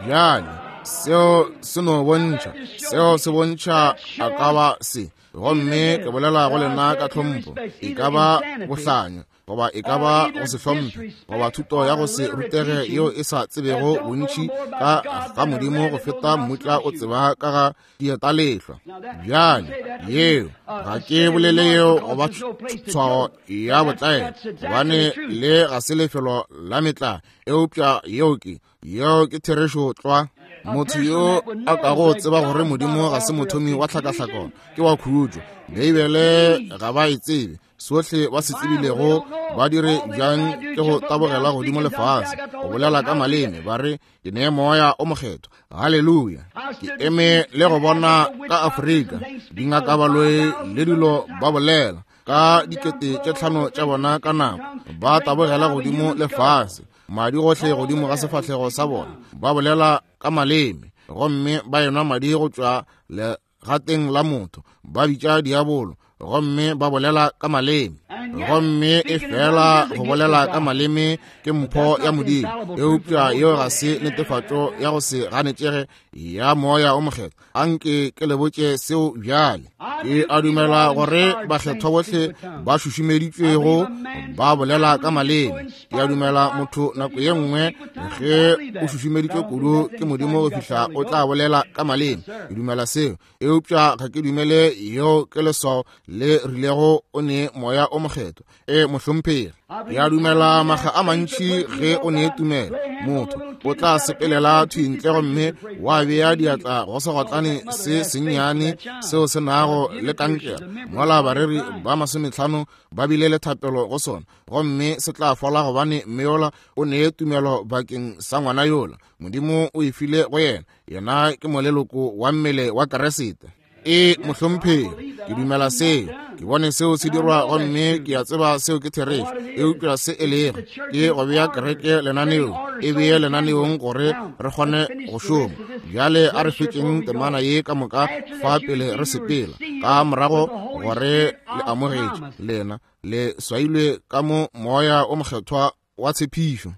Bjale seo se no bontšha, seo se bontšha a ka ba se. Gomme ke bolela go lena ka tlhompho, e ka ba bohlanya goba e ka ba go se hlomphe goba thuto ya go se rutege yeo e sa tsebego bontši ka ga Modimo go feta mmutla o tseba ka ga dietalehlwa. Bjale yeo ga ke bolele yeo goba tshwao ya botlaela, gobane le ga se lefelo la metlae, eupša yeo ke therešo tlwa. Motho yo a kago tseba gore Modimo ga se mothomi wa tlhakahlakano ke wa khutšo. Beibele ga ba e tsebe. Sohle ba se tsebilego ba dire bjang ke go tabogela godimo lefase, go bolela ka maleme, ba re ke ne moya o mokgethwa. Haleluya. Ke eme le go bona ka Afrika dingakabaloi le dilo ba bolela ka 5000 tša bona ka nako, ba tabogela godimo lefase, madi gohle godimo ga sefahlego sa bona, ba bolela ka maleme, gomme ba enwa madi go tšwa legateng la motho, ba bitša diabolo, gomme ba bolela ka maleme. Gomme e fela go bolela ka maleme ke mpho ya Modimo, eupša yeo ga se netefatšo ya go se ganetšege ya moya o mokgethwa. Anke ke le botše seo bjale. Ke a dumela gore bakgethwa bohle ba šušumeditšwego ba bolela ka maleme. Ke a dumela motho nako ye nngwe ge o šušumeditšwe kudu ke Modimo go fihla o tla bolela ka maleme. Ke dumela seo, eupša ga ke dumele yeo ke leswao le rilego o ne moya o mokgethwa. E mohlomphegi, ke a dumela maga a mantši ge o ne tumelo, motho o tla sepelela thwi ntle gomme wa bea diatla go segotlane se sennyane seo se nago le kankere, mola bareri ba 50 ba bile le thapelo go sona, gomme se tla fola gobane mme yola o ne tumelo bakeng sa ngwana yola. Modimo o e file go yena. Yena ke moleloko wa mmele wa Keresete. E mohlomphegi, ke dumela seo. Ke bone seo se dirwa gomme ke a tseba seo ke therešo. Eupša se e lego ke go bea kereke lenaneong, e bee lenaneong gore re kgone go šoma. Bjale a re fetšeng temana ye ka moka fa pele re sepela, ka morago gore le amogetše lena le swailwe ka mo Moya o Mokgethwa wa tshepišo.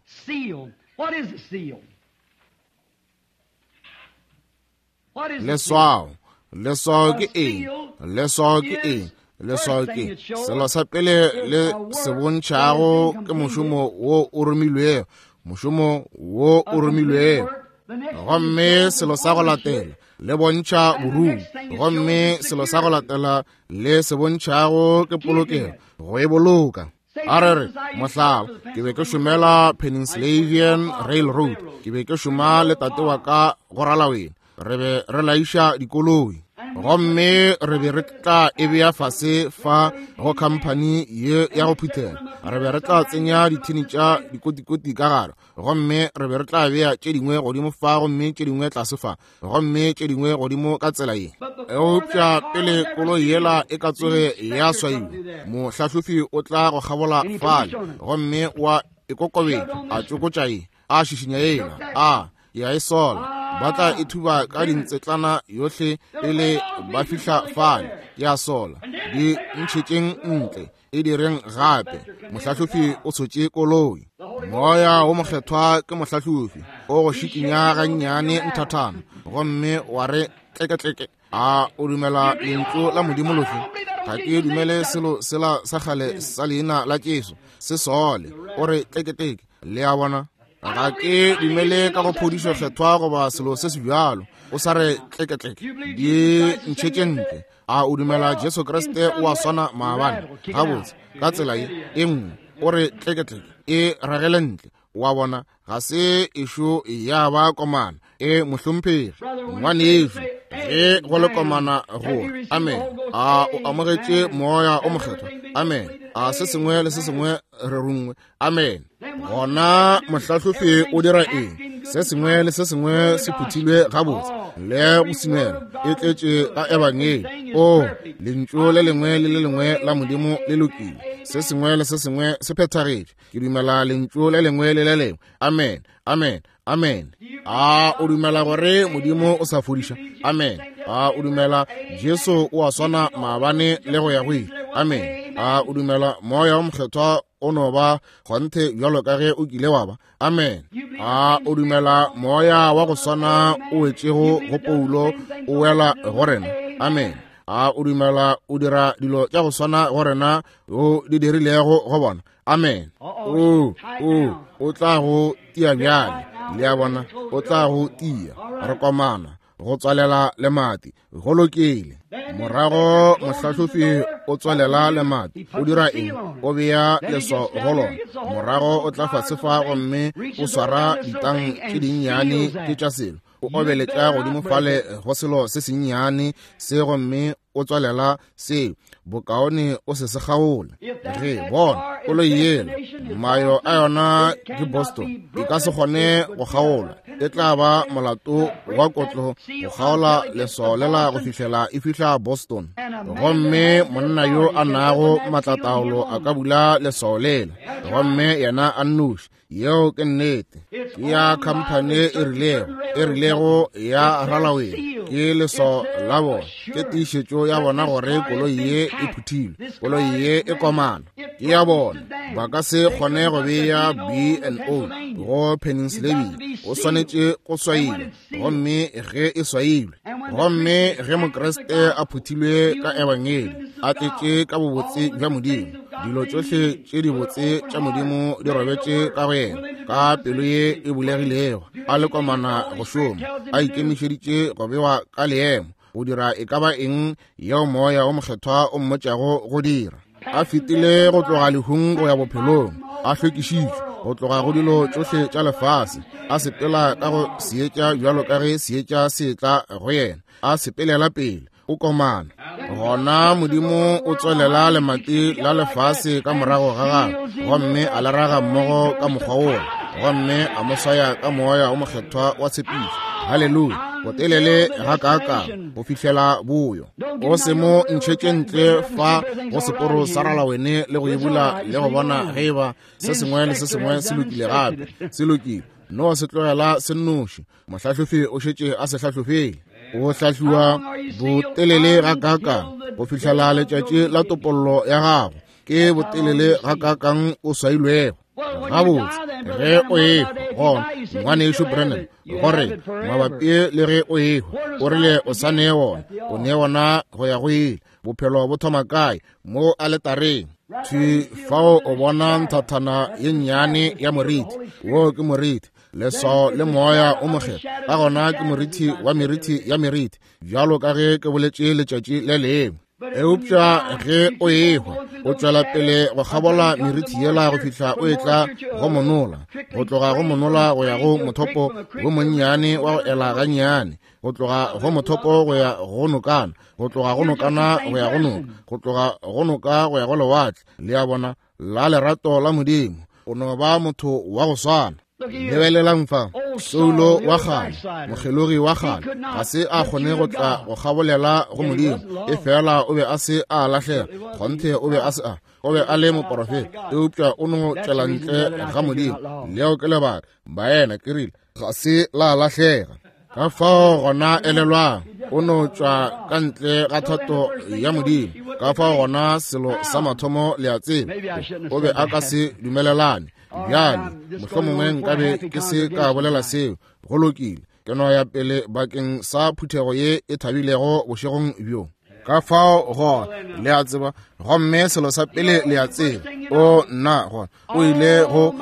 Leswao. Leswao ke eng? Leswao ke eng? Leswao ke selo sa pele le se bontšhago ke mošomo wo o romilwego, mošomo wo o romilwego. Gomme selo sa go latela le bontšha borumi, gomme selo sa go latela le se bontšhago ke polokego, go e boloka. A re re, mohlala, ke be ke šomela Pennsylvanian Railroad, ke be ke šoma le tate wa ka go ralawena, re be re laiša dikoloi, gomme re be re tla e bea fase fa go khamphani ye ya go phuthela, re be re tla tsenya dithini tša dikotikoti ka gare, gomme re be re tla bea tše dingwe godimo fa gomme tše dingwe tlase fa, gomme tše dingwe godimo ka tsela ye. Eupša pele koloi yela e ka tsoge ya swaiwa, mohlahlofi o tla go kgabola fale gomme wa e kokobetša, a tšokotša ye, a šišinya yela, a ya e sola. Ba tla e thuba ka dintsetlana yohle pele ba fihla fale, ya sola. Di ntšhetšeng ntle, e direng gape. Mohlahlofi o tshotše koloi. Moya wo Mokgethwa ke mohlahlofi, o go šikinya gannyane nthathana gomme wa re tleketleke. A o dumela lentšu la Modimo lohle? Ga ke dumele selo sela sa kgale sa leina la Jesu se sole. O re tleketleke. Le a bona? Ga ke dumele ka go phodišo kgethwa goba selo se se bjalo. O sa re tleketleke. Di ntšhetše ntle. A o dumela Jesu Kriste o a swana maabane? Gabotse, ka tsela ye e nngwe o re tleketleke, e ragele ntle. Wa bona, ga se ešo ya ba komana. E mohlomphegi, ngwanešu, ge go le komana go amen. A o amogetše Moya o Mokgethwa? Amen. A se sengwe le se sengwe re rungwe? Amen. Gona mohlahlofi o dira eng? Se sengwe le se sengwe se phuthilwe gabotse le go simela, e tletše ka ebangedi. O lentšu le lengwe le le lengwe la Modimo le lokile, se sengwe le se sengwe se phethagetše. Ke dumela lentšu le lengwe le le lengwe. Amen, amen, amen. A o dumela gore Modimo o sa fodiša? Amen. A o dumela Jesu o a swana maabane le go ya go ile? Amen. A o dumela Moya o Mokgethwa o no ba kgonthe bjalo ka ge o kile wa ba? Amen. A o dumela Moya wa go swana o wetšego go Paulo o wela go rena? Amen. A o dumela o dira dilo tša go swana go rena o di dirilego go bona? Amen. O, o, o tla go tia bjale. Le a bona, o tla go tia. Re komana go tswalela lemati. Go lokile. Morago mohlahlofi o tswalela lemati. O dira eng? O bea leswao go lona. Morago o tla fase fa gomme o swara ditang tše dinnyane tše tša selo. O obeletša godimo fale go selo se sennyane se gomme o tswalela seo. Bokaone o se se kgaole. Ge bona koloi yela, mayo a yona ke Boston, e ka se kgone go kgaolwa. E tla ba molato wa kotlo go kgaola leswao lela go fihlela e fihla Boston. Gomme monna yo a nago maatlataolo a ka bula leswao lela, gomme yena a nnoši. Yeo ke nnete. Ke ya khamphane e rilego, e rilego ya ralaweng. Ke leswao la bona, ke tiišetšo ya bona gore koloi ye e phuthilwe, koloi ye e komana. Ke ya bona. Ba ka se kgone go bea B and O go Pennsylvania. O swanetše go swaiwa, gomme ge e swailwe, gomme ge Mokriste a phuthilwe ka Ebangedi, a tletše ka bobotse bja Modimo, dilo tšohle tše dibotse tša Modimo di robetše ka go yena, ka pelo ye e bulegilego, a le komana go šoma, a ikemišeditše go bewa ka leemo, go dira e ka ba eng yeo Moya wo Mokgethwa o mmotšago go dira. A fetile go tloga lehung go ya bophelong, a hlwekišitšwe go tloga go dilo tšohle tša lefase, a sepela ka go seetša bjalo ka ge seetša se etla go yena, a sepelela pele, o komana. Gona Modimo o tswalela lemati la lefase ka morago ga gagwe, gomme a le raga mmogo ka mokgwa wola, gomme a mo swaya ka Moya wo Mokgethwa wa tshepišo. Haleluya! Botelele gakaakang go fihlela boyo. O se mo ntšhetše ntle fa go seporo sa ralawene le go e bula le go bona ge e ba se sengwe le se sengwe se lokile gape. Se lokile. No se tlogela se nnoši. Mohlahlofi o šetše a se hlahlofile. O hlahliwa botelele gakaakang go fihlela letšatši la topollo ya gago. Ke botelele gakaakang o swailwego. Gabotse, ge o ehwa, gona ngwanešu Branham, gore mabapi le ge o ehwa, o rile o sa nee wona, o nee wona go ya go ile. Bophelo bo thoma kae? Mo aletareng. Thwi fao o bona nthathana ye nnyane ya moriti. Wo ke moriti, leswao le moya o mokgethwa. Ka gona ke moriti wa meriti ya meriti, bjalo ka ge ke boletše letšatši le lengwe. Eupša ge o ehwa, o tšwela pele go kgabola meriti yela go fihla o etla go monola, go tloga go monola go ya go mothopo wo monnyane wa go ela gannyane, go tloga go mothopo go ya go nokana, go tloga go nokana go ya go noka, go tloga go noka go ya go lewatle, le a bona, la lerato la Modimo. O no ba motho wa go swana. Lebelelang fa, Saulo wa kgale, mokgelogi wa kgale, ga se a kgone go tla go kgabolela go Modimo, efela o be a se a lahlega. Kgonthe o be a se a, o be a le moporofeta, eupša o no tšwela ntle ga Modimo. Leo ke lebaka, baena, ke rile, ga se la lahlega. Ka fao gona elelwang, o no tšwa ka ntle ga thato ya Modimo. Ka fao gona selo sa mathomo le a tseba, o be a ka se dumelelane. Bjale, mohlomongwe nkabe ke se ka bolela seo. Go lokile, ke no ya pele bakeng sa phuthego ye e thabilego bošegong bjo. Ka fao gona, le a tseba, gomme selo sa pele le a tseba, o nna gona, o ile go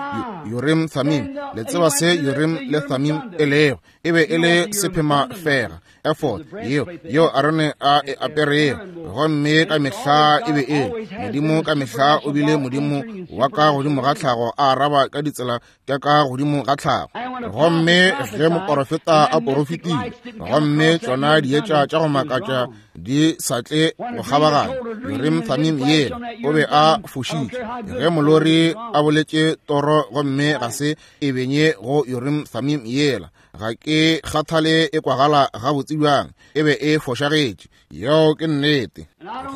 Urim Thummim. Le tseba se Urim le Thummim e lego? E be e le sephema fega, ephod yeo yeo Arone a e aperego, gomme ka mehla e be e Modimo. Ka mehla o bile Modimo wa ka godimo ga tlhago, a araba ka ditsela tša ka godimo ga tlhago. Gomme ge moporofeta a porofetile, gomme tšona dietša tša go makatša di sa tle go kgabaganya Urim Thummim yela, o be a fošitše. Ge molori a boletše toro gomme ga se e benye go Urim Thummim yela, ga ke kgathale e kwagala gabotse bjang, e be e fošagetše. Yeo ke nnete.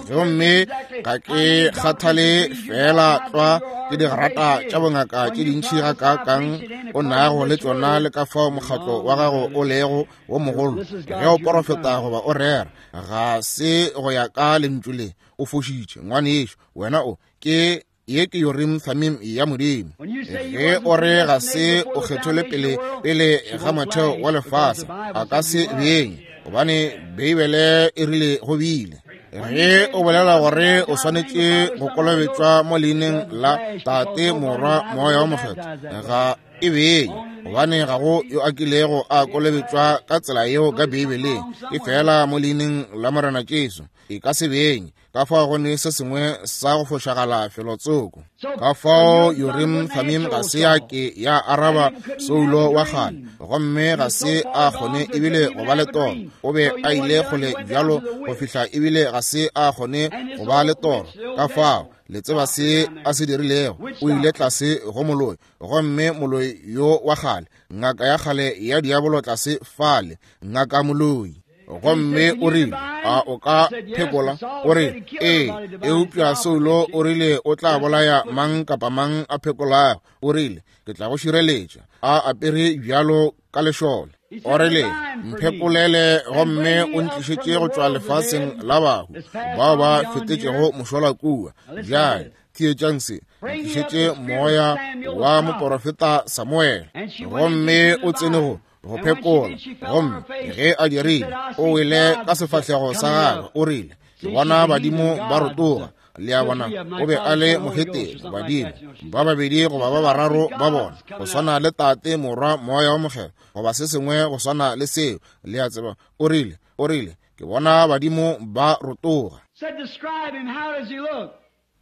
Gomme ga ke kgathale feela tlwa ke digrata tša bongaka tše dintši gakaakang o nago le tšona le ka fao mokgatlo wa gago o lego wo mogolo, ge o porofeta goba o rera, ga se go ya ka lentšu le, o fošitše, ngwanešu. Wena o ke ye ke Urim Thummim ya Modimo. Ge o re ga se o kgethelwe pele pele ga motheo wa lefase, a ka se beng, gobane Beibele e rile go bile. Ge o bolela gore o swanetše go kolobetšwa mo leineng la Tate, Morwa, Moya wa Mokgethwa, ga e beng, gobane ga go yo a kilego a kolobetšwa ka tsela yeo ka Beibeleng, e fela mo leineng la Morena Jesu, e ka se beng. Ka fao go ne se sengwe sa go fošagala felotsoko. Ka fao Urim Thummim ga se ya ke ya araba Saulo wa kgale, gomme ga se a kgone ebile go ba le toro. O be a ile kgole bjalo go fihla ebile ga se a kgone go ba le toro. Ka fao le tseba se a se dirilego, o ile tlase go moloi, gomme moloi yo wa kgale, ngaka ya kgale ya diabolo tlase fale, ngaka moloi. Gomme o rile, a o ka phekola? O re, ee, eupša Saulo o rile o tla bolaya mang kapa mang a phekolago. O rile, ke tla go šireletša, a apere bjalo ka lešole. O rile, mphekolele gomme o ntlišetše go tšwa lefaseng la bahu bao ba fetetšego mošola kua. Bjale theetšang se, ntlišetše moya wa moporofeta Samuele. Gomme o tsene go go phekola, gomme ge a dirile, o wele ka sefahlego sa gagwe, o rile, ke bona badimo ba rotoga. Le a bona, o be a le mohetene, badimo ba babedi goba ba bararo ba bona, go swana le Tate, Morwa, Moya wa Mokgethwa, goba se sengwe go swana le seo. Le a tseba, o rile, o rile, ke bona badimo ba rotoga.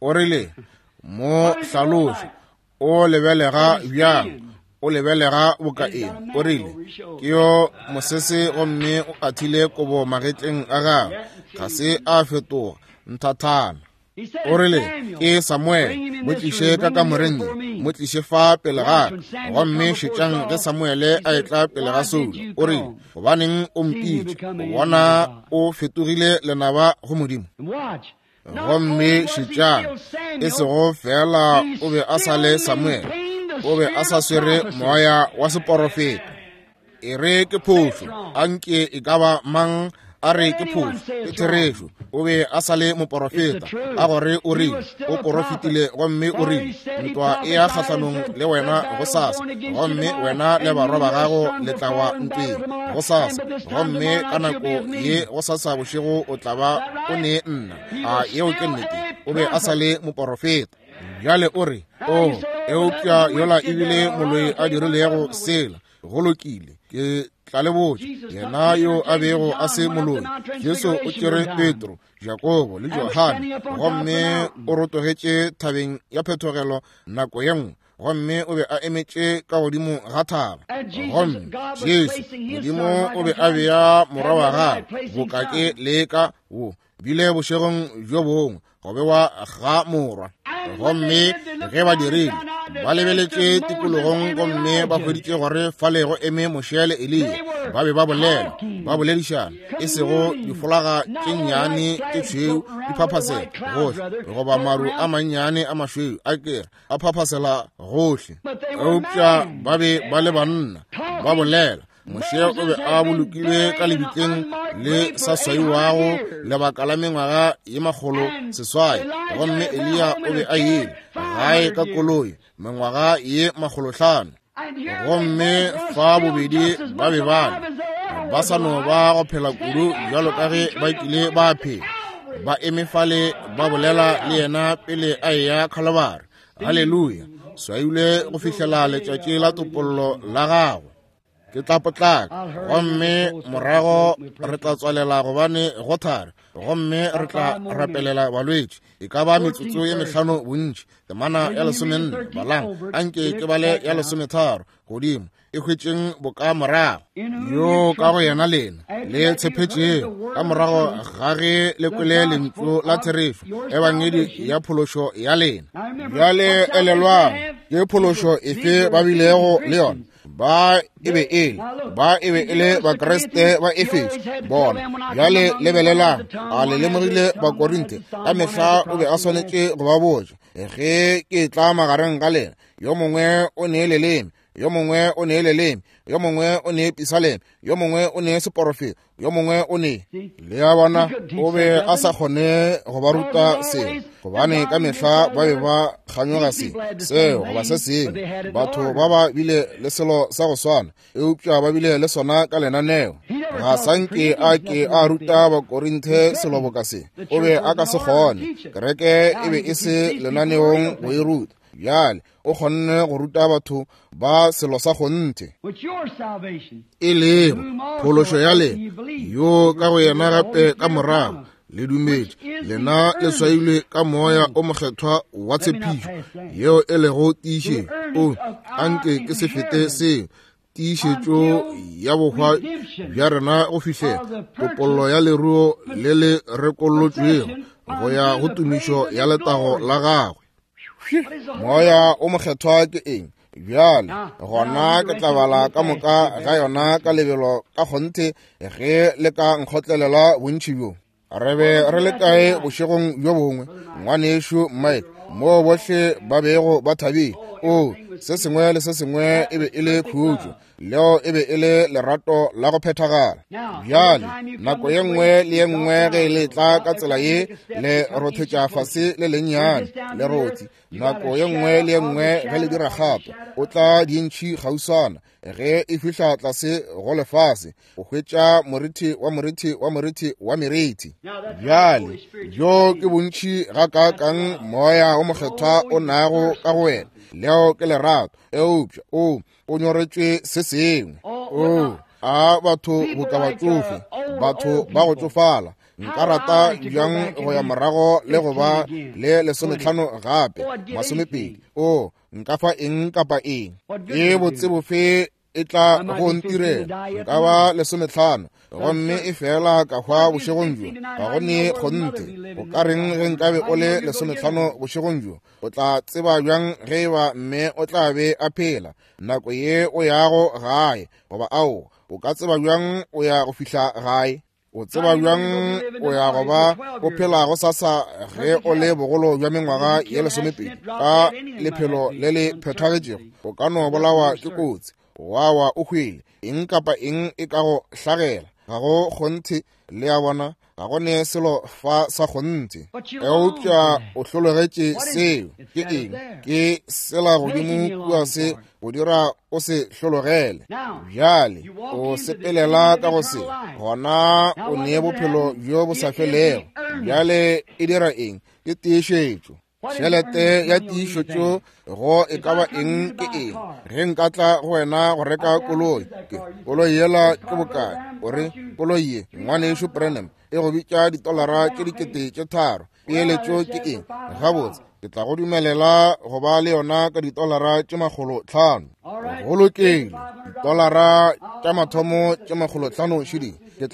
O rile, mo hlaloše, o lebelega bjang, o lebelega boka eng? O rile, ke yo mosese gomme o athile kobo magetleng a gagwe, ga se a fetoga nthathana. O rile, Ke Samuele, mo tliše ka kamoreng ye, mo tliše fa pele ga ka. Gomme šetšang ge Samuele a etla pele ga Saulo, o rile, Gobaneng o mpitša? O bona o fetogile lenaba go Modimo. Gomme šetšang, e sego feela o be a sa le Samuele, o be a sa swere moya wa seporofeta. E re ke phošo, a nke e ka ba mang a re ke phošo, ke therešo. O be a sa le moporofeta, a gore o rile, o porofetile gomme o rile, ntwa e ya kgahlanong le wena gosasa, gomme wena le barwa ba gago le tla wa ntweng gosasa, gomme ka nako ye gosasa bošego o tla ba o ne nna. A yeo ke nnete? O be a sa le moporofeta. Bjale o re, O, eupša yola ebile moloi a dirilego sela. Go lokile, ke tla le botša, yena yo a bego a se moloi, Jesu o tšere Petro, Jakobo le Johane, gomme o rotogetše thabeng ya phethogelo nako ye nngwe, gomme o be a emetše ka godimo ga thaba. Gomme Jesu, Modimo o be a bea morwa wa gagwe boka ke leka wo bile bošegong bjo bongwe go bewa ga morwa. Gomme ge ba dirile, ba lebeletše tikologong gomme ba hweditše gore fale go eme Moshe le Eliya, ba be ba bolela, ba boledišana, e sego difolaga tše nnyane tše tšhweu di phaphasela gohle, goba maru a mannyane a mašweu a kere a phaphasela gohle, eupša ba be ba le banna ba bolela. Moshe o be a bolokilwe ka lebitleng le sa swaiwago lebaka la mengwaga ye 600, gomme Eliya o be a ile gae ka koloi mengwaga ye 500. Gomme fa bobedi ba be ba le ba sa no ba go phela kudu bjalo ka ge ba kile ba phela, ba eme fale ba bolela le yena pele a eya Khalabari. Haleluya! Swailwe go fihlela letšatši la topollo la gagwe. Ke tla potlaka, gomme morago re tla tswalela gobane go thari, gomme re tla rapelela balwetši. E ka ba metsotso ye 5 bontši. Temana ya 14, balang, anke ke bale ya 13 godimo, e hwetšeng boka morago. Yo ka go yena lena le tshepetšego ka morago ga ge le kwele lentšu la therešo, ebangedi ya phološo ya lena. Bjale elelwang, ke phološo efe ba bilego le yona? Ba e be e le, ba e be e le Bakriste ba Efeso bona. Bjale lebelelang, a le lemogile Bakorinthe? Ka mehla o be a swanetše go ba botša, ge ke tla magareng ga lena, yo mongwe o ne leleme, yo mongwe o ne leleme, yo mongwe o ne pisaleme, yo mongwe o ne seporofeto, yo mongwe o ne. Le a bona, o be a sa kgone go ba ruta seo, gobane ka mehla ba be ba kganyoga se, seo goba se sengwe. Batho ba ba bile le selo sa go swana, eupša ba bile le sona ka lenaneo. Ga sa nke a ke a ruta Bakorinthe selo boka se, o be a ka se kgone. Kereke e be e se lenaneong go e ruta. Bjale o kgonne go ruta batho ba selo sa kgonthe, e lego phološo ya lena, yo ka go yena gape ka morago le dumetše, lena le swailwe ka moya o mokgethwa wa tshepišo, yeo e lego tiišetšo. O anke ke se fete seo, tiišetšo ya bohwa bja rena go fihlela topollo ya leruo le le rekollotšwego go ya go tumišo ya letago la gagwe. Moya o mokgethwa ke eng? Bjale gona ke tla bala ka moka ga yona ka lebelo ka kgonthe ge le ka nkgotlelela bontši bjo. Re be re le kae bošegong bjo bongwe, ngwanešu Mike, moo bohle ba bego ba thabile? O, se sengwe le se sengwe e be e le khutšo, leo e be e le lerato la go phethagala. Bjale nako ye nngwe le ye nngwe ge le tla ka tsela ye, le rothetša fase le lennyane lerothi. Nako ye nngwe le ye nngwe ge le dira kgato, o tla dintšhi kgauswana. Ge e fihla tlase go lefase, o hwetša morithi wa morithi wa morithi wa merithi. Bjale bjo ke bontši gakaakang moya o mokgethwa o nago ka go wena. Leo ke lerato, eupša o o nyoretšwe se sengwe. O a batho boka batšofe, batho ba go tšofala. Nka rata bjang go ya morago le go ba le 15 gape, 20. O nka fa eng kapa eng. Ke botse bofe e tla go ntirela. Nka ba 15 gomme e fela ka hwa bošegong bjo. Ga go ne kgonthe. O ka reng ge nkabe o le 15 bošegong bjo? O tla tseba bjang ge e ba mme o tla be a phela nako ye o yago gae? Goba ao, o ka tseba bjang o ya go fihla gae? O tseba bjang o ya go ba o phela go sasa ge o le bogolo bja mengwaga ye 20 ka lephelo le le phethagetšego? O ka no bolawa ke kotsi, wa wa o hwele, eng kapa eng e ka go hlagela. Ga go kgonthe, le a bona, ga go ne selo fa sa kgonthe. Eupša o hlologetše seo. Ke eng? Ke sela godimo kua se go dira o se hlologele. Bjale o sepelela ka go se, gona o ne bophelo bjo bo sa felego. Bjale e dira eng? Ke tiišetšo. Tšhelete ya tiišetšo go e ka ba eng ke eng? Ge nka tla go wena go reka koloi, ke koloi yela ke bokae? O re koloi ye, ngwanešu Branham, e go bitša $3 3,000. Peeletšo ke eng? Gabotse, ke tla go dumelela go ba le yona ka $500. Go lokile, $500 šedi. Ke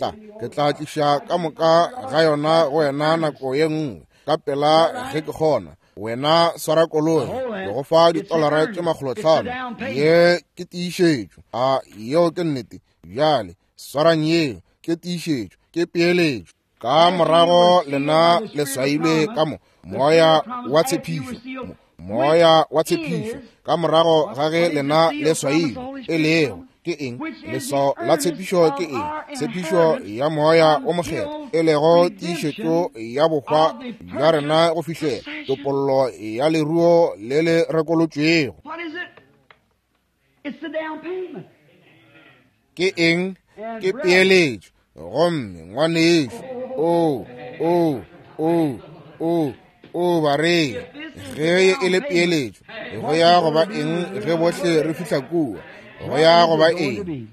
tla tliša ka moka ga yona go wena nako ye nngwe, ka pela ge ke kgona. Wena swara koloi, ke go fa $500. Ye ke tiišetšo. A yeo ke nnete? Bjale swarang yeo, ke tiišetšo, ke peeletšo. Ka morago lena le swailwe ka mo moya wa tshepišo, moya wa tshepišo. Ka morago ga ge lena le swailwe, e lego ke eng? Leswao la tshepišo ke eng? Tshepišo ya moya o mokgethwa, e lego tiišetšo ya bohwa bja rena go fihlela topollo ya leruo le le rekolotšwego. Ke eng? Ke peeletšo. Gomme ngwanešu, o o o o o bareng, ge e le peeletšo, go ya go ba eng ge bohle re fihla kua? Go ya go ba eng?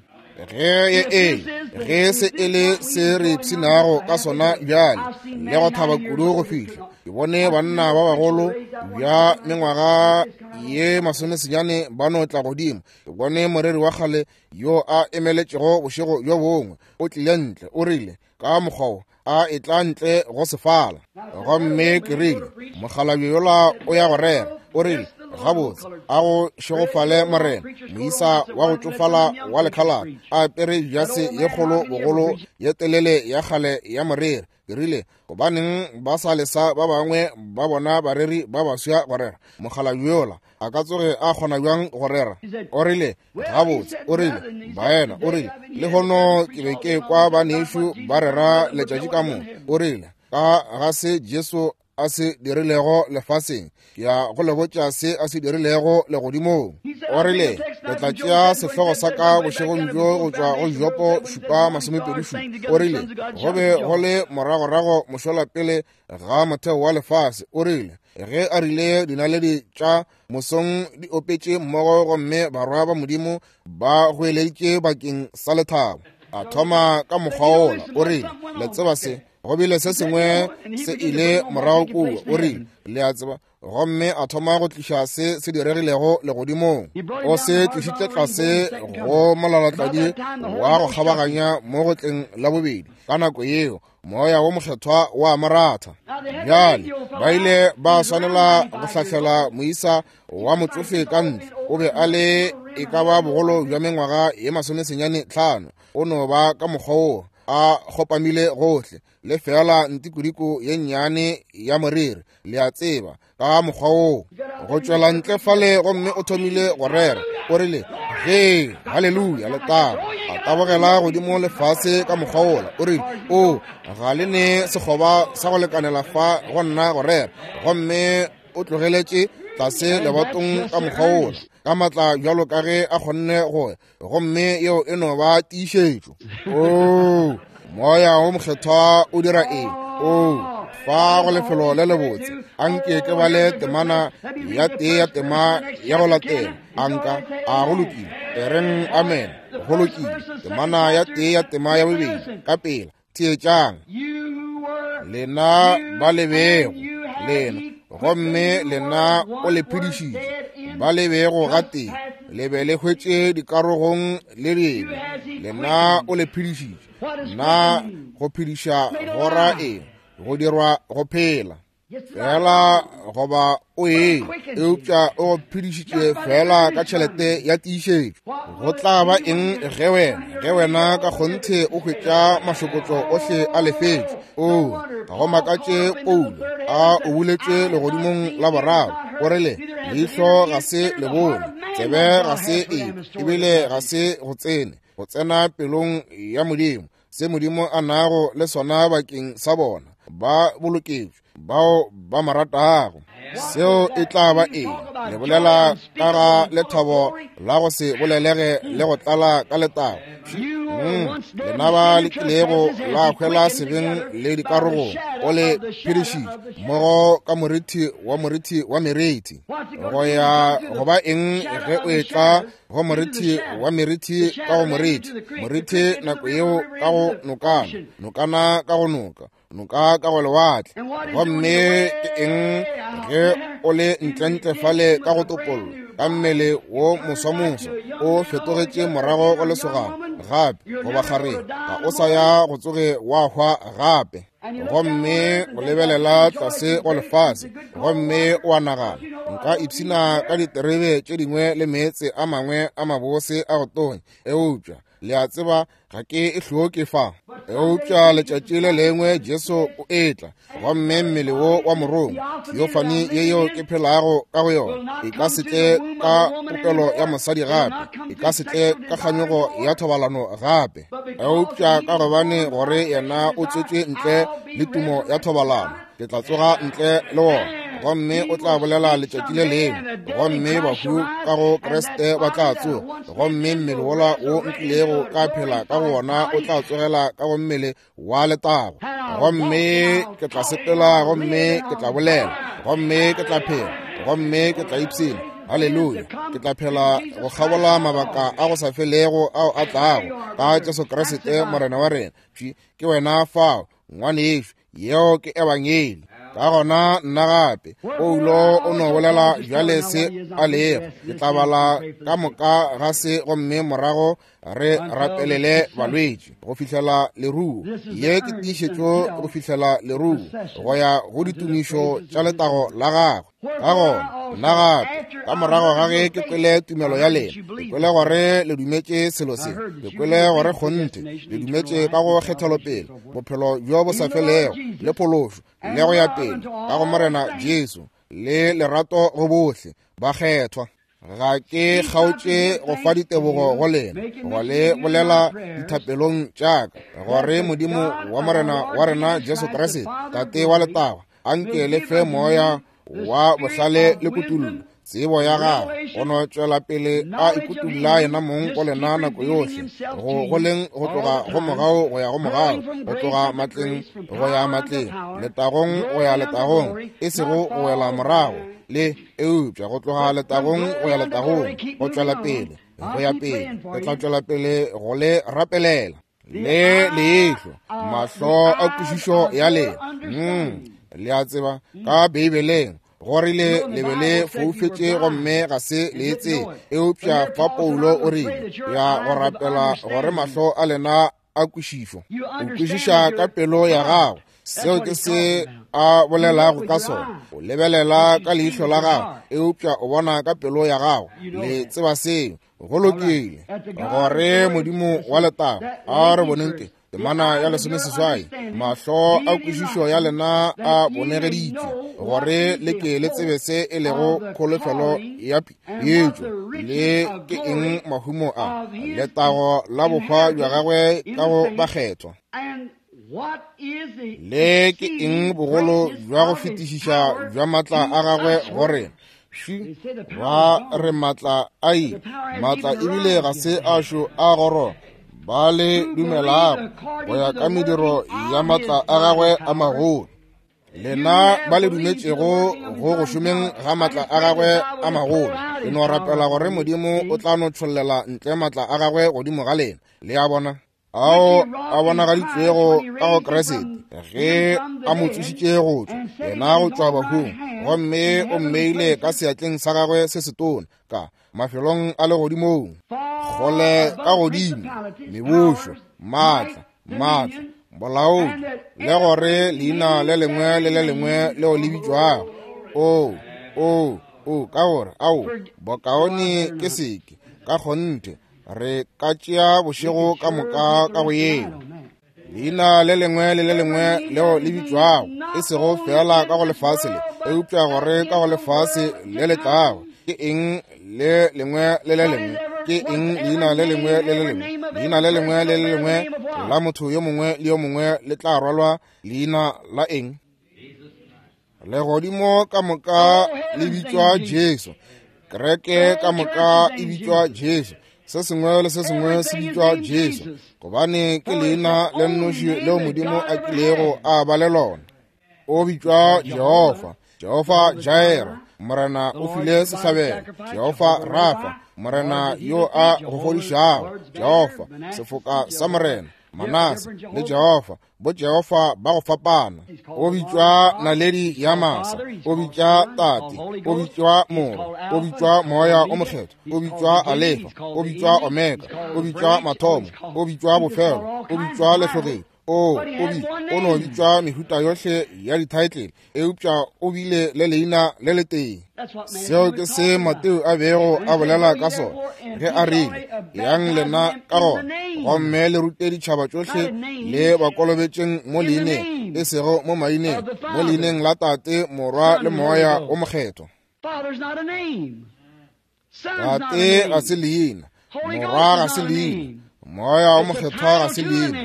Ge e ge se e le se re ipshinago ka sona bjale le go thaba kudu go fihla. Ke bone banna ba bagolo bja mengwaga ye 90 ba no tla godimo. Ke bone moreri wa kgale yo a emeletšego bošego bjo bongwe, o tlile ntle, o rile ka mokgwa wo a e tla ntle go sefala. Gomme ke rile, mokgalabje yola o ya go rera. O rile, gabotse, a go šegofale Morena. Moisa wa go tšofala wa lekhalaba a apere jase ye kgolo bogolo ye telele ya kgale ya moreri. Ke rile, gobaneng ba sa lesa ba bangwe ba bona bareri ba baswa go rera? Mokgalabje yola a ka tsoge a kgona bjang go rera? O rile, gabotse, o rile, baena, o rile, lehono ke be ke kwa banešu ba rera letšatši ka moka. O rile, ka ga se Jesu a se dirilego lefaseng, ke ya go le botša se a se dirilego legodimong. O rile, ke tla tšea sehlogo sa ka bošegong bjo go tšwa go Jopo 7:27. O rile, go be go le moragorago mošola pele ga motheo wa lefase. O rile, ge a rile dinaledi tša mosong di opetše mmogo gomme barwa ba Modimo ba goeleditše bakeng sa lethabo. A thoma ka mokgwa wola. O rile, le tseba se, go bile se sengwe se ile morago kua. O rile, le a tseba. Gomme a thoma go tliša se se diregilego legodimong. O se tlišitše tlase go molalatladi wa go kgabaganya mo go tleng la bobedi. Ka nako yeo moya wo mokgethwa wa moratha. Bjale ba ile ba swanela go hlahlela moisa wa motsofe ka ntle. O be a le e ka ba bogolo bja mengwaga ye 95. O no ba ka mokgwa wo a kgopamile gohle, le fela ntikodiko ye nnyane ya moriri, le a tseba, ka mokgwa woo go tšwela ntle fale. Gomme o thomile go rera. O rile, ge haleluya, letago. A tabogela godimo lefase ka mokgwa wola. O rile, o ga le ne sekgoba sa go lekanela fa go nna go rera. Gomme o tlogeletše tlase lebatong ka mokgwa wola, ka matla bjalo ka ge a kgonne go. Gomme yeo e no ba tiišetšo. O moya wo mokgethwa o dira eng? O fa go lefelo le lebotse. Anke ke bale temana ya tee ya tema ya go latela. Anka a go lokile, e reng amen. Go lokile, temana ya tee ya tema ya bobedi ka pela. Theetšang, lena ba le bego lena, gomme lena o le phedišitše, ba le bego gatee. Le be le hwetše dikarogong le dibe. Lena o le phedišitše. Na go phediša go ra eng? Go dirwa go phela. Fela goba o e, eupša o go phedišitše fela ka tšhelete ya tiišetšo. Go tla ba eng ge wena, ge wena ka kgonthe o hwetša mašokotšo ohle a lefetšwe? Oo, ga go makatše Paulo a o buletšwe legodimong la boraro, o rile, Leihlo ga se le bone, tsebe ga se e, ebile ga se go tsene, go tsena pelong ya Modimo, se Modimo a nago le sona bakeng sa bona ba boloketšwe bao ba mo ratago. Seo e tla ba eng? Le bolela ka ga lethabo la go se bolelege le go tlala ka letago. Lena ba le kilego la hwela sebeng le dikarogong, o le phedišitše mmogo ka morithi wa morithi wa merithi. Go ya go ba eng ge o etla go morithi wa merithi ka go morithi, morithi nako yeo ka go nokana, nokana ka go noka, noka ka go lewatle. Gomme ke eng ge o le ntlentle fale ka go topollo, ka mmele wo moswamoso o fetogetše morago go lesogana gape, goba kgareng, ga o sa ya go tsoge wa hwa gape. Gomme o lebelela tlase go lefase, gomme o a nagana, nka ipshina ka diterebe tše dingwe le meetse a mangwe a mabose a go tonya, eupša le a tseba ga ke e hloke fa. Eupša letšatši le lengwe Jesu o etla, gomme mmele wo wa morongwa, theophany ye yeo ke phelago ka go yona, e ka se tle ka popelo ya mosadi gape, e ka se tle ka kganyogo ya thobalano gape, eupša ka gobane gore yena o tswetšwe ntle le tumo ya thobalano, ke tla tsoga ntle le wona, gomme o tla bolela letšatši le lengwe, gomme bahu ka go Kriste ba tla tsoga, gomme mmele wola wo nkilego ka phela ka go wona o tla tsogela ka go mmele wa letago, gomme ke tla sepela, gomme ke tla bolela, gomme ke tla phela, gomme ke tla ipshina. Haleluya! Ke tla phela go kgabola mabaka a go sa felego ao a tlago ka Jesu Kriste Morena wa rena. Ke wena fao, ngwanešu, yeo ke ebangeli. Ka gona nna gape, Paulo o no bolela bjale se a lego. Ke tla bala ka moka ga se gomme morago re rapelele balwetši go fihlela leruo. Ye ke tiišetšo go fihlela leruo go ya go ditumišo tša letago la gagwe. Ka gona nna gape, ka morago ga ge ke kwele tumelo ya lena, ke kwele gore le dumetše selo se, ke kwele gore kgonthe le dumetše ka go kgethelopele bophelo bjo bo sa felego le phološo le go ya pele ka go Morena Jesu le lerato go bohle bakgethwa. Ga ke kgaotše go fa ditebogo go lena, go le bolela dithapelong tša ka, gore Modimo wa Morena wa rena Jesu Kriste, Tate wa letago, a nke le fe moya wa bohlale le kutullo, tsebo ya gagwe, go no tšwela pele a ikutulla yena mong go lena nako yohle, go goleng go tloga go mogau go ya go mogau, go tloga matleng go ya matleng, letagong go ya letagong, e sego go wela morago le eupša go tloga letagong go ya letagong, go tšwela pele go ya pele. Re tla tšwela pele go le rapelela le leihlo, mahlo a kwešišo ya lena. Le a tseba ka Beibeleng go rile le be le foufetše gomme ga se le e tsebe, eupša fa Paulo o rile ya go rapela gore mahlo a lena a kwešišo. O kwešiša ka pelo ya gago, seo ke se a bolelago ka sona. O lebelela ka leihlo la gago, eupša o bona ka pelo ya gago. Le tseba seo. Go lokile. Gore Modimo wa letago a re boneng ke temana ya 18, mahlo a kwešišo ya lena a bonegeditšwe, gore le ke le tsebe se e lego kholofelo ya yetšo, le ke eng mahumo a letago la bohwa bja gagwe ka go bakgethwa, le ke eng bogolo bja go fetišiša bja matla a gagwe go rena. Ba re matla a ile, matla ebile ga se a šo a goroga ba le dumelago go ya ka mediro ya matla a gagwe a magolo. Lena ba le dumetšego go go šomeng ga matla a gagwe a magolo, le no rapela gore Modimo o tla no tšhollela ntle matla a gagwe godimo ga lena. Le a bona? Ao a bonagaditšwego ka go Kriste ge a mo tsošitše go tšwa yena go tšwa bahung, gomme o mmeile ka seatleng sa gagwe se setona ka mafelong a legodimong, kgole ka godimo, mebušo, maatla, maatla, bolaodi, le gore leina le lengwe le le lengwe leo le bitšwago. O, o, o, ka gore, ao, bokaone ke seke, ka kgonthe, re ka tšea bošego ka moka ka go yeo. Leina le lengwe le le lengwe leo le bitšwago, e sego feela ka go lefase le, eupša gore ka go lefase le le tlago. Ke eng le lengwe le le lengwe? Ke eng leina le lengwe le le lengwe? Leina le lengwe le le lengwe la motho yo mongwe le yo mongwe le tla rwalwa leina la eng? Legodimo ka moka le bitšwa Jesu, kereke ka moka e bitšwa Jesu, se sengwe le se sengwe se bitšwa Jesu, gobane ke leina le nnoši leo Modimo a kilego a ba le lona. O bitšwa Jehofa, Jehofa Jaira, Morena o file sehlabelo, Jehofa Rafa, Morena yo a go fodišago, Jehofa sefoka sa Morena, Manase le Jehofa, bo Jehofa ba go fapana. O bitšwa naledi ya masa, o bitšwa Tate, o bitšwa Morwa, o bitšwa Moya o Mokgethwa, o bitšwa Alefa, o bitšwa Omega, o bitšwa Mathomo, o bitšwa Bofelo, o bitšwa Lehlogedi. O, o bi, o no bitšwa mehuta yohle ya dithaetlele, eupša o bile le leina le letee. Seo ke se Mateo a bego a bolela ka sona ge a rile, Yang lena ka gona gomme le rute ditšhaba tšohle, le ba kolobetšeng mo leineng, e sego mo maineng, mo leineng la Tate, Morwa le Moya o Mokgethwa. Tate ga se leina, Morwa ga se leina, Moya o Mokgethwa ga se leina,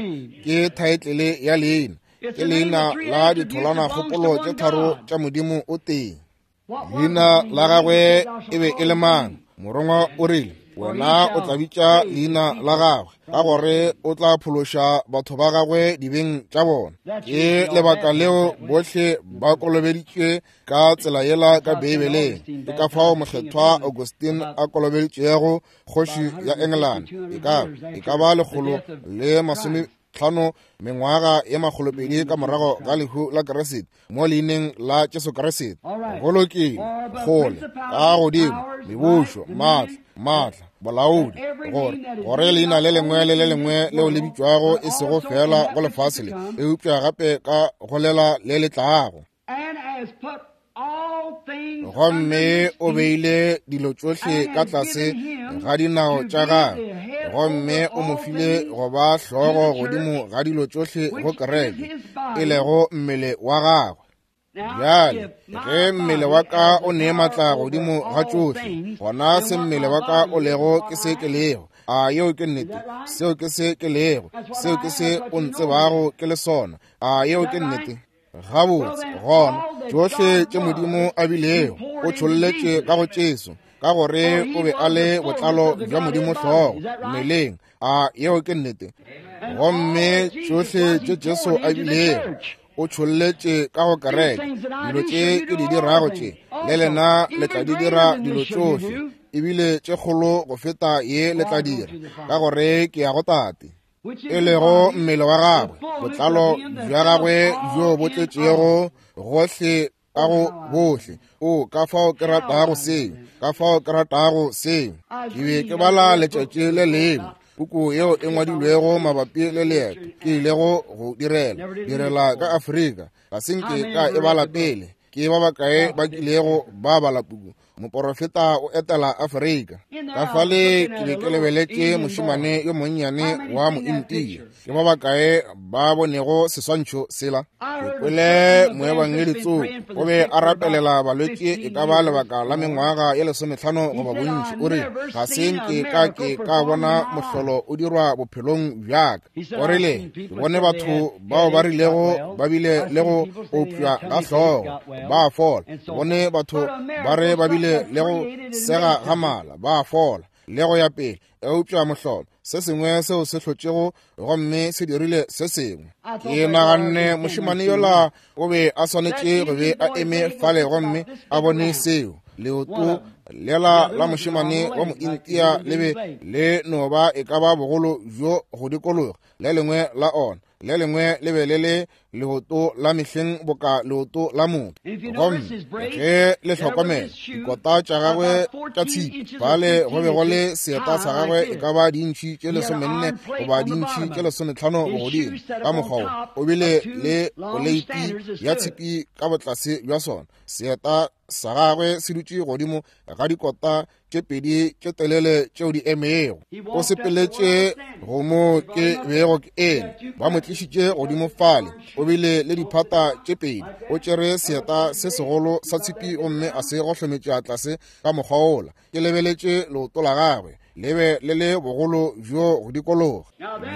ke thaetlele ya leina, ke leina la ditholwanakgopolo tše tharo tša Modimo o tee. Leina la gagwe e be e le mang? Morongwa o rile, Wena o tla bitša leina la gagwe, ka gore o tla phološa batho ba gagwe dibeng tša bona. Ke lebaka leo bohle ba kolobeditšwe ka tsela yela ka Beibeleng. Ke ka fao Mokgethwa Augustine a kolobeditšego kgoši ya Engelane, e ka ba 150 mengwaga ye 200 ka morago ga lehu la Kriste, mo leineng la Jesu Kriste. Go lokile, kgole ka godimo, mebušo, maatla, maatla, bolaodi, gore gore leina le lengwe le le lengwe leo le bitšwago e sego feela go lefase le, eupša gape ka go lela le le tlago. Gomme o beile dilo tšohle ka tlase ga dinao tša gagwe, gomme o mo file go ba hlogo godimo ga dilo tšohle go kereke, e lego mmele wa gagwe. Bjale, ge mmele wa ka o ne maatla godimo ga tšohle, gona se mmele wa ka o lego ke se ke lego. A yeo ke nnete? Seo ke se ke lego, seo ke se o ntsebago ke le sona. A yeo ke nnete? Gabotse, gona tšohle tše Modimo a bilego o tšholletše ka go Jesu, ka gore o be a le botlalo bja Modimo hlogo mmeleng. A yeo ke nnete? Gomme tšohle tše Jesu a bilego o tšholletše ka go kereke, dilo tše ke di dirago tše, le lena le tla di dira dilo tšohle, ebile tše kgolo go feta ye le tla dira, ka gore ke ya go Tate. e lego mmele wa gagwe, botlalo bja gagwe bjo bo tletšego gohle ka go bohle. O, ka fao ke ratago seo, ka fao ke ratago seo. Ke be ke bala letšatši le lengwe puku yeo e ngwadilwego mabapi le leeto ke ilego go direla ka Afrika. Ga se nke ka e bala pele. Ke ba bakae ba kilego ba bala puku Moporofeta o etela Afrika? Ka fale ke be ke lebeletše mošemane yo monnyane wa Mointia. Ke ba bakae ba bonego seswantšho sela? Ke kwele moebangedi tsoko o be a rapelela balwetši e ka ba lebaka la mengwaga ye 15 goba bontši. O rile, Ga se nke ka ke ka bona mohlolo o dirwa bophelong bja ka. O rile, Ke bone batho bao ba rilego ba bile le go opša ga hlogo, ba fola. Ke bone batho ba re ba bile le go sega ga mala, ba fola, le go ya pele. Eupša mohlolo, se sengwe seo se hlotšego gomme se dirile se sengwe. Ke naganne mošemane yola o be a swanetše go be a eme fale gomme a bone seo. Leoto lela la mošemane wa Mointia le be le no ba e ka ba bogolo bjo go dikologa le lengwe la ona. Le lengwe le be le le leoto la mehleng boka leoto la motho. Gomme ge le hlokomela dikota tša gagwe tša tshipi, fale go be go le seeta sa gagwe e ka ba diintšhi tše 14 goba diintšhi tše 15 bogodimo. Ka mokgwa wo o bile le poleiti ya tshipi ka botlase bja sona. Seeta sa gagwe se dutše godimo ga dikota tše pedi tše telele tšeo di emego. O sepeletše go mo ke bego ke eme, ba mo tlišitše godimo fale. O bile le diphata tše pedi, o tšere seeta se segolo sa tshipi gomme a se gohlometša tlase ka mokgwa wola. Ke lebeletše leoto la gagwe, le be le le bogolo bjo go dikologa.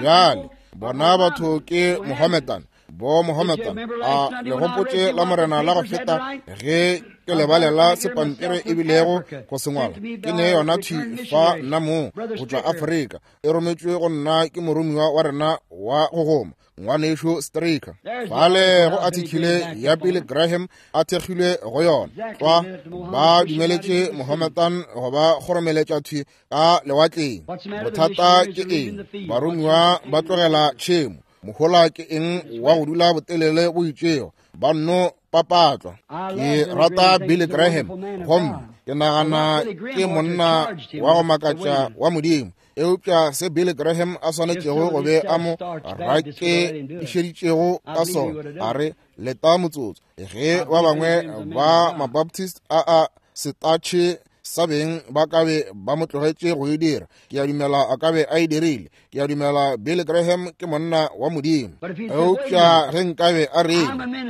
Bjale bona batho ke Mohammedan, bo Mohammedan. A le gopotše la Morena la go feta ge ke lebalela se pampiri e bilego go sengwala? Ke ne yona thwi fa nna mong go tšwa Afrika, e rometšwe go nna ke moromiwa wa rena wa go goma, ngwanešu Stricker. Fale go athikile ya Billy Graham a thekgilwe go yona tlwa, ba dumeletše Mohammedan go ba kgoromeletša thwi ka lewatleng. Bothata ke eng? Baromiwa ba tlogela tšhemo. Mohola ke eng wa go dula botelele bo itšego? Ba nno papatlwa. Ke rata Billy Graham, gomme ke nagana ke monna wa go makatša wa Modimo. Eupša se Billy Graham a swanetšego go be a mo rakeešeditšego ka sona, a re, leta motsotso, ge ba bangwe ba Mabaptist a a setatšhe sa beng ba ka be ba mo tlogetše go e dira, ke a dumela a ka be a e dirile. Ke a dumela Billy Graham ke monna wa Modimo. Eupša ge nkabe a re,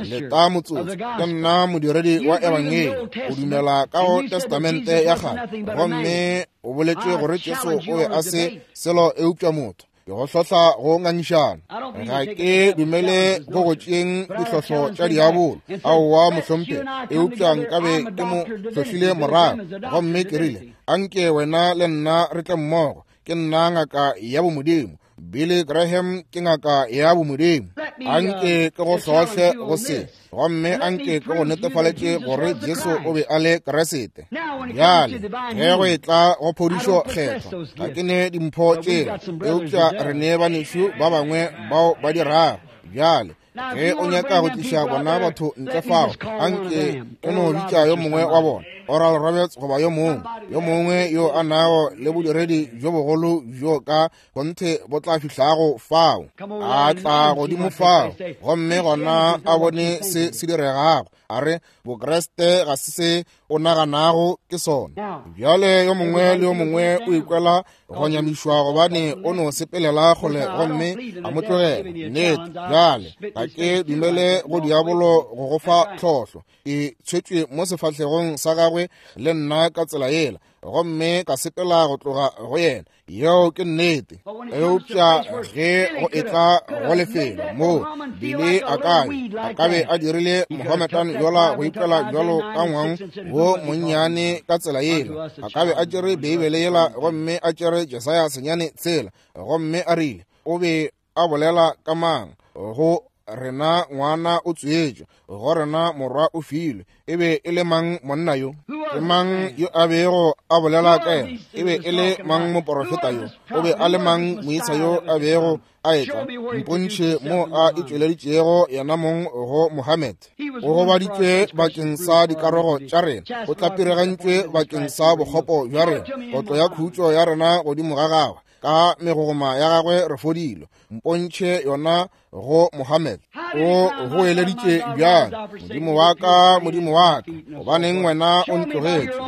leta motsotso, ke nna modiredi wa Ebangedi, o dumela ka go Testamente ya Kgale, gomme o boletše gore Jesu o be a se selo eupša motho, ke go hlohla go ngangišana. Ga ke dumele go go tšeeng dihlohlo tša diabolo, aowa mohlomphegi, eupša nkabe ke mo hlohlile morago gomme ke rile, anke wena le nna re tle mmogo, ke nna ngaka ya bomodimo. Billy Graham ke ngaka ya bomodimo. Anke ke go hlohle go se, gomme anke ke go netefaletše gore Jesu o be a le Kriste. Bjale ge go etla go phodišo kgethwa, ga ke ne dimpho tšela, eupša re ne banešu ba bangwe bao ba di rago. Bjale ge o nyaka go tliša bona batho ntle fao, anke o no bitša yo mongwe wa bona, Oral Roberts goba yo mongwe, yo mongwe yo a nago le bodiredi bjo bogolo bjo ka kgonthe bo tla fihlago fao, a tla godimo fao gomme gona a bone se se diregago, a re Bokriste ga se se o naganago ke sona. Bjale yo mongwe le yo mongwe o ikwela go nyamišwa gobane o no sepelela kgole gomme a mo tlogela. Nnete, bjale ga ke dumele go diabolo go go fa tlhohlo. Ke tshwetšwe mo sefahlegong sa gagwe le nna ka tsela yela, gomme ka sepela go tloga go yena. Yeo ke nnete. Eupša ge go etla go lefelo moo Billy a ka a ka be a dirile Mohammedan yola go ikwela bjalo ka ngwang wo monnyane ka tsela yela, a ka be a tšere Beibele yela gomme a tšere Jesaya 9:6 gomme a rile, o be a bolela ka mang? Go rena ngwana o tswetšwe, go rena morwa o filwe. E be e le mang monna yo? Ke mang yo a bego a bolela ka yena? E be e le mang moporofeta yo? O be a le mang moisa yo a bego a etla? Mpontšhe mo a itšweleditšego yena mong go Mohammed. O gobaditšwe bakeng sa dikarogo tša rena, o tlapiregantšwe bakeng sa bokgopo bja rena, kotlo ya khutšo ya rena godimo ga gagwe, ka megogoma ya gagwe re fodilwe. Mpontšhe yona go Mohammed. O goeleditše bjang, Modimo wa ka, Modimo wa ka, gobaneng wena o ntlogetše?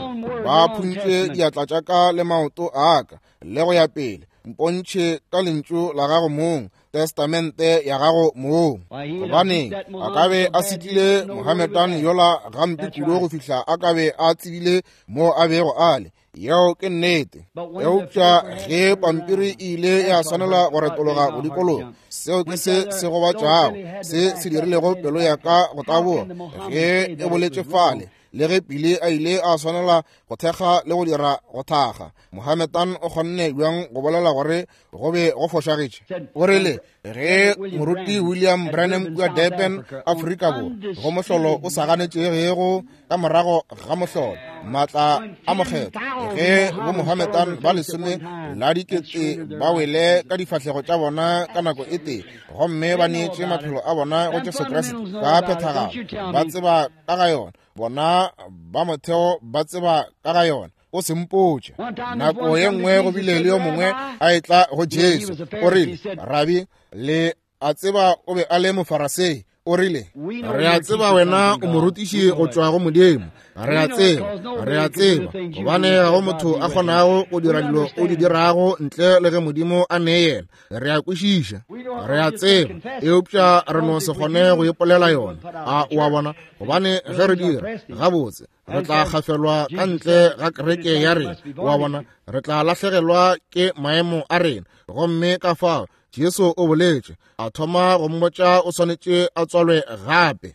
Ba phuntše diatla tša ka le maoto a ka, le go ya pele. Mpontšhe ka lentšu la gago mong, testamente ya gago mong. Gobaneng a ka be a setlile Mohammedan yola gampe kudu go fihla a ka be a tsebile mo a bego a le. Yeo ke nnete. Eupša ge pampiri e ile ya swanela go retologa go dikologa, seo ke se se gobatšago, se se dirilego pelo ya ka go taboga ge e boletše fale. Le ge Pili a ile a swanela go thekga le go dira go thaga, Mohammedan o kgonne bjang go bolela gore go be go fošagetše? O rile, ge moruti William Branham kua Durban, Afrika Borwa, go mohlolo o sa ganetšegego ka morago ga mohlolo. Maatla a Mokgethwa, ge boMohammedan ba lesome la dikete ba wele ka difahlego tša bona ka nako e tee, gomme ba neetše maphelo a bona go Jesu Kriste ka phethagalo, ba tseba ka ga yona. Bona ba motheo ba tseba ka ga yona. O se mpotše. Nako ye nngwe go bile le yo mongwe a etla go Jesu, o rile, Rabi, le a tseba o be a le Mofarasei. O rile, re a tseba wena o morutiši go tšwa go Modimo. Re a tseba, re a tseba, gobane ga go motho a kgonago go dira dilo o di dirago ntle le ge Modimo a ne yena. Re a kwešiša, re a tseba, eupša re no se kgone go ipolela yona. A o a bona? Gobane ge re dira, gabotse, re tla gafelwa ka ntle ga kereke ya rena. O a bona? Re tla lahlegelwa ke maemo a rena. Gomme ka fao Jesu o boletše, a thoma go mmotša o swanetše a tswalwe gape.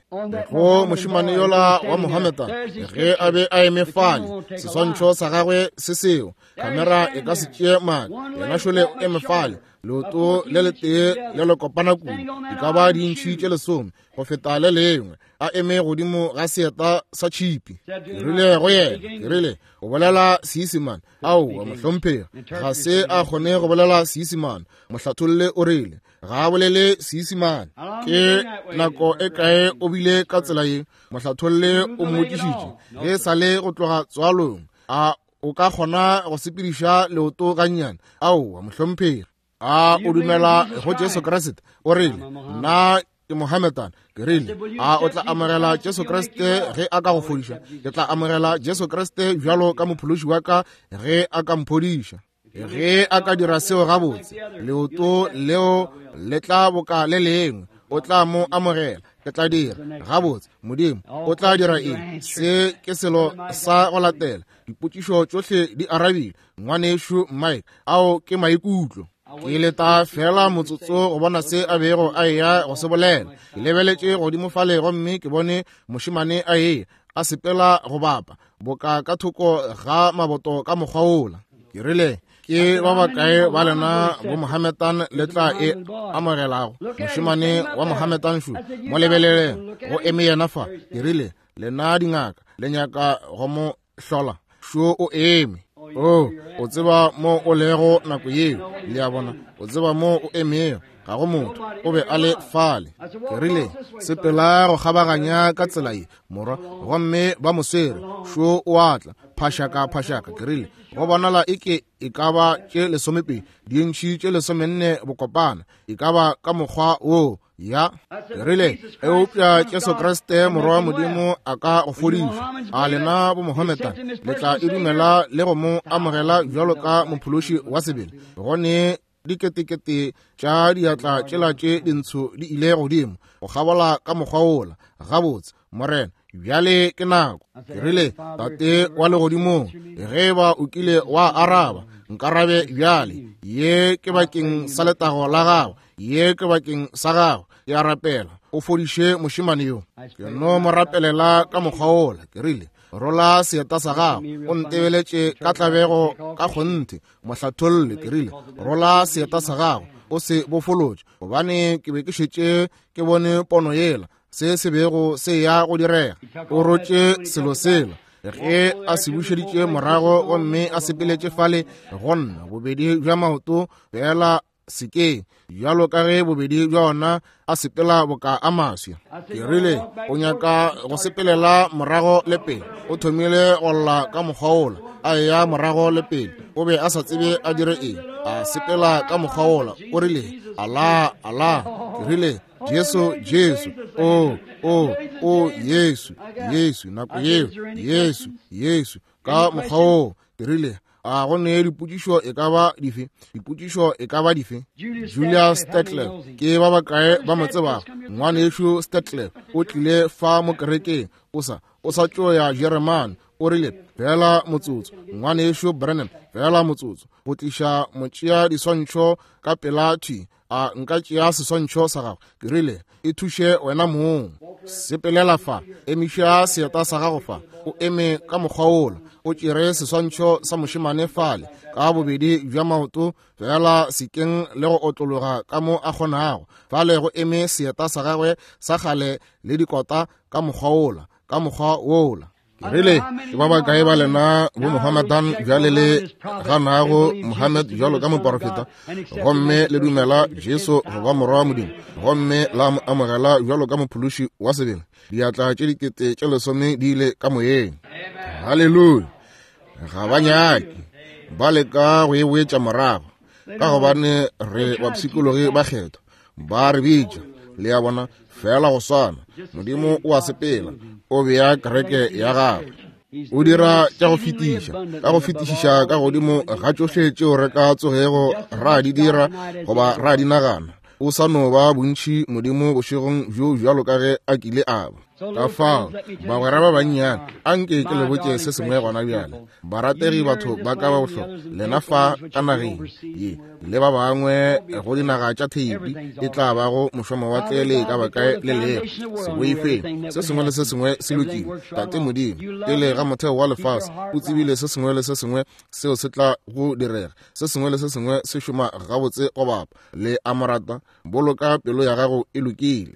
Go mošemane yola wa Mohammedan, ge a be a eme fale, seswantšho sa gagwe se seo, kamera e ka se tšee maaka, yena šole o eme fale, leoto le letee le le kopana kudu, e ka ba dintšhi tše lesome go feta le lengwe, a eme godimo ga seeta sa tšhipi. Ke rile go yena, ke rile, o bolela Seisemane? Aowa, mohlomphegi, ga se a kgone go bolela Seisemane. Mohlatholle o rile, ga a bolele Seisemane. Ke nako e kae o bile ka tsela ye? Mohlatholle o mmotšišitše, ge e sa le go tloga tswalong. A o ka kgona go sepediša leoto gannyane? Aowa, mohlomphegi. A o dumela go Jesu Kriste? O rile, nna ke Mohammedan. Ke rile, a o tla amogela Jesu Kriste ge a ka go fodiša? Ke tla amogela Jesu Kriste bjalo ka mophološi wa ka ge a ka mphodiša. Ge a ka dira seo gabotse, leoto leo le tla boka le lengwe, o tla mo amogela. Ke tla dira gabotse. Modimo o tla dira eng? Se ke selo sa go latela. Dipotšišo tšohle di arabile. Ngwanešu Mike, ao ke maikutlo. Ke leta fela motsotso go bona se a bego a eya go se bolela. Ke lebeletše godimo fale gomme ke bone mošemane a eya a sepela go bapa boka ka thoko ga maboto ka mokgwa wola. Ke rile, ke ba bakae ba lena bo Mohammedan le tla e amogelago? Mošemane wa Mohammedan šo, mo lebeleleng, go eme yena fa. Ke rile, lena dingaka le nyaka go mo hlola, šo o eme. O, o tseba mo o lego nako yeo, le a bona, o tseba mo o emego. Ga go motho, o be a le fale. Ke rile, sepela go kgabaganya ka tsela ye, morwa, gomme ba mo swere. Šo o a tla, phašaka, phašaka. Ke rile, go bonala eke e ka ba tše lesomepedi, dintšhi tše lesomenne bokopana, e ka ba ka mokgwa woo. Ya, ke rile, eupša Jesu Kriste Morwa wa Modimo a ka go fodiša. A lena bo Mohammedan le tla e dumela le go mo amogela bjalo ka mophološi wa sebele? Go ne diketekete tša diatla tšela tše dintsho di ile godimo go kgabola ka mokgwa wola. Gabotse, Morena, bjale ke nako. Ke rile, Tate wa legodimong, ge e ba o kile wa araba, nkarabe bjale. Ye ke bakeng sa letago la gago, ye ke bakeng sa gago. Ke a rapela o fodiše mošemane yo. Ke no mo rapelela ka mokgwa wola. Ke rile, rola seeta sa gago, o ntebeletše ka tlabego ka kgonthe. Mohlatholle, ke rile, rola seeta sa gago, o se bofolotše, gobane ke be ke šetše ke bone pono yela, se se bego se ya go direga. O rotše selo sela ge a se bušeditše morago gomme a sepeletše fale go nna, bobedi bja maoto fela sekeng, bjalo ka ge bobedi bja ona a sepela boka a maswi. Ke rile, o nyaka go sepelela morago le pele. O thomile go lla ka mokgwa wola, a eya morago le pele. O be a sa tsebe a dire eng, a sepela ka mokgwa wola. O rile, Ala, ala. Ke rile, Jesu, Jesu, o, o, o, Yesu, Yesu, nako yeo, Yesu, Yesu, ka mokgwa woo. Ke rile, a go ne dipotšišo e ka ba dife? Dipotšišo e ka ba dife? Julius Stetler, ke ba bakae ba mo tsebago? Ngwanešu Stetler o tlile fa mo kerekeng, o sa, o sa tšo ya Jeremane. O rile, fela motsotso, Ngwanešu Branham, fela motsotso, go tliša motšea diswantšho ka pela thwi. A nka tšea seswantšho sa gago? Ke rile, e thuše wena mong. Sepelela fa, emiša seeta sa gago fa, o eme ka mokgwa wola, o tšere seswantšho sa mošemane fale ka bobedi bja maoto fela sekeng le go otlologa ka mo a kgonago. Fale go eme seeta sa gagwe sa kgale le dikota ka mokgwa wola, ka mokgwa wola. Ke rile, ke ba bakae ba lena bo Mohammedan bjale le ganago Mohammed bjalo ka moporofeta, gomme le dumela Jesu go ba Morwa wa Modimo, gomme la mo amogela bjalo ka mophološi wa sebele? Diatla tše 10,000 di ile ka moyeng. Haleluya! Ga ba nyake, ba leka go e boetša morago, ka gobane re bapshikologi ba kgetho, ba re bitša, le a bona, fela go swana. Modimo o a sepela, o bea kereke ya gagwe, o dira tša go fetiša, ka go fetišiša ka godimo ga tšohle tšeo re ka tsogego ra di dira goba ra di nagana. O sa no ba bontši Modimo bošegong bjo bjalo ka ge a kile a ba. Ka fao, bagwera ba bannyane, a nke ke le botše se sengwe gona bjale. Barategi batho ba ka ba bohlokwa, lena fa ka nageng ye le ba bangwe go dinaga tša theipi e tla bago mošomawatle le ka ba kae le lego, se boifeng, se sengwe le se sengwe se lokile. Tate Modimo, pele ga motheo wa lefase, o tsebile se sengwe le se sengwe seo se tla go direga. Se sengwe le se sengwe se šoma gabotse go bapa. Le a mo rata? Boloka pelo ya gago e lokile.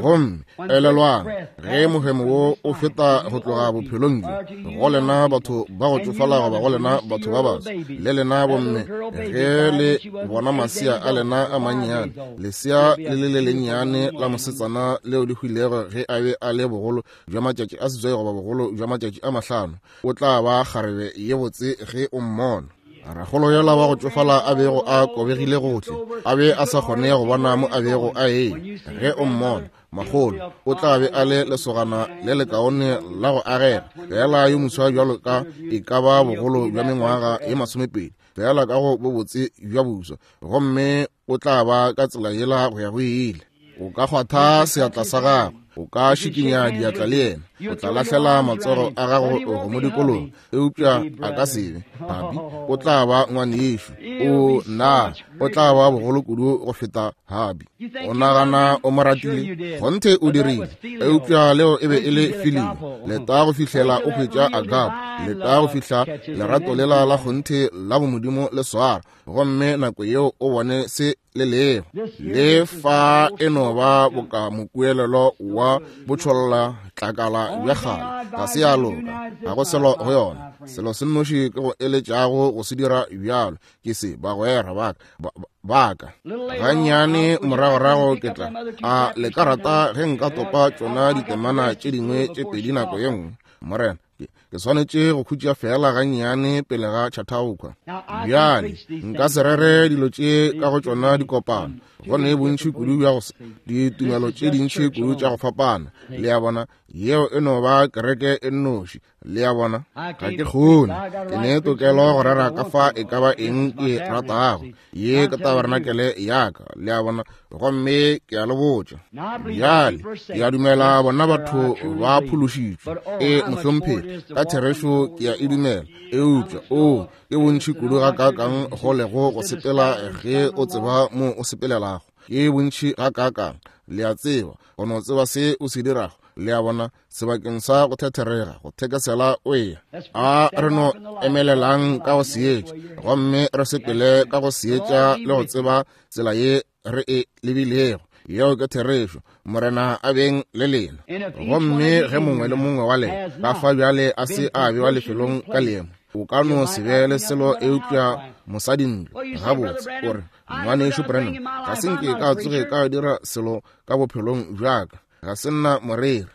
Gomme elelwang, ge mohemo wo o feta go tloga bophelong bjo, go lena batho ba go tšofala goba go lena batho ba baso, le lena bomme, ge le bona masea a lena a mannyane, lesea le le le lennyane la mosetsana leo le hwilego ge a be a le bogolo bja matšatši a 8 goba bogolo bja matšatši a 5, o tla ba kgarebe ye botse ge o mmona. Rakgolo yola wa go tšofala a bego a kobegile gohle, a be a sa kgone go bona mo a bego a eya. Ge o mmona, makgolo, o tla be a le lesogana le lekaone la go agega, feela yo moswa bjalo ka e ka ba bogolo bja mengwaga ye 20, feela ka go bobotse bja boswa, gomme o tla ba ka tsela yela go ya go ile. O ka kgwatha seatla sa gagwe, o ka šikinya diatla le yena, o tla lahlela matsogo a gago go mo dikologa, eupša a ka se be habi. O tla ba ngwanešu, o na o tla ba bogolo kudu go feta habi. O nagana o mo ratile? Kgonthe o dirile, eupša leo e be e le filio. Leta go fihlela o hwetša agape, leta go fihla lerato lela la kgonthe la bomodimo le swara, gomme nako yeo o bone se le lego. Le fa e no ba boka mokuelelo wa botšholla tlakala bja kgale, ga se ya loka, ga go selo go yona. Selo se nnoši ke go eletšago go se dira bjalo ke se, bagwera baka. Gannyane moragorago ke tla a le ka rata ge nka topa tšona ditemana tše dingwe tše pedi nako ye nngwe, Morena. Ke swanetše go khutša feela gannyane pele ga Chautauqua. Bjale, nka se rere dilo tše ka go tšona dikopano, go ne bontši kudu bja go ditumelo tše dintši kudu tša go fapana. Le a bona, yeo e no ba kereke e nnoši. Le a bona, ga ke kgone, ke ne tokelo go rera ka fa e ka ba eng ke ratago. Ye ke tabernakelé ya ka, le a bona, gomme ke a le botša bjale, ke a dumela bona batho ba phološitšwe. E, mohlomphegi, ka therešo ke a e dumela, eupša o ke bontši kudu gakaakang go lego go sepela ge o tseba mo o sepelelago. Ke bontši gakaakang, le a tseba, go no tseba se o se dirago, le a bona, sebakeng sa go thetherega, go thekesela o eya. A re no emelelang ka go seetša, gomme re sepele ka go seetša le go tseba tsela ye re e lebilego. Yeo ke therešo. Morena a beng le lena. Gomme ge mongwe le mongwe wa lena ka fa bjale a se a bewa lefelong ka leemo, o ka no se be le selo eupša mosadintlo. Gabotse, o re, Ngwanešu Branham, ga se nke ka tsoge ka dira selo ka bophelong bja ka. Ga se nna moreri.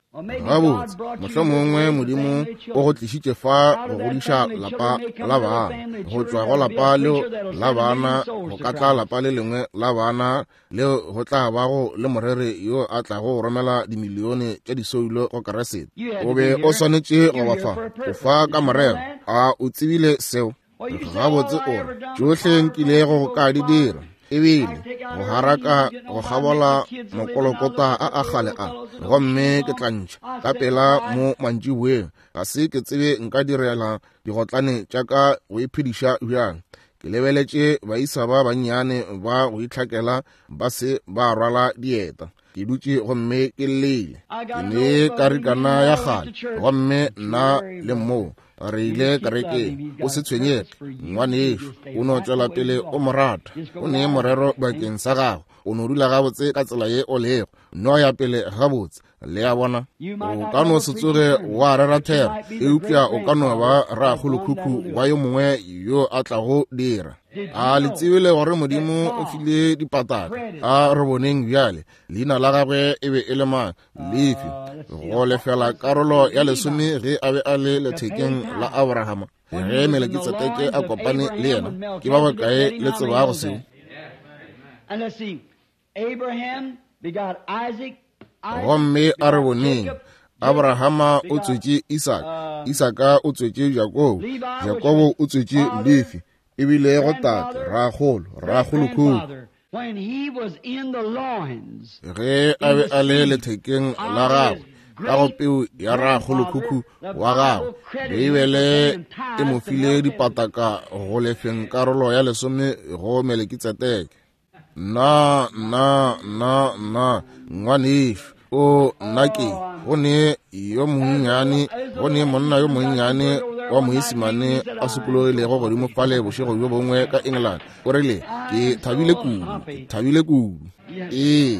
Gabotse, mohlomongwe Modimo o go tlišitše fa go godiša lapa la bana. Go tšwa go lapa leo la bana go ka tla lapa le lengwe la bana leo go tla bago le moreri yo a tlago go romela dimilione tša disoulo go Keresete. O be o swanetše go ba fa, o fa ka morero. A o tsebile seo? Gabotse, o re, tšohle nkilego ka di dira ebile go haraka go kgabola mokolokota a a kgale a, gomme ke tla ntšha ka pela mo mantšiboeng. Ga se ke tsebe nka direla digotlane tša ka go iphediša bjang. Ke lebeletše baisa ba bannyane ba go itlhakela ba se ba rwala dieta. Ke dutše gomme ke llele. Ke ne karikana ya kgale, gomme nna le moo re ile kerekeng. O se tshwenyege, ngwanešu, o no tšwela pele o mo rata. O ne morero bakeng sa gago. O no dula gabotse ka tsela ye o lego, no ya pele gabotse. Le a bona? O ka no se tsoge wa rera thero, eupša o ka no ba rakgolokhukhu wa yo mongwe yo a tlago dira. A le tsebile gore Modimo o file dipataka? A re boneng bjale, leina la gagwe e be e le mang? Lefi, go lefela karolo ya lesome ge a be a le lethekeng la Abrahama. Ge Melekitsedeke a kopane le yena, ke ba bakae le tsebago seo? Gomme a re boneng, Abrahama o tswetše Isaka, Isaka o tswetše Jakobo, Jakobo o tswetše Lefi, e bile go tate, rakgolo, rakgolokhukhu. Ge a be a le lethekeng la gagwe, ka go peu ya rakgolokhukhu wa gagwe, Beibele e mo file dipataka go lefeng karolo ya lesome go Melekitsedeke. Nna, nna, nna, nna, ngwanešu, o nna ke, go ne yo monnyane, go ne monna yo monnyane wa Moisimane a sokologilego godimo fale bošego bjo bongwe ka England. O rile, ke thabile kudu, ke thabile kudu. Ee,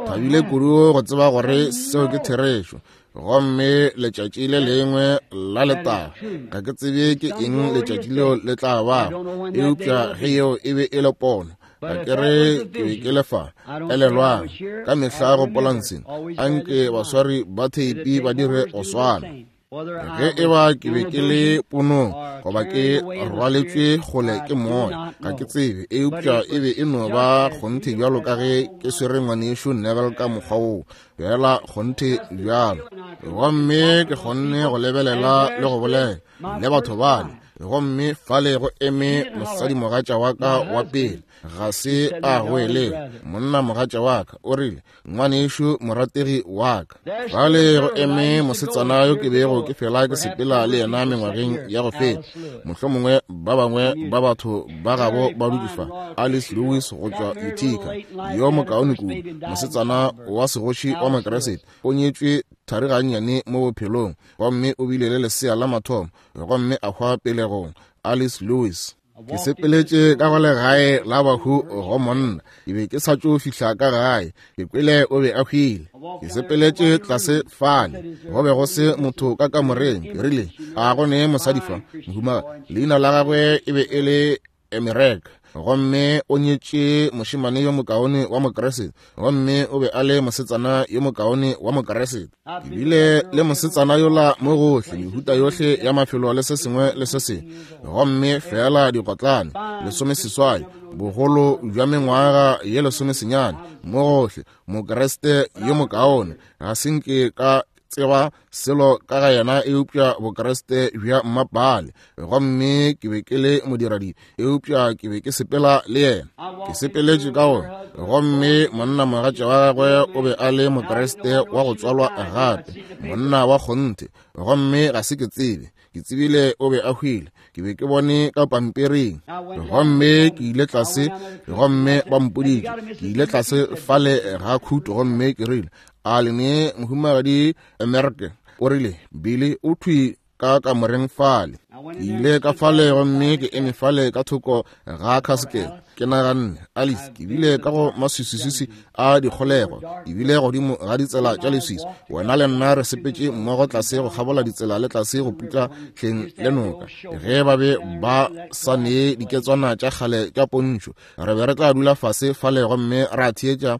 thabile kudu go tseba gore seo ke therešo. Gomme letšatši le lengwe la letago, ga ke tsebe ke eng letšatši leo le tla bago, eupša ge yeo e be e le pono, ga ke re ke be ke le fa. Elelwang, ka mehla gopolang se, anke baswari ba theipi ba dire go swana. Ge e ba ke be ke le ponong goba ke rwaletšwe kgole ke moya, ga ke tsebe, eupša e be e no ba kgonthe bjalo ka ge ke swere ngwanešu Neville ka mokgwa woo, bjala kgonthe bjalo. Gomme ke kgonne go lebelela le go bolela le batho bale, gomme fale go eme mosadimogatša wa ka wa pele, ga se a goelela, monna mogatša wa ka, o rile, ngwanešu morategi wa ka. Fale go eme mosetsana yo ke bego ke fela ke sepela le yena mengwageng ya go feta, mohlomongwe ba bangwe ba batho ba gabo ba dutše fa, Alice Lewis go tšwa Utica, yo mokaone kudu, mosetsana wa segoši wa Mokeresete, o nyetšwe thari gannyane mo bophelong, gomme o bile le lesea la mathomo, gomme a hwa pelegong, Alice Lewis. Ke sepeletše ka go legae la bahu go monna, ke be ke sa tšo fihla ka gae, ke kwele o be a hwile. Ke sepeletše tlase fale, go be go se motho ka kamoreng. Ke rile, a go ne mosadi fa, mohumagadi? Leina la gagwe e be e le Emereka, gomme o nyetše mošemane yo mokaone wa Mokriste, gomme o be a le mosetsana yo mokaone wa Mokriste. Ke bile le mosetsana yola mo gohle, mehuta yohle ya mafelo le se sengwe le se sengwe, gomme feela digotlane 18, bogolo bja mengwaga ye 19, mo gohle, Mokriste yo mokaone. Ga se nke ka tseba selo ka ga yena eupša Bokriste bja mmapale, gomme ke be ke le modiradibe, eupša ke be ke sepela le yena. Ke sepeletše ka gona, gomme monna mogatša wa gagwe o be a le Mokriste wa go tswalwa gape, monna wa kgonthe, gomme ga se ke tsebe, ke tsebile o be a hwile. Ke be ke bone ka pampiring, gomme ke ile tlase, gomme ba mpoditše. Ke ile tlase fale ga khuto, gomme ke rile, a le ne mohumagadi Amerika? O rile, Billy o thwi ka kamoreng fale. Ke ile ka fale gomme ke eme fale ka thoko ga khasekete. Ke naganne, Alice, ke bile ka go maswiswiswi a dikgolego, ke bile godimo ga ditsela tša leswiswi. Wena le nna re sepetše mmogo tlase go kgabola ditsela le tlase go putla hleng le noka. Ge ba be ba sa nee diketswana tša kgale tša pontšho, re be re tla dula fase fale gomme ra theetša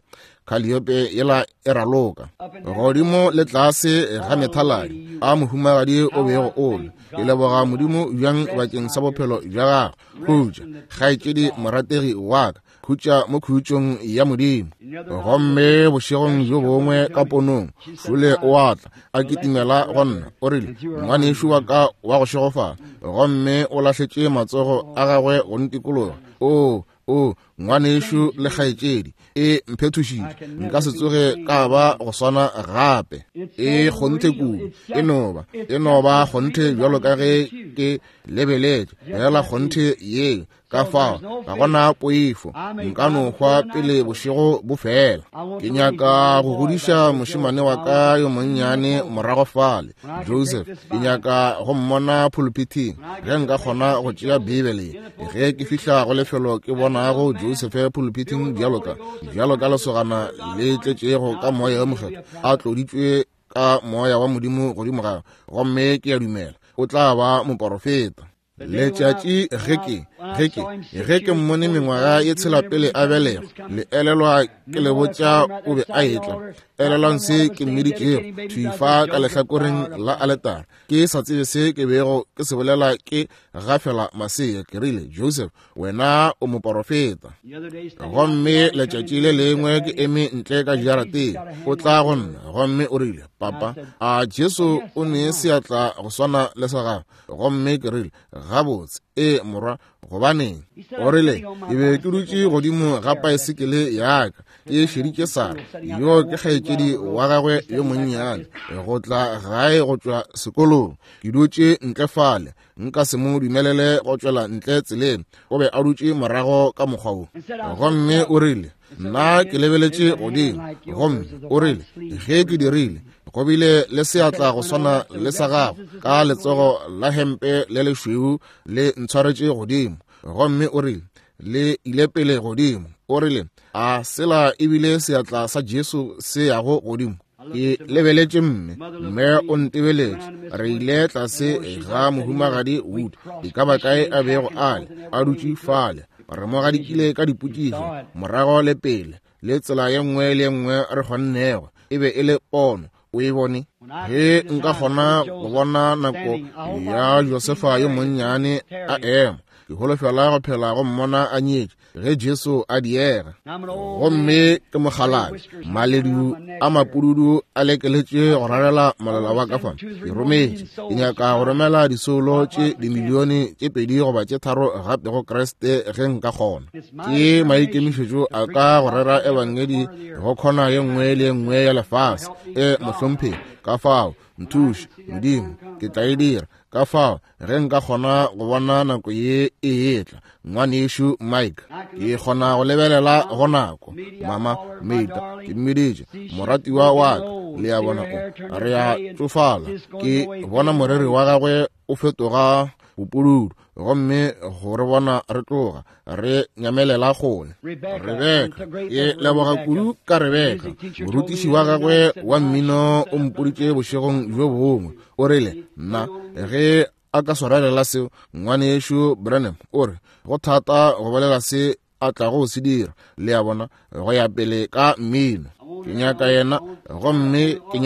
Calliope yela e raloka godimo le tlase ga methaladi a mohumagadi o bego o le. Ke leboga Modimo bjang bakeng sa bophelo bja gagwe. Khutša, kgaetšedi morategi wa ka, khutša mo khutšong ya Modimo. Gomme bošegong bjo bongwe ka ponong, Šule o a tla, a kitimela go nna, o rile, ngwanešu wa ka wa go šegofala, gomme o lahletše matsogo a gagwe go ntikologa. Oo, o ngwanešu le kgaetšedi, e mphethošitše, nka se tsoge ka ba go swana gape. E kgonthe kudu, e no ba, e no ba kgonthe bjalo ka ge ke ke lebeletše fela kgonthe ye. Ka fao ga gona poifo, nka no hwa pele bošego bo fela. Ke nyaka go godiša mošemane wa ka yo monnyane morago fale, Joseph. Ke nyaka go mmona pulpithing ge nka kgona go tšea Bibele. Ge ke fihla go lefelo ke bonago Joseph pulpithing bjalo ka lesogana le tletšego ka moya wo mokgethwa, a tloditšwe ka moya wa Modimo godimo gagwe, gomme ke a dumela o tla ba moporofeta. Letšatši ge ke mmone mengwaga ye tshela pele a belegwa, le elelwa ke le botša o be a etla. Elelwang se ke mmiditšego thwi fa ka lehlakoreng la aletara, ke sa tsebe se ke bego ke se bolela, ke gafela masea. Ke rile, Joseph, wena o moporofeta. Gomme letšatši le lengwe ke eme ntle ka jarateng, o tla go nna gomme o rile, Papa, a Jesu o ne seatla go swana le sa gago? Gomme ke rile, Gabotse, ee morwa, gobaneng? O rile, ke be ke dutše godimo ga paesekele ya ka, ke šeditše Sara, yo ke kgaetšedi wa gagwe yo monnyane, go tla gae go tšwa sekolong. Ke dutše ntle fale, nka se mo dumelele go tšwela ntle tseleng. O be a dutše morago ka mokgwa wo. Gomme o rile, nna ke lebeletše godimo, gomme o rile, ge ke dirile, go bile le seatla go swana le sa gago ka letsogo la hempe le lešweu le ntshwaretše godimo. Gomme o rile, le ile pele godimo. O rile, a sela ebile seatla sa Jesu se yago godimo? Ke lebeletše mme, mme o ntebeletše. Re ile tlase ga mohumagadi Wood, e ka ba kae a bego a le, a dutše fale. Re mo gadikile ka dipotšišo, morago le pele, le tsela ye nngwe le ye nngwe re kgonnego. E be e le pono, o e bone. Ge nka kgona go bona nako ya Josefa yo monnyane a ema, ke holofela go phela go mmona a nyetše ge Jesu a diega. Gomme ke mokgalabje, maledu a mapududu a lekeletše go rarela molala wa ka fa. Ke rometše, ke nyaka go romela disoulo tše dimilione tše 2 goba tše 3 gape go Kriste ge nka kgona. Ke maikemišetšo a ka go rera ebangedi go khona ye nngwe le ye nngwe ya lefase. E mohlomphegi, ka fao nthuše Modimo, ke tla e dira. Ka fao ge nka kgona go bona nako ye e etla, ngwanešu Mike, ke kgona go lebelela go nako. Mama Meita, ke mmiditše moratiwa wa ka, le a bona, o re a tšofala. Ke bona moreri wa gagwe o fetoga bopududu, gomme go re bona re tloga re nyamelela kgole. Rebeka, ke leboga kudu ka Rebeka. Morutiši wa gagwe wa mmino o mpoditše bošegong bjo bongwe, o rile, nna ge a ka swarelela seo, ngwanešu Branham o re go thata go bolela se a tlago go se dira, le a bona, go ya pele ka mmino. Ke nyaka yena, gomme ke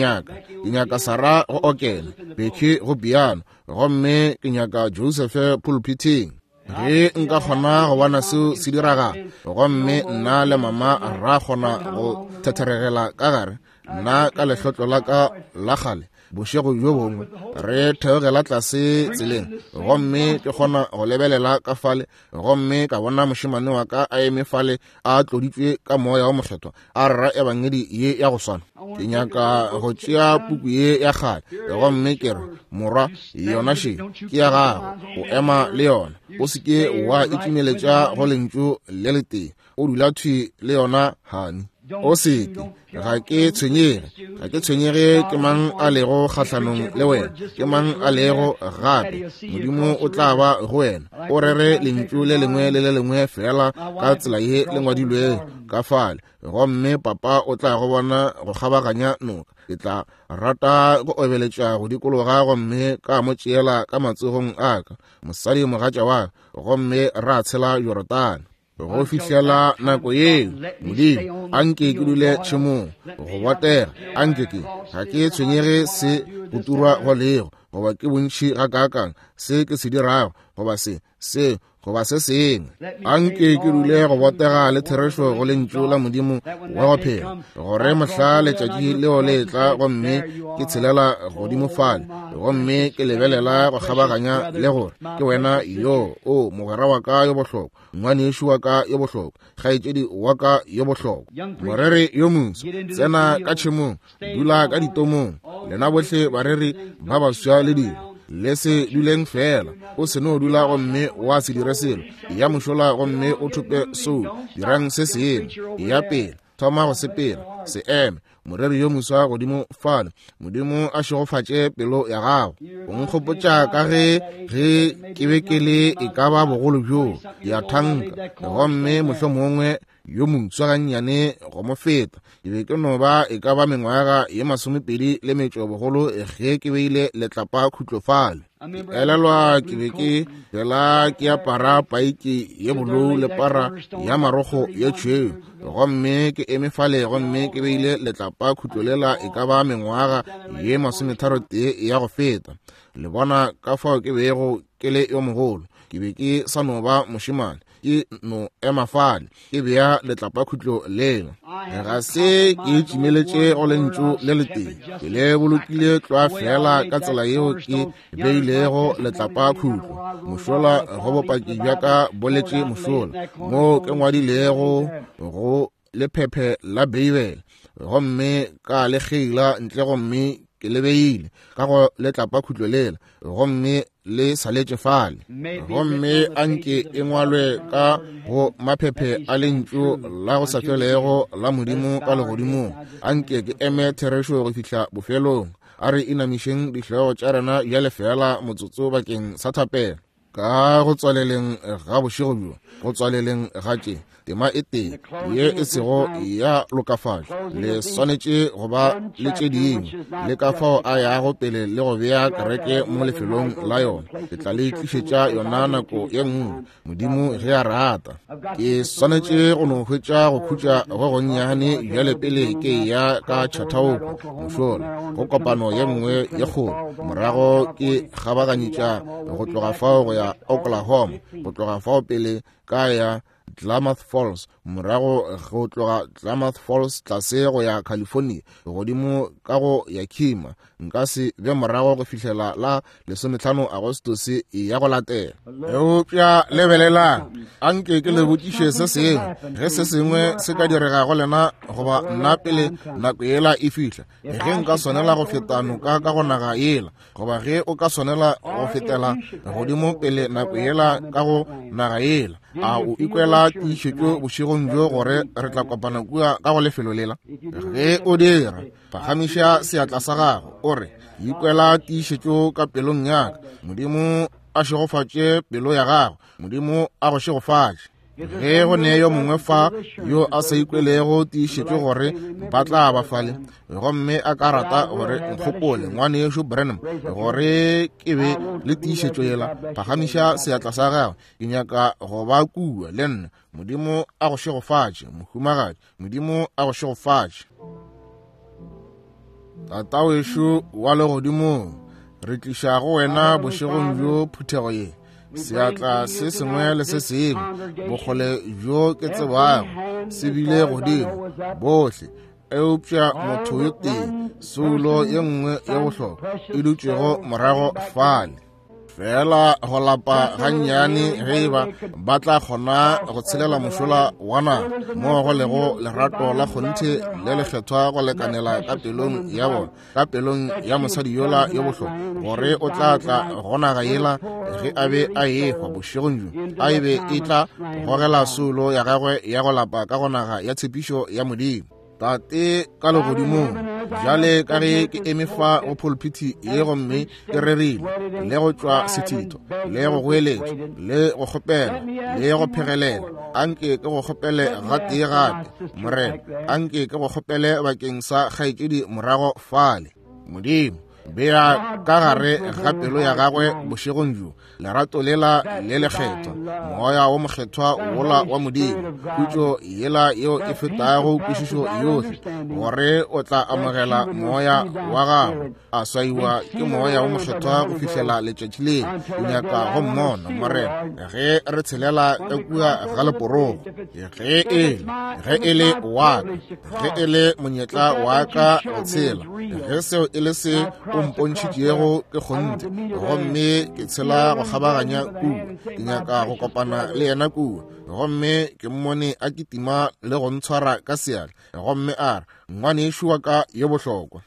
nyaka Sarah go okela, Becky go piano, gomme ke nyaka Joseph pulpithing. Ge nka kgona go bona seo se diragala, gomme nna le mama ra kgona go thetheregela ka gare, nna ka lehlotlo la ka la kgale, bošego bjo bongwe re theogela tlase tseleng, gomme ke kgona go lebelela ka fale, gomme ka bona mošemane wa ka a eme fale a tloditšwe ka moya wa mokgethwa, a rera ebangedi ye ya go swana. Ke nyaka go tšea puku ye ya kgale, gomme ke re, morwa, yona še ke ya gago, o ema le yona, o se ke wa itšimeletša go lentšu le letee, o dula thwi le yona, hani. O seke, ga ke tshwenyege, ga ke tshwenyege ke mang a lego kgahlanong le wena, ke mang a lego gape, Modimo o tla ba go wena. O rere lentšu le lengwe le le lengwe fela ka tsela ye le ngwadilwego ka fale, gomme papa o tla go bona go kgabaganya noka. Ke tla rata go obeletša go dikologa gomme ka mo tšeela ka matsogong a ka, mosadi mogatša wa ka, gomme ra tshela Jorodane. Go fihlela nako yeo, Modimo, a nke ke dule tšhemong go botega. A nke ke, ga ke tshwenyege se go turwa go lego, goba ke bontši gakaakang se ke se dirago, goba se, se, goba se sengwe. A nke ke dule go botega le therešo go lentšu la Modimo wa go phela, gore mohla letšatši leo le etla gomme ke tshelela godimo fale, gomme ke lebelela go kgabaganya le gore ke wena yo, o mogwera wa ka yo bohlokwa, ngwanešu wa ka yo bohlokwa, kgaetšedi wa ka yo bohlokwa, moreri yo moswa, tsena ka tšhemong, dula ka ditomong, lena bohle bareri ba baswa le dilo. Le se duleng fela. O se no dula gomme wa se dire selo. Ya mošola gomme o thope soulo. Dirang se sengwe. Ya pele. Thoma go sepela. Se eme. Moreri yo moswa godimo fale. Modimo a šegofatše pelo ya gago. O nkgopotša ka ge ge ke be ke le e ka ba bogolo bjoo, ya thanka, gomme mohlomongwe yo moswa gannyane go mo feta. Ke be ke no ba e ka ba mengwaga ye 28 le metšo bogolo ge ke beile letlapa khutlo fale. Ke elelwa ke be ke fela ke apara paiki ye bolou le para ya marokgo ye tšhweu, gomme ke eme fale gomme ke beile letlapa khutlo lela e ka ba mengwaga ye 31 ya go feta. Le bona ka fao ke bego ke le yo mogolo. Ke be ke sa no ba mošemane, ke no ema fale ke bea letlapa khutlo lela. Ga se ke tšimeletše go lentšu le letee, ke le bolokile tlwa fela ka tsela yeo ke beilego letlapa khutlo. Mošola go bopaki bja ka boletše mošola moo ke ngwadilego go lephephe la Beibele, gomme ka le kgeila ntle gomme ke le beile ka go letlapa khutlo lela, gomme le saletše fale. Gomme anke e ngwalwe ka go maphephe a lentšu la go sa felego la Modimo ka legodimong. Anke ke eme therešo go fihla bofelong. A re inamišeng dihlogo tša rena bjale fela motsotso bakeng sa thapelo. Ka go tswaleleng ga bošego bjo, go tswaleleng ga tše tema e tee ye e sego ya lokafatšwa, le swanetše go ba le tše dingwe, le ka fao a yago pele le go bea kereke mo lefelong la yona. Ke tla le tlišetša yona nako ye nngwe, Modimo ge a rata. Ke swanetše go no hwetša go khutša go gonnyane bjale pele ke ya ka Chautauqua mošola go kopano ye nngwe ye kgolo. Morago ke kgabaganyetša go tloga fao go ya Oklahoma, go tloga fao pele ka ya Klamath Falls, morago go tloga Klamath Falls tlase go ya California, godimo ka go Yakima. Nka se be morago go fihlela la 15 Agostose ya go latela. Eupša lebelelang, anke ke le botšiše se sengwe. Ge se sengwe se ka direga go lena goba nna pele nako yela e fihla, ge nka swanela go feta noka ka go naga yela, goba ge o ka swanela go fetela godimo pele nako yela ka go naga yela, a o ikwela tiišetšo bošegong bjo gore re tla kopana kua ka go lefelo lela? Ge o dira, phagamiša seatla sa gago o re, ikwela tiišetšo ka pelong ya ka. Modimo a šegofatše pelo ya gago. Modimo a go šegofatše. Ge go ne yo mongwe fa yo a sa ikwelego tiišetšo gore ba tla ba fale, gomme a ka rata gore nkgopole ngwanešu Branham gore ke be le tiišetšo yela, phagamiša seatla sa gago. Ke nyaka go ba kua le nna. Modimo a go šegofatše, mohumagadi. Modimo a go šegofatše. Tatawešo wa legodimong, re tliša go wena bošegong bjo phuthego ye, seatla se sengwe le se sengwe, bokgole bjo ke tsebago se bile godimo bohle, eupša motho yo tee, soulo ye nngwe ye bohlokwa e dutšego morago fale. Fela go lapa gannyane ge e ba ba tla kgona go tshelela mošola wa naga moo go lego lerato la kgonthe le lekgethwa go lekanela ka pelong ya bona, ka pelong ya mosadi yola yo bohlokwa, gore o tla tla go naga yela ge a be a ehwa bošegong bjo, a e be e tla gogela soulo ya gagwe ya go lapa ka go naga ya tshepišo ya Modimo. Tate ka legodimong, bjale ka ge ke eme fa go pulpiti ye gomme ke rerile le go tšwa sethitho le go goeletša le go kgopela le go phegelela, anke ke go kgopele gatee gape, Morena, anke ke go kgopele bakeng sa kgaetšedi morago fale. Modimo, bea ka gare ga pelo ya gagwe bošegong bjo lerato lela le lekgethwa, moya wo mokgethwa wola wa Modimo, khutšo yela yeo e fetago kwešišo yohle, gore o tla amogela moya wa gagwe a swaiwa ke moya wo mokgethwa go fihlela letšatši le. Ke nyaka go mmona, Morena, ge re tshelela ka kua ga leporogo, ge e le wa ka, ge e le monyetla wa ka go tshela, ge seo e le se o mpontšhitšego ke kgonthe, gomme ke tshela go kgabaganya kua. Ke nyaka go kopana le yena kua. Gomme ke mmone a kitima le go ntshwara ka seatla, gomme a re, Ngwanešu wa ka yo bohlokwa.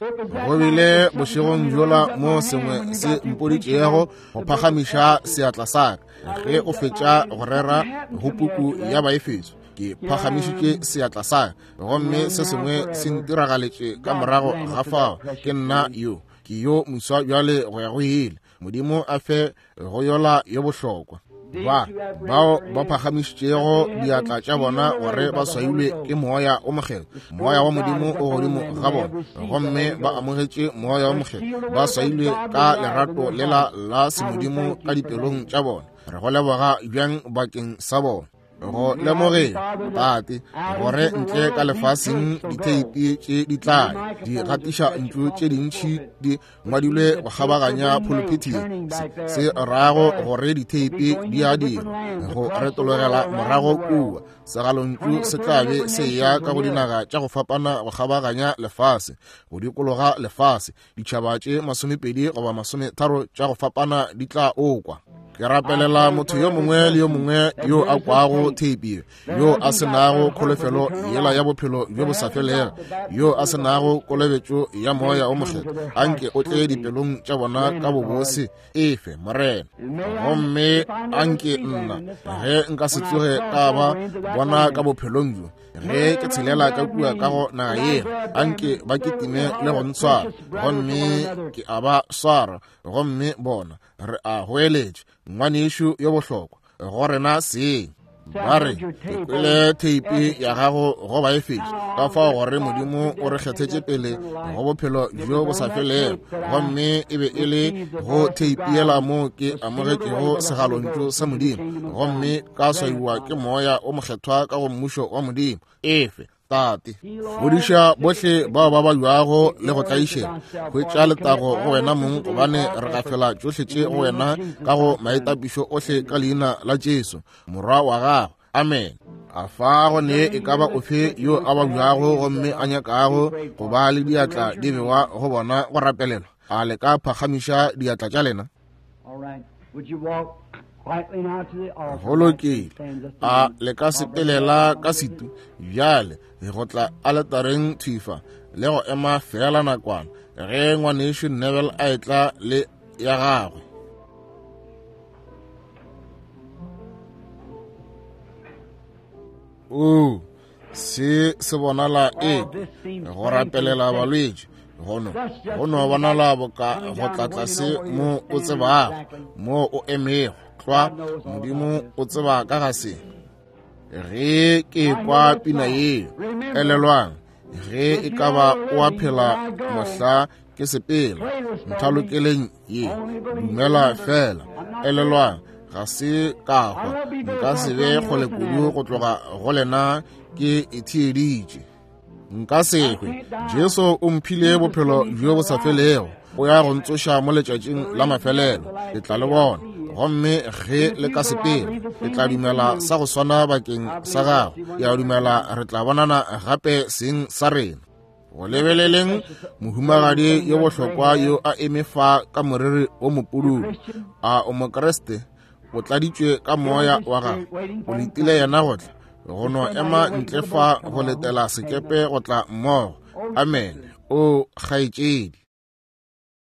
Go bile bošegong bjola mo sengwe se mpoditšego go phagamiša seatla sa ka ge o fetša go rera go puku ya Baefeso. Ke phagamišitše seatla sa ka, gomme se sengwe se ntiragaletše ka morago ga fao. Ke nna yo, ke yo moswa bjale go ya go ile. Modimo a fe go yola yo bohlokwa. Ba bao ba phagamišitšego diatla tša bona gore ba swailwe ke Moya o Mokgethwa, Moya wa Modimo o godimo ga bona, gomme ba amogetše Moya o Mokgethwa, ba swailwe ka lerato lela la semodimo ka dipelong tša bona. Re go leboga bjang bakeng sa bona. Go lemogeng, Tate, gore ntle ka lefaseng ditheipi tše di tla di gatiša ntšu tše dintši di ngwadilwe go kgabaganya phuluphithi ye, se, se rago gore ditheipi di a dirwa go retologela morago kua. Segalontšu se tla be se eya ka go dinaga tša go fapana go kgabaganya lefase, go dikologa lefase. Ditšhaba tše 20 goba 30 tša go fapana di tla okwa. Ke rapelela motho yo mongwe le yo mongwe yo a kwago theipi ye, yo a se nago kholofelo yela ya bophelo bjo bo sa felego, yo a se nago kolobetšo ya Moya o Mokgethwa, anke o tle dipelong tša bona ka bobose. Efe, Morena. Gomme anke nna, ge nka se tsoge ka ba bona ka bophelong bjo, ge ke tshelela ka kua ka go naga yela, anke ba kitime le go ntshwara, gomme ke a ba swara, gomme bona re a goeletša, ngwanešu yo bohlokwa go rena seng. Ba re, ke kwele theipi ya gago go Baefeso, ka fao gore Modimo o re kgethetše pele go bophelo bjo bo sa felego, gomme e be e le go theipi yela moo ke amogetšego segalontšu sa Modimo, gomme ka swaiwa ke Moya o Mokgethwa ka go Mmušo wa Modimo. Efe, Tate, fodiša bohle bao ba babjago le go tlaišega. Hwetša letago go wena mong, gobane re gafela tšohle tše go wena ka go maitapišo ohle ka leina la Jesu, Morwa wa gago. Amen. A fa go ne e ka ba ofe yo a babjago gomme a nyakago go ba le diatla di bewa go bona go rapelelwa? A le ka phagamiša diatla tša lena? Go lokile. A le ka sepelela ka setu bjale go tla aletareng thwifa le go ema feela nakwana ge ngwanešu Neville a etla le ya gagwe. Oo, se se bonala e go rapelela balwetši gono go no bonala boka go tla tlase mo o tsebago mo o emego tlwa. Modimo o tseba ka ga se. Ge ke kwa pina yeo, elelwang, ge e ka ba o a phela mohla ke sepela nthalokeleng ye, dumela fela. Elelwang, ga se ka hwa, nka se be kgole kudu go tloga go lena, ke itheeditše. Nka se hwe. Jesu o mphile bophelo bjo bo sa felego, o ya go ntsoša mo letšatšing la mafelelo. Ke tla le bona, gomme ge le ka sepela, ke tla dumela sa go swana bakeng sa gago. Ke a dumela re tla bonana gape seng sa rena. Go lebeleleng mohumagadi yo bohlokwa yo a eme fa ka moriri o mopududu. A o Mokriste? O tladitšwe ka Moya wa gagwe. O letile yena go tla, go no ema ntle fa go letela sekepe go tla mmogo. Amen. O kgaetšedi.